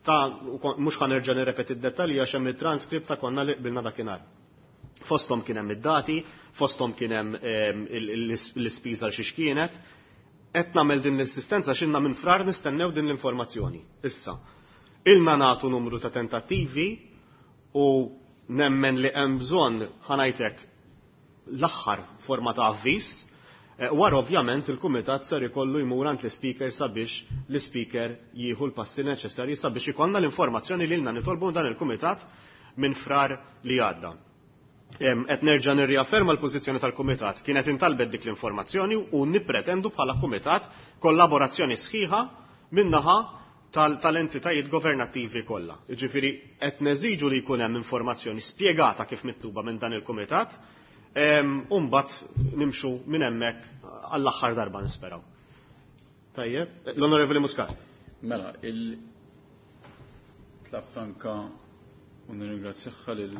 Speaker 2: ta' mhux ħanerġa' nirrepeti d-dettalji għax hemm it-transkript ta' konna li qbilna dakinhar. Fosthom kien hemm id-dati, fosthom kien hemm l-ispiża l xiex kienet. Qed nagħmel din l-assistenza x'inna minn frar nistennew din l-informazzjoni. Issa, ilna nagħtu numru ta' tentattivi u nemmen li hemm bżonn ħanajtek l-aħħar forma ta' avviż. Wara ovvjament il-kumitat ser ikollu jmur għand l-ispeaker sabiex l-ispeaker jieħu l-passi neċessarji sabiex ikollna l-informazzjoni li lilna nitolbu dan il-kumitat minn frar li għadda. Qed nerġa' nirriafferma l-pożizzjoni tal-kumitat. Kienet intalbet dik l-informazzjoni u nippretendu bħala kumitat kollaborazzjoni sħiħa min-naħa tal-entitajiet governattivi kollha. Jiġifieri qed neżiġu li jkun hemm informazzjoni spjegata kif mitluba minn dan il-kumitat, u mbagħad nimxu minn hemmhekk għall-aħħar darba nisperaw. Tajjeb, l-Onorevoli Muscat.
Speaker 3: Mela, il tlabt anka u nirringrazzjaha lil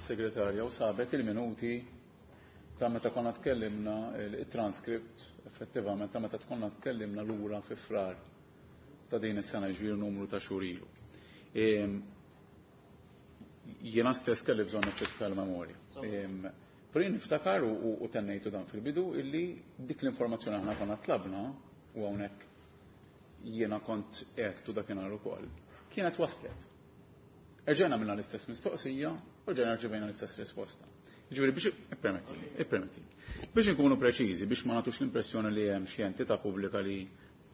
Speaker 3: segretarja u sabet il-minuti ta' meta konna tkellimna il-transkript effettivament ta' meta konna tkellimna lura fi frar ta' din is-sena ġbir numru ta' xhur ilu. Jiena stess kelli bżonn niċċeska l-memorja. Però jien niftakar u tennejtu dan fil-bidu illi dik l-informazzjoni aħna konna tlabna u hawnhekk jiena kont għedtu dakinhar ukoll, kienet waslet. Erġajna minna l-istess mistoqsija u rġajna rċevejna l-istess risposta. Ġifieri biex ippermettili, ippermettili. Biex inkunu preċiżi, biex ma nagħtux l-impressjoni li hemm xi entità pubblika li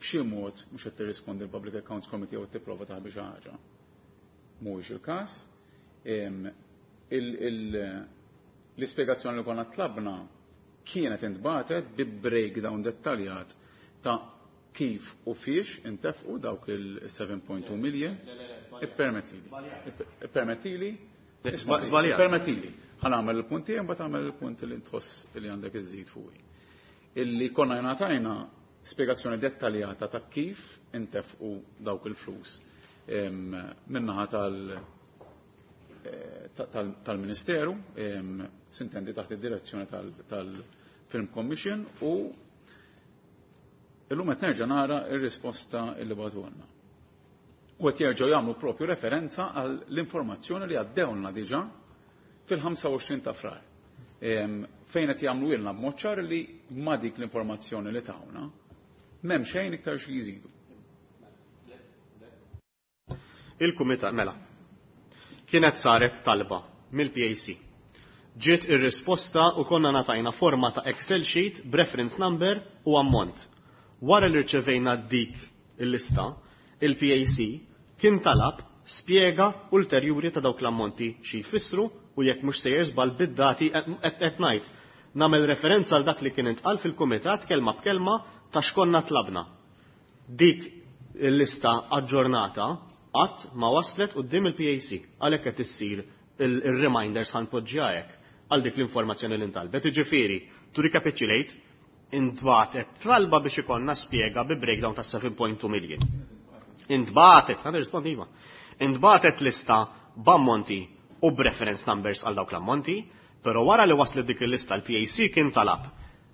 Speaker 3: b'xi mod mhux qed tirrispondi l-Public Accounts Committee jew tipprova taħbi xi ħaġa. Mhuwiex il-każ. L-ispjegazzjoni li konna tlabna kienet intbatet bi breakdown dettaljat ta' kif u fiex intefqu dawk il-seven point two million. Ippermettili. Ippermettili. Ippermettili. Ħa nagħmel il-punt tiegħi mbagħad tagħmel il-punt li tħoss li għandek iżżid fuqi. Illi konna ngħatajna spjegazzjoni dettaljata ta' kif intefqu dawk il-flus min-naħa tal-Ministeru, sintendi taħt id-direzzjoni tal-Film Commission u illum qed nerġa' nara r-risposta li bagħtulna. U qed jerġgħu jagħmlu propju referenza għall-informazzjoni li għaddewlna diġà fil-ħamsa u għoxrin ta' frar. Fejn qed jagħmlu ilna b'mod ċar li ma' dik l-informazzjoni li tawna m'hemm xejn iktar xi jżidu.
Speaker 2: Il-kumitat mela kienet saret talba mill-P A C. Ġiet ir-risposta u konna ngħatajna forma ta' Excel sheet b'reference number u ammont. Wara li rċevejna dik il-lista, il-P A C kien talab spjega ulterjuri ta' dawk l-ammonti xi jfissru u jekk mhux sejjer żball bid-dati qed ngħid. Nagħmel referenza għal dak li kien intqal fil-kumitat kelma b'kelma ta' x'konna tlabna. Dik il-lista aġġornata qatt ma waslet quddiem il-P A C għalhekk qed issir il-reminders ħanpoġġiha hekk għal dik l-informazzjoni li ntalbet. Jiġifieri, to recapitulate, intbatet talba biex ikollna spjega bi breakdown ta' seven point two million. Intbatet, ħa nirrispondi iva. Intbatet lista b'ammonti u b'reference numbers għal dawk l-ammonti, Però wara li waslet dik il-lista l-P A C kien talab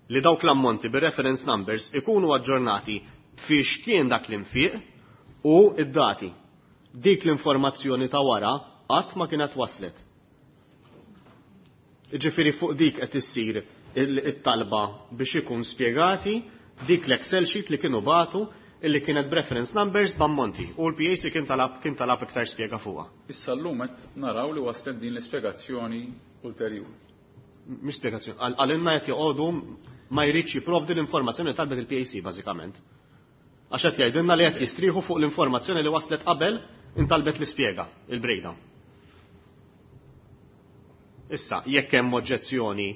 Speaker 2: li dawk l-ammonti bir-reference numbers ikunu aġġornati fiex kien dak l-infiq u id-dati. Dik l-informazzjoni ta' wara qatt ma kienet waslet. Ġifieri fuq dik qed issir it-talba biex ikun spjegati dik l-Excel sheet li kienu bagħtu, illi kienet reference numbers b'ammonti, u l-P A C kien talab kien talab iktar spjega fuqha.
Speaker 3: Issa llum qed naraw li waslet din l-ispjegazzjoni ulterjuri.
Speaker 2: Mhix spjegazzjoni, għalinna qed joqogħdu ma jridx jipprovdi l-informazzjoni li talbet il-P A C bażikament. Għax qed jgħidilna li qed jistrieħu fuq l-informazzjoni li waslet qabel intalbet l-ispjega, il-breakdown. Issa, jekk hemm oġġezzjoni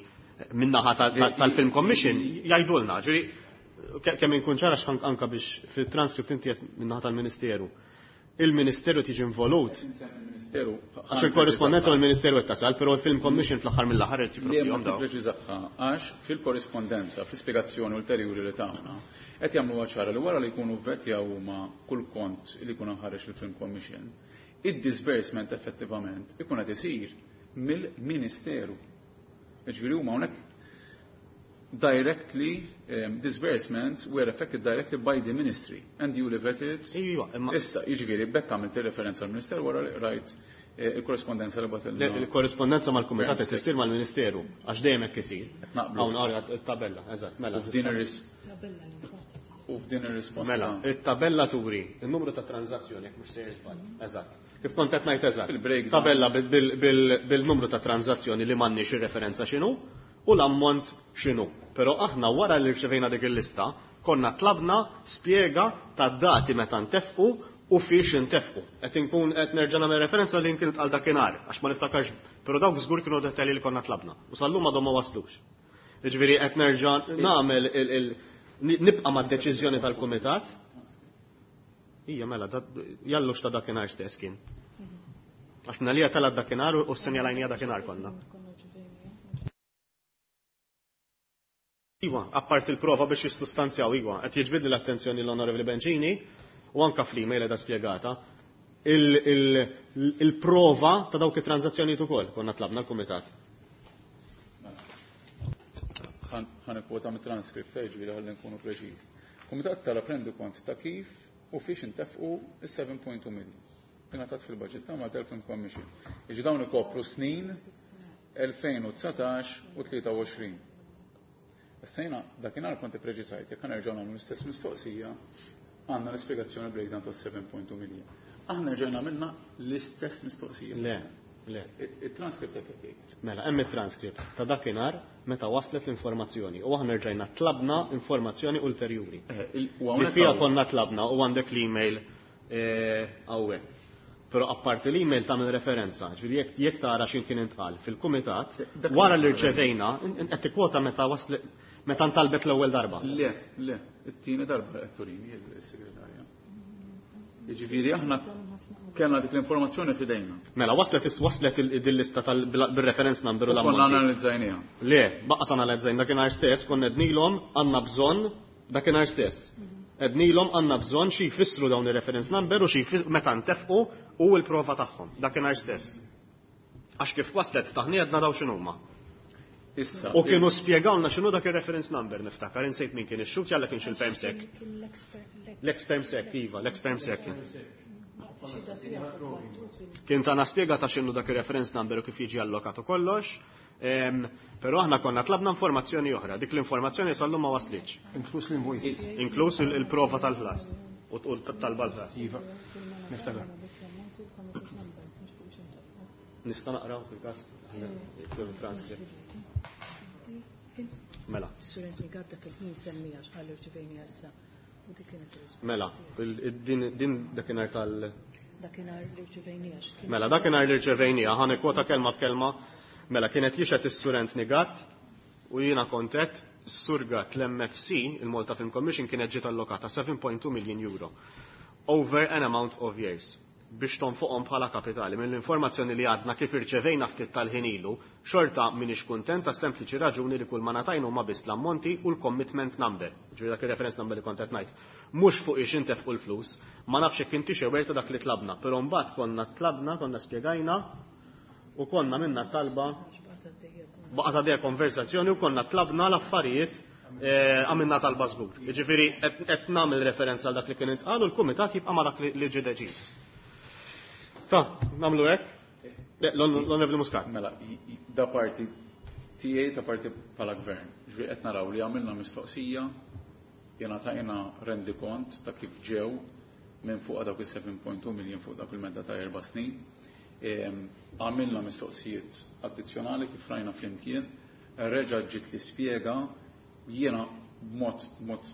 Speaker 2: min-naħa tal-Film Commission, jgħidulna, ġifieri kemm inkun ċara anka biex fil-transcript inti qed min-naħa tal-Ministeru. Il-Ministeru tiġi involut. Għax il-korrispondenza mal-Ministeru qed tasal, però l-Film Commission fl-aħħar mill-aħħar qed jipprovdihom dawn.
Speaker 3: Preċiżaħħa, għax fil-korrispondenza, fl-ispjegazzjoni ulterjuri li tagħna, qed jagħmlu ċara li wara li jkunu vetjaw huma kull kont li jkun ħareġ il-Film Commission, id-disbursement effettivament ikun qed isir mill-Ministeru. Ġifieri huma hawnhekk directly um, disbursements were affected directly by the ministry and duly vetted.
Speaker 2: Iva, imma
Speaker 3: Issa, jiġifieri b'hekk għamilt referenza għall-Ministeru wara li rajt eh, il-korrespondenza li bagħtilna.
Speaker 2: Il-korrespondenza mal-Kumitat qed issir mal-Ministeru għax dejjem hekk isir.
Speaker 3: Naqblu.
Speaker 2: Hawn ara it-tabella, eżatt, mela.
Speaker 3: U f'din ir-ris U f'din ir-risposta.
Speaker 2: Mela, it-tabella turi il-numru ta' tranzazzjoni, jekk mhux sejjer żball. Eżatt. Kif kont qed ngħid, eżatt.
Speaker 3: Il-breakdown.
Speaker 2: Tabella bil-numru ta' tranzazzjoni li m'għandniex ir-referenza x'inhu u l-ammont x'inhu. Però aħna wara li rċevejna dik il-lista konna tlabna spjega ta' dati meta ntefqu u fiex intefqu. Qed inkun qed nerġa' nagħmel referenza li kien għal dakinhar għax ma niftakarx, però dawk żgur kienu dettalji li konna tlabna u sal-lum għadhom ma waslux. Jiġifieri qed nerġa' nagħmel il nibqa' mad-deċiżjoni tal-kumitat. Ija mela, jallux ta' dakinhar stess kien. Għax minna li tala dakinhar u s-senjalajnija dakinhar konna. Iwa, appart il-prova biex jistustanzjaw, iwa, qed jiġbidli l-attenzjoni l-Onorevoli Bencini u anka fl-email edha spjegata il-prova ta' dawk it-tranzazzjonijiet ukoll konna tlabna l-kumitat.
Speaker 3: Ħa nikkwota mit-transcript, ġifieri ħalli nkunu preċiżi. Kumitat talab rendikont ta' kif u fiex intefqu is-seba' punt tnejn million. Ingħatat fil-budget ta' Malta Film Commission. Iġi dawn ikopru snin elfejn u dsatax u tlieta u għoxrin. Issa jiena dakinhar kont ippreċisajt, jekk nerġgħu nagħmlu l-istess mistoqsija, għandna l-ispjegazzjoni breakdown ta' seba' punt tnejn million. Aħna rġajna minna l-istess mistoqsija.
Speaker 2: Le, le.
Speaker 3: Il-transcript hekk qed jgħid.
Speaker 2: Mela, hemm it-transcript ta' dakinhar meta waslet l-informazzjoni u aħna rġajna tlabna informazzjoni ulterjuri. Li fiha konna tlabna u għandek l-email hawnhekk. Però apparti l-email tagħmel referenza, ġifieri jekk jekk tara x'in kien intqal fil-kumitat, wara li rċevejna, qed tikkwota meta waslet, meta ntalbet l-ewwel darba.
Speaker 3: Le, le, it-tieni darba qed turini il-segretarja. Jiġifieri aħna kellna dik l-informazzjoni f'idejna.
Speaker 2: Mela, waslet waslet il-lista bil-reference number u
Speaker 3: l-ammont. Konna analizzajniha.
Speaker 2: Le, baqa' analizzajn dakinhar stess, konna għednilhom għandna bżonn dakinhar stess. Għednilhom għandna bżonn xi jfissru dawn ir-reference number u xi meta ntefqu u l-prova tagħhom dakinhar stess. Għax kif waslet taħni għedna daw x'inhuma.
Speaker 3: Issa.
Speaker 2: U kienu spjegawna x'inhu dak ir-reference number, niftakar, insejt min kien ix-xhud, jalla kienx il-Perm Sec. L-ex-Perm Sec, iva, l-ex-Perm Sec. Kien tana spjega ta' x'inhu dak ir-reference number u kif jiġi allokat u kollox. Però aħna konna tlabna informazzjoni oħra, dik l-informazzjoni sal-lum ma waslitx.
Speaker 6: Inkluż l-invoices.
Speaker 2: Inkluż il-prova tal-ħlas u talba l-ħlas.
Speaker 6: Iva, niftakar.
Speaker 2: Nista' naqraw fil-każ transcript. Mela.
Speaker 1: Surent li dak il-ħin semmija x'qal irċivejni issa. U dik kienet ir-risposta.
Speaker 2: Mela, din din dakinhar tal
Speaker 1: Dakinhar li rċivejnija.
Speaker 2: Mela, dakinhar li rċevejnija, ħa nikkwota kelma b'kelma. Mela, kienet jixhed is-Sur Anthony Gatt u jiena kontet Sur Gatt, l-M F C, il-Malta Film Commission, kienet ġiet allokata seba' punt tnejn million euro over an amount of years biex tonfoqhom bħala kapitali. Mill-informazzjoni li għadna kif irċevejna ftit tal-ħin ilu, xorta minix kuntent ta' sempliċi raġuni li kull ma natajnu ma biss l-ammonti u l-commitment number. Ġifieri dak ir-reference number li kont qed ngħid. Mhux fuq ix intefqu l-flus, ma nafx jekk inti xewerta dak li tlabna, però mbagħad konna tlabna, konna spjegajna u konna minna talba. Baqgħet għaddejja konversazzjoni u konna tlabna l-affarijiet eh, għamilna talba żgur. Jiġifieri qed nagħmel referenza għal dak li kien intqal u l-kumitat jibqa' ma' dak li ġie deċiż. Ta, nagħmlu hekk? L-Onorevoli Muscat.
Speaker 3: Mela, da parti tiegħi ta' parti bħala gvern. Ġifieri qed naraw li għamilna mistoqsija, jingħatajna rendikont ta' kif ġew minn fuq dawk is-seven point two million fuq dak il-medda ta' erba' snin. Għamilna mistoqsijiet addizzjonali kif rajna flimkien, reġa' ġiet li spjega jiena b'mod mod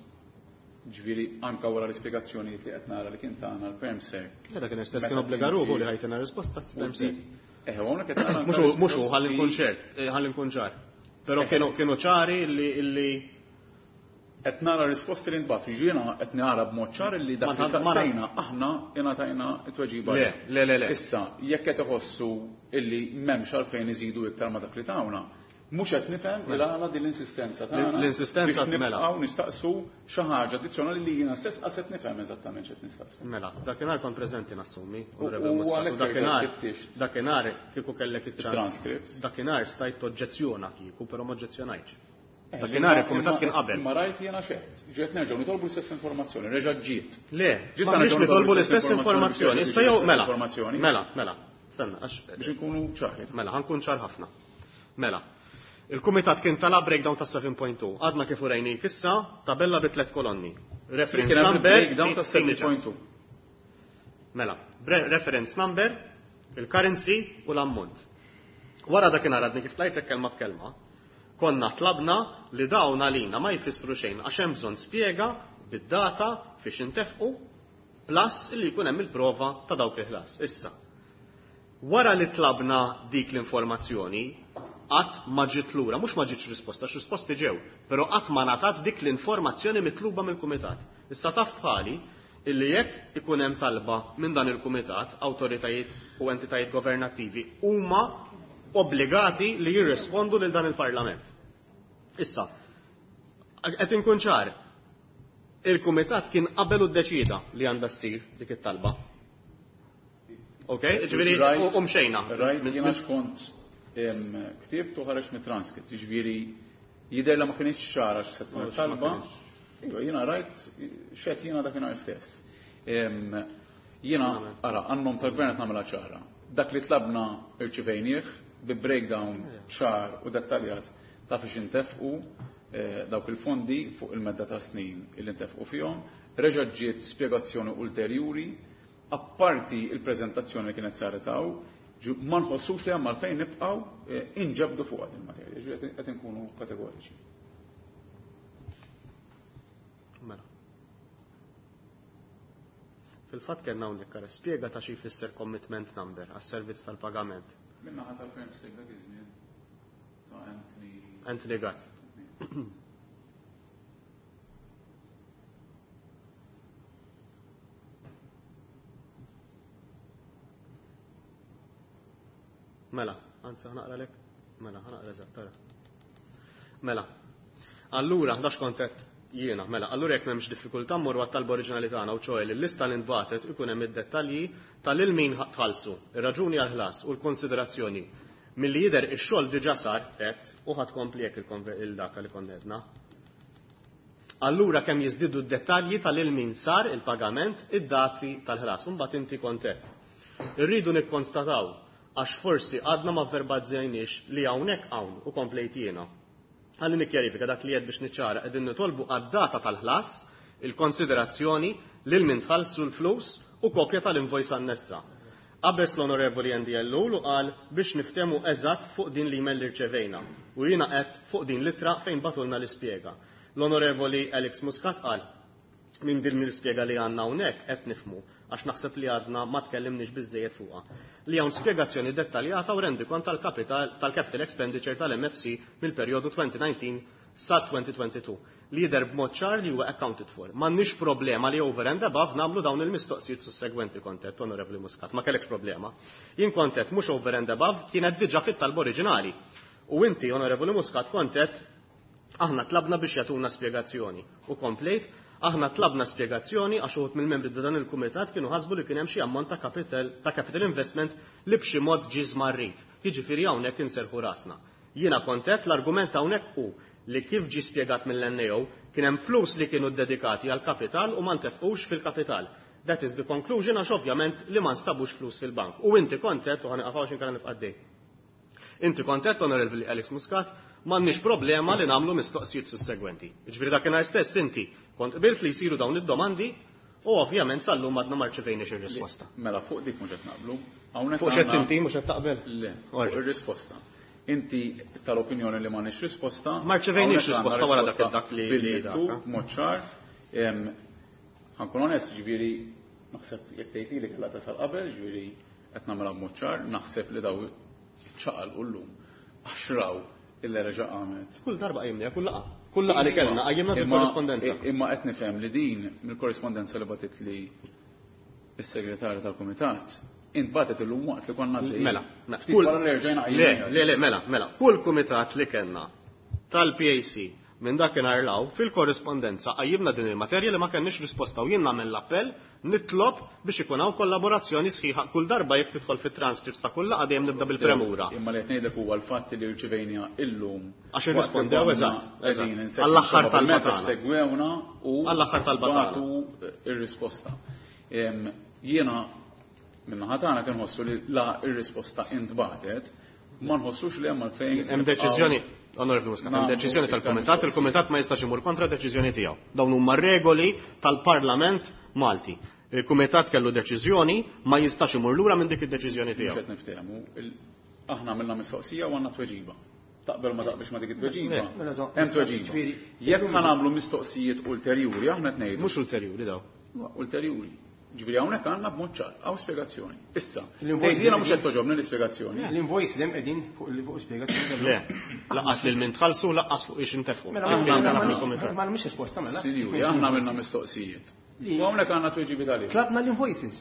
Speaker 3: ġifieri anka wara l-ispjegazzjonijiet li qed nara li kien tagħna l-Permsec.
Speaker 2: Dak kien stess kien obbliga ruħu li ħajtina risposta Permsec.
Speaker 3: Eh, hawnhekk qed nara
Speaker 2: Mhux mhux hu ħalli nkun ċert, eh, ħalli nkun ċar. Però kienu kienu ċari li illi
Speaker 3: qed nara risposti li ntbagħtu, jiena qed nara b'mod ċar li dak li saqsejna aħna ingħatajna t-tweġiba.
Speaker 2: Le, le, le, le.
Speaker 3: Issa, jekk qed iħossu illi m'hemmx għalfejn iżidu iktar ma' dak li tawna, mhux qed nifhem il għala din l-insistenza tagħna.
Speaker 2: L-insistenza
Speaker 3: biex nibqgħu nistaqsu xi ħaġa addizzjonali li jiena stess qas qed nifhem eżattament x'qed nistaqsu.
Speaker 2: Mela, dakinhar kont preżenti nassumi,
Speaker 3: U għalhekk
Speaker 2: dakinhar dakinhar kieku kellek iċ-ċans.
Speaker 3: Transcript.
Speaker 2: Dakinhar stajt toġġezzjona kieku, però ma oġġezzjonajtx. Dakinhar il-kumitat kien qabel.
Speaker 3: Ma rajt jiena xeħt. Ġiet nerġgħu nitolbu l-istess informazzjoni, reġa' ġiet.
Speaker 2: Le, ma nix nitolbu l-istess informazzjoni. Issa jew mela. Mela, mela. Stenna, għax
Speaker 3: biex inkunu ċari.
Speaker 2: Mela, ħankun ċar ħafna. Mela. Il-kumitat kien talab breakdown ta' seven point two. Għadna kif urejnik issa tabella bi tliet kolonni. Reference number,
Speaker 3: breakdown ta' seven point two.
Speaker 2: Mela, reference number, il-currency u l-ammont. Wara dakinhar għadni kif tlajtlek kelma b'kelma, konna tlabna li dawn għalina ma jfissru xejn għax hemm bżonn spjega bid-data fiex intefqu plus illi jkun hemm il-prova ta' dawk il-ħlas. Issa, wara li tlabna dik l-informazzjoni, qatt ma ġiet lura, mhux ma ġietx risposta, għax risposti ġew, però qatt ma ngħatat dik l-informazzjoni mitluba mill-kumitat. Issa taf bħali illi jekk ikun hemm talba minn dan il-kumitat, awtoritajiet u entitajiet governattivi huma obbligati li jirrispondu lil dan il-Parlament. Issa, qed inkun ċar, il-kumitat kien qabel u ddeċida li għandha ssir dik it-talba. Ok, ġifieri u mxejna.
Speaker 3: Rajt jiena xkont ktibt u ħareġ mit-transkript, ġifieri jidher li ma kienx ċara x'se tkun it-talba. Iva, jiena rajt x'qed jiena dakinhar stess. Jiena ara għan-nom tal-gvern qed nagħmilha ċara. Dak li tlabna irċivejnieh bi breakdown ċar u dettaljat ta' fiex intefqu dawk il-fondi fuq il-medda ta' snin illi ntefqu fihom, reġa' ġiet spjegazzjoni ulterjuri, apparti il-preżentazzjoni li kienet saret hawn, ma nħossux li hemm għalfejn nibqgħu inġabdu fuq din il-materja, ġifieri qed inkunu kategoriċi.
Speaker 2: Mela. Fil-fatt kellna hawnhekk ara spjega ta' xi jfisser commitment number għas-servizz tal-pagament.
Speaker 3: Minna ħadd tal-Permsec dak iż-żmien ta' Anthony
Speaker 2: Anthony Gatt. Mela, anzi ħanaqra lek. Mela, ħanaqra eżatt, tara. Mela. Allura, ħdax kont qed jiena, mela, allura jekk m'hemmx diffikultà mmorru għat-talba oriġinali tagħna u ċoħe li l-lista li ntbagħtet ikun hemm id-dettalji tal-lil min tħallsu, ir-raġuni għall-ħlas u l-konsiderazzjoni. Milli jidher ix-xogħol diġà sar qed u ħadd kompli hekk il-dak li konna għedna. Allura kemm jiżdiedu d-dettalji tal-lil min sar il-pagament, id-dati tal-ħlas, u mbagħad inti kont qed. Irridu nikkonstataw għax forsi għadna ma verbalizzajniex li hawnhekk hawn u komplejt jiena. Ħalli nikkjarifika dak li qed biex niċċara qegħdin nitolbu għad-data tal-ħlas, il-konsiderazzjoni lil min tħallsu l-flus u kopja tal-invoice annessa. Qabeż l-Onorevoli Andy Ellul u qal biex niftehmu eżatt fuq din l-email li rċevejna u jiena qed fuq din l-ittra fejn batulna l-ispjega. L-Onorevoli Alex Muscat qal minn din l-ispjega li għandna hawnhekk qed nifhmu għax naħseb li għadna ma tkellimniex biżżejjed fuqha. Li hawn spjegazzjoni dettaljata u rendikont tal-kapital, tal-capital expenditure tal-M F C mill-perjodu twenty nineteen sa twenty twenty-two li jidher b'mod ċar li huwa accounted for. M'għandniex problema li over and above nagħmlu dawn il-mistoqsijiet sussegwenti kontet, Onorevoli Muscat, ma kellekx problema. Jien kontet mhux over and above kienet diġà fit-talba oriġinali. U inti, Onorevoli Muscat, kontet aħna tlabna biex jagħtuna spjegazzjoni. U komplejt, aħna tlabna spjegazzjoni għax uħud mill-membri ta' dan il-kumitat kienu ħasbu li kien hemm xi ammont ta' capital, ta' capital investment li b'xi mod ġie żmarrit. Jiġifieri hawnhekk inserħu rasna. Jiena kontet l-argument hawnhekk hu li kif ġi spjegat mill-N A O kien hemm flus li kienu dedikati għal kapital u ma ntefqux fil-kapital. That is the conclusion, għax ovvjament li ma nstabux flus fil-bank. U inti kontet, u ħa nieqaf hawn inkella nibqa' għaddej. Inti kontet, Onorevoli Alex Muscat, m'għandniex problema li nagħmlu mistoqsijiet sussegwenti. Ġifieri dakinhar stess inti kont qbilt li jsiru dawn id-domandi u ovvjament sal-lum għadna ma rċevejniex ir-risposta.
Speaker 3: Mela, fuq dik mhux qed naqblu. Hawnhekk
Speaker 2: Fuq xed
Speaker 3: għandna-
Speaker 2: inti mhux qed taqbel?
Speaker 3: Le, fuq ir-risposta. Inti tal-opinjoni li m'għandniex risposta.
Speaker 2: Ma rċevejniex
Speaker 3: Hawnhekk għandna
Speaker 2: risposta wara dak
Speaker 3: risposta
Speaker 2: dak li li
Speaker 3: bil-miktub,
Speaker 2: dak.
Speaker 3: mod ċar. Em, Ħa nkun onest, ġifieri naħseb jekk tgħid li kellha tasal qabel, ġifieri qed nagħmilha b'mod ċar, naħseb li daw iċċaqal llum għax raw illa reġa' qamet.
Speaker 2: Kull darba qajjimna, kull laqgħa. Kull laqgħa li kellna qajjimna
Speaker 3: Imma-
Speaker 2: fil-korrispondenza.
Speaker 3: Imma qed nifhem li din mill-korrispondenza li bagħtet li is-segretarju tal-kumitat intbatet illum waqt li konna għaddejjin.
Speaker 2: Mela, mela,
Speaker 3: Ftit wara li rġajna
Speaker 2: Le,
Speaker 3: qajjimniha.
Speaker 2: le, le, mela, mela. Kull kumitat li kellna tal-P A C minn dakinhar 'l hawn fil-korrispondenza qajjimna din il-materja li ma kenniex risposta u jien nagħmel l-appell nitlob biex ikun hawn kollaborazzjoni sħiħa kull darba. Jekk tidħol fit-transcripts ta' kull laqgħa, dejjem nibda bil-premura.
Speaker 3: Imma li qed ngħidlek huwa l-fatt li rċivejna illum.
Speaker 2: Għax irrispondew, eżatt, eżatt. Għall-aħħar talba tagħna.
Speaker 3: Segwewna u
Speaker 2: Għall-aħħar talba tagħna.
Speaker 3: bagħtu ir-risposta. Em, Jiena min-naħa tagħna kien nħossu li la ir-risposta intbatet, ma nħossux li hemm għalfejn.
Speaker 2: Hemm deċiżjoni, Onorevoli Muscat, hemm
Speaker 3: Nagħmlu
Speaker 2: deċiżjoni
Speaker 3: iktar
Speaker 2: tal-Kumitat,
Speaker 3: mistoqsijiet.
Speaker 2: Il-Kumitat ma jistax imur kontra deċiżjoni tiegħu. Dawn huma regoli tal-Parlament Malti. Il-Kumitat kellu deċiżjoni, ma jistax imur lura minn dik id-deċiżjoni
Speaker 3: Mhux
Speaker 2: tiegħu.
Speaker 3: qed niftehmu. Il- Aħna għamilna mistoqsija u għandna tweġiba. Taqbel ma taqbilx ma dik it-tweġiba.
Speaker 2: Le.
Speaker 6: Mela, zo-
Speaker 3: Hemm tweġiba.
Speaker 6: Ġifieri,
Speaker 3: Jekk ħa nagħmlu mistoqsijiet ulterjuri, aħna qed ngħidu
Speaker 2: Mhux ulterjuri daw.
Speaker 3: Ulterjuri. Ġifieri hawnhekk għandna b'mod ċar, hawn spjegazzjoni. Issa,
Speaker 6: L-invoice
Speaker 3: tgħid jiena mhux qed toġobni l-ispjegazzjoni.
Speaker 6: L-invoices hemm qegħdin fuq fuq spjegazzjoni.
Speaker 2: Le, lanqas lil min tħallsu, lanqas fuq ix intefqu.
Speaker 6: Mela,
Speaker 2: Aħna
Speaker 6: ma-
Speaker 2: ntalab
Speaker 6: ma-
Speaker 2: mill-Kumitat.
Speaker 6: ma mhix risposta mela.
Speaker 3: Sinjuri, aħna għamilna mistoqsijiet.
Speaker 6: Li-
Speaker 3: U hawnhekk għandna tweġibiet għalih.
Speaker 6: Tlabna l-invoices.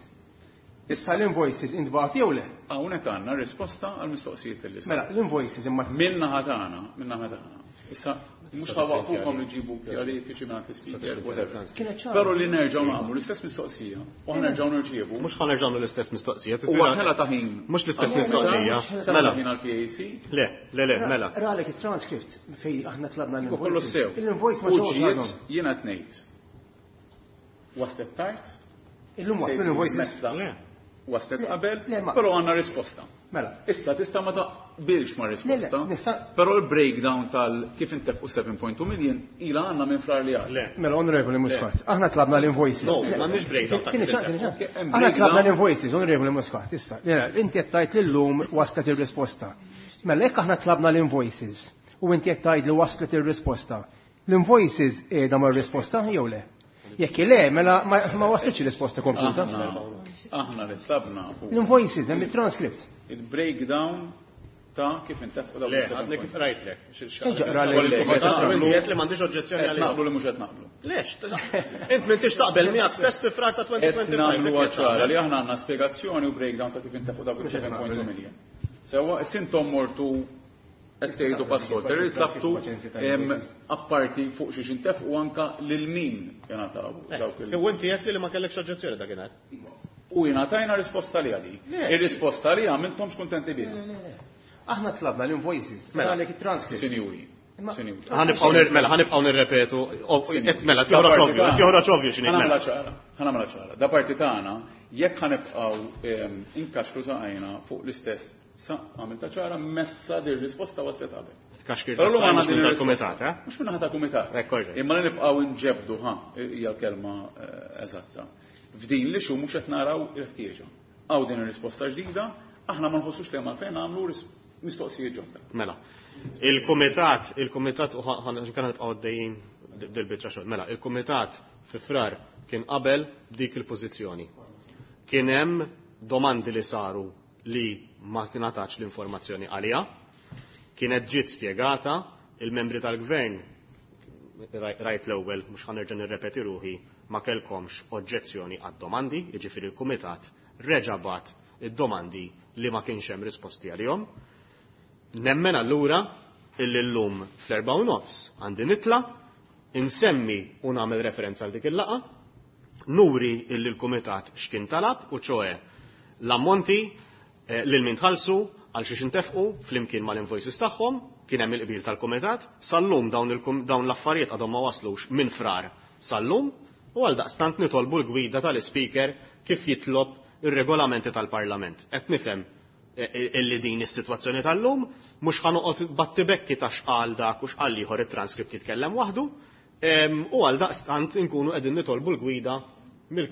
Speaker 6: Issa l-invoices intbagħtu jew le?
Speaker 3: Hawnhekk għandna risposta għal mistoqsijiet li saru.
Speaker 6: Mela, l-invoices imma
Speaker 3: Min-naħa tagħna, min-naħa tagħna. Issa mhux ħa nwaqqfukom li ġibu kjarifiki minn speaker, whatever.
Speaker 6: Kienet ċara.
Speaker 3: Però li nerġgħu nagħmlu l-istess mistoqsija u ħa nerġgħu nirċievu.
Speaker 2: Mhux ħa nerġgħu l-istess mistoqsija.
Speaker 3: Huwa ħela ta' ħin.
Speaker 2: Mhux l-istess
Speaker 3: Għal-
Speaker 2: mistoqsija.
Speaker 3: Ħela
Speaker 2: Mela.
Speaker 3: ta' ħin għall-P A C.
Speaker 2: Le, le, le, mela.
Speaker 6: Ralek il-transcript fej aħna tlabna
Speaker 3: Kollu
Speaker 6: l-invoices.
Speaker 3: sew.
Speaker 6: Il-invoice ma
Speaker 3: U
Speaker 6: ġewx
Speaker 3: ġiet
Speaker 6: għadhom.
Speaker 3: jiena qed ngħid. Waslet tard.
Speaker 6: Illum waslu l-invoices.
Speaker 3: Mesta.
Speaker 2: Le.
Speaker 3: Waslet
Speaker 6: Le,
Speaker 3: qabel,
Speaker 6: le, ma-
Speaker 3: però għandna risposta.
Speaker 6: Mela.
Speaker 3: Issa tista' ma taqbilx ma' risposta.
Speaker 6: Le, le, nista'
Speaker 3: Però il-breakdown tal kif intefqu seba punt tnejn million ila għandna minn Frar li għadda.
Speaker 2: Le.
Speaker 6: Mela, Onorevoli Muscat, aħna tlabna l-invoices.
Speaker 2: No, m'għandniex breakdown ta'
Speaker 6: Tieni
Speaker 2: kif
Speaker 6: ċans, tieni ċans.
Speaker 3: Ok, hemm
Speaker 6: Aħna
Speaker 3: breakdown.
Speaker 6: tlabna l-invoices, Onorevoli Muscat, issa. Le, inti qed tgħid li llum waslet ir-risposta. Mela, jekk aħna tlabna l-invoices u inti qed tgħid li waslet ir-risposta, l-invoices qiegħda mar-risposta jew le? Jekk le, mela ma ma waslitx ir-risposta kompluta.
Speaker 3: Aħna aħna li tlabna hu
Speaker 6: L-invoices hemm il-transcript.
Speaker 3: il-breakdown ta' kif intefqu dawk
Speaker 2: Le,
Speaker 3: il-seven
Speaker 2: għadni
Speaker 3: point.
Speaker 2: kif rajtlek.
Speaker 6: Eġa, qralek.
Speaker 2: Inti li m'għandix oġġezzjoni
Speaker 3: Qed
Speaker 2: għalihom.
Speaker 3: naqblu li mhux qed naqblu.
Speaker 2: Lex, int m'intix taqbel miegħek stess fi Frar ta'
Speaker 3: Qed
Speaker 2: elfejn u ħamsa u għoxrin.
Speaker 3: nagħmlu ċara li aħna għandna spjegazzjoni u breakdown ta' kif intefqu dawk il-seba punt tnejn million. Sewwa, intom mortu qed tgħidu passolter li tlabtu em, apparti fuq xiex intefqu anka lil min jingħataw dawk il-
Speaker 2: U inti għedt li ma kellekx oġġezzjoni dakinhar.
Speaker 3: U jingħatajna risposta li għadi.
Speaker 2: Le.
Speaker 3: Ir-risposta li għamiltomx kuntenti biha.
Speaker 6: Aħna tlabna l-invoices,
Speaker 2: Mela.
Speaker 6: għalek il-transcript.
Speaker 3: Sinjuri.
Speaker 6: Imma-
Speaker 3: Sinjuri.
Speaker 2: Ħa nibqgħu nir- mela, ħa nibqgħu nirrepetu. o- et- Mela, joħroġ ovvju, qed joħroġ ovvju x'inhi.
Speaker 3: Ħa nagħmilha
Speaker 2: Mela.
Speaker 3: ċara, ħa nagħmilha ċara. Da parti tagħna, jekk ħa nibqgħu em, inkaxkru saqajna fuq l-istess sa għamilta ċara messa dir risposta waslet qabel.
Speaker 2: Tkaxkir
Speaker 3: Però l-lum
Speaker 2: tas-sajn
Speaker 3: għandna
Speaker 2: mhux
Speaker 3: din
Speaker 2: minn
Speaker 3: ir-risposta.
Speaker 2: tal-kumitat, eh?
Speaker 3: Mhux minn ta' kumitat.
Speaker 2: Ekk, korrekt.
Speaker 3: Imma li nibqgħu nġebdu ħa hija l-kelma eh, eżatta. F'din li xu mhux qed naraw il-ħtieġa. Hawn din ir-risposta ġdida, aħna ma nħossux li hemm għalfejn nagħmlu ris- mistoqsijiet ġodda.
Speaker 2: Mela. Il-kumitat, il-kumitat, u ħa nibqgħu għaddejjin dil-biċċa xogħol. Mela, il-kumitat fi Frar kien qabel dik il-pożizzjoni. Kien hemm domandi li saru li ma tingħatax l-informazzjoni għaliha. Kienet ġiet spjegata, il-membri tal-gvern, rajt l-ewwel, mhux ħa nerġa' nirrepeti ruħi, ma kellkomx oġġezzjoni għad-domandi, jiġifieri il-kumitat reġa' bagħat id-domandi li ma kienx hemm risposti għalihom. Nemmen allura illi llum fl-erba u nofs għandi nitla, insemmi u nagħmel referenza għal dik il-laqgħa, nuri illi l-kumitat x'kien talab u ċoe l-ammonti, eh, lil min tħallsu, Għal xiex intefqu flimkien mal-invoices tagħhom, kien hemm il-qbil tal-kumitat, sal-lum dawn dawn l-affarijiet għadhom ma waslux minn Frar sal-lum, u għal daqstant nitolbu l-gwida tal-Ispeaker kif jitlob ir-regolamenti tal-Parlament. Qed nifhem illi din is-sitwazzjoni tal-lum, mhux ħa noqgħod battibekki ta' x'qal dak u x'qal ieħor, it-transkript jitkellem waħdu, u għal daqstant inkunu qegħdin nitolbu l-gwida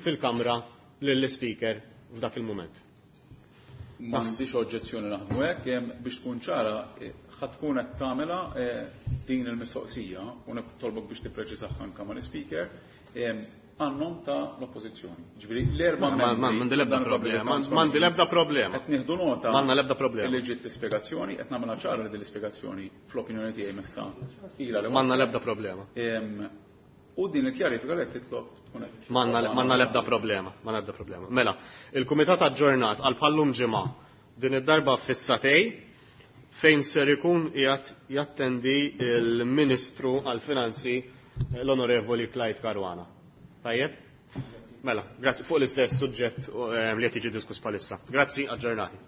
Speaker 2: fil-Kamra lill-Ispeaker f'dak il-mument.
Speaker 3: M'għandix oġġezzjoni naħdmu hekk, biex tkun ċara, ħa tkun qed tagħmilha din il-mistoqsija u nitolbok biex tippreċiżaha anke mal-Ispeaker għan-nom ta' l-oppożizzjoni. Ġifieri l-erba'
Speaker 2: M'għandi l-ebda problema. M'għandi l-ebda problema.
Speaker 3: Qed nieħdu nota
Speaker 2: M'għandna l-ebda problema.
Speaker 3: li ġiet l-ispjegazzjoni, qed nagħmilha ċara li din l-ispjegazzjoni fl-opinjoni tiegħi messa ilha li
Speaker 2: M'għandna l-ebda problema.
Speaker 3: U din il-kjarifika li qed titlob tkun hekk.
Speaker 2: M'għandna l-ebda problema, m'għandna l-ebda problema. Mela, il-kumitat aġġornat għal bħallum ġimgħa, din id-darba fis-sagħtejn, fejn ser ikun qiegħed jattendi il-Ministru għall-Finanzi, l-Onorevoli Clyde Caruana. Tajjeb? Mela, grazzi, fuq l-istess suġġett li qed jiġi diskuss bħalissa. Grazzi, aġġornati.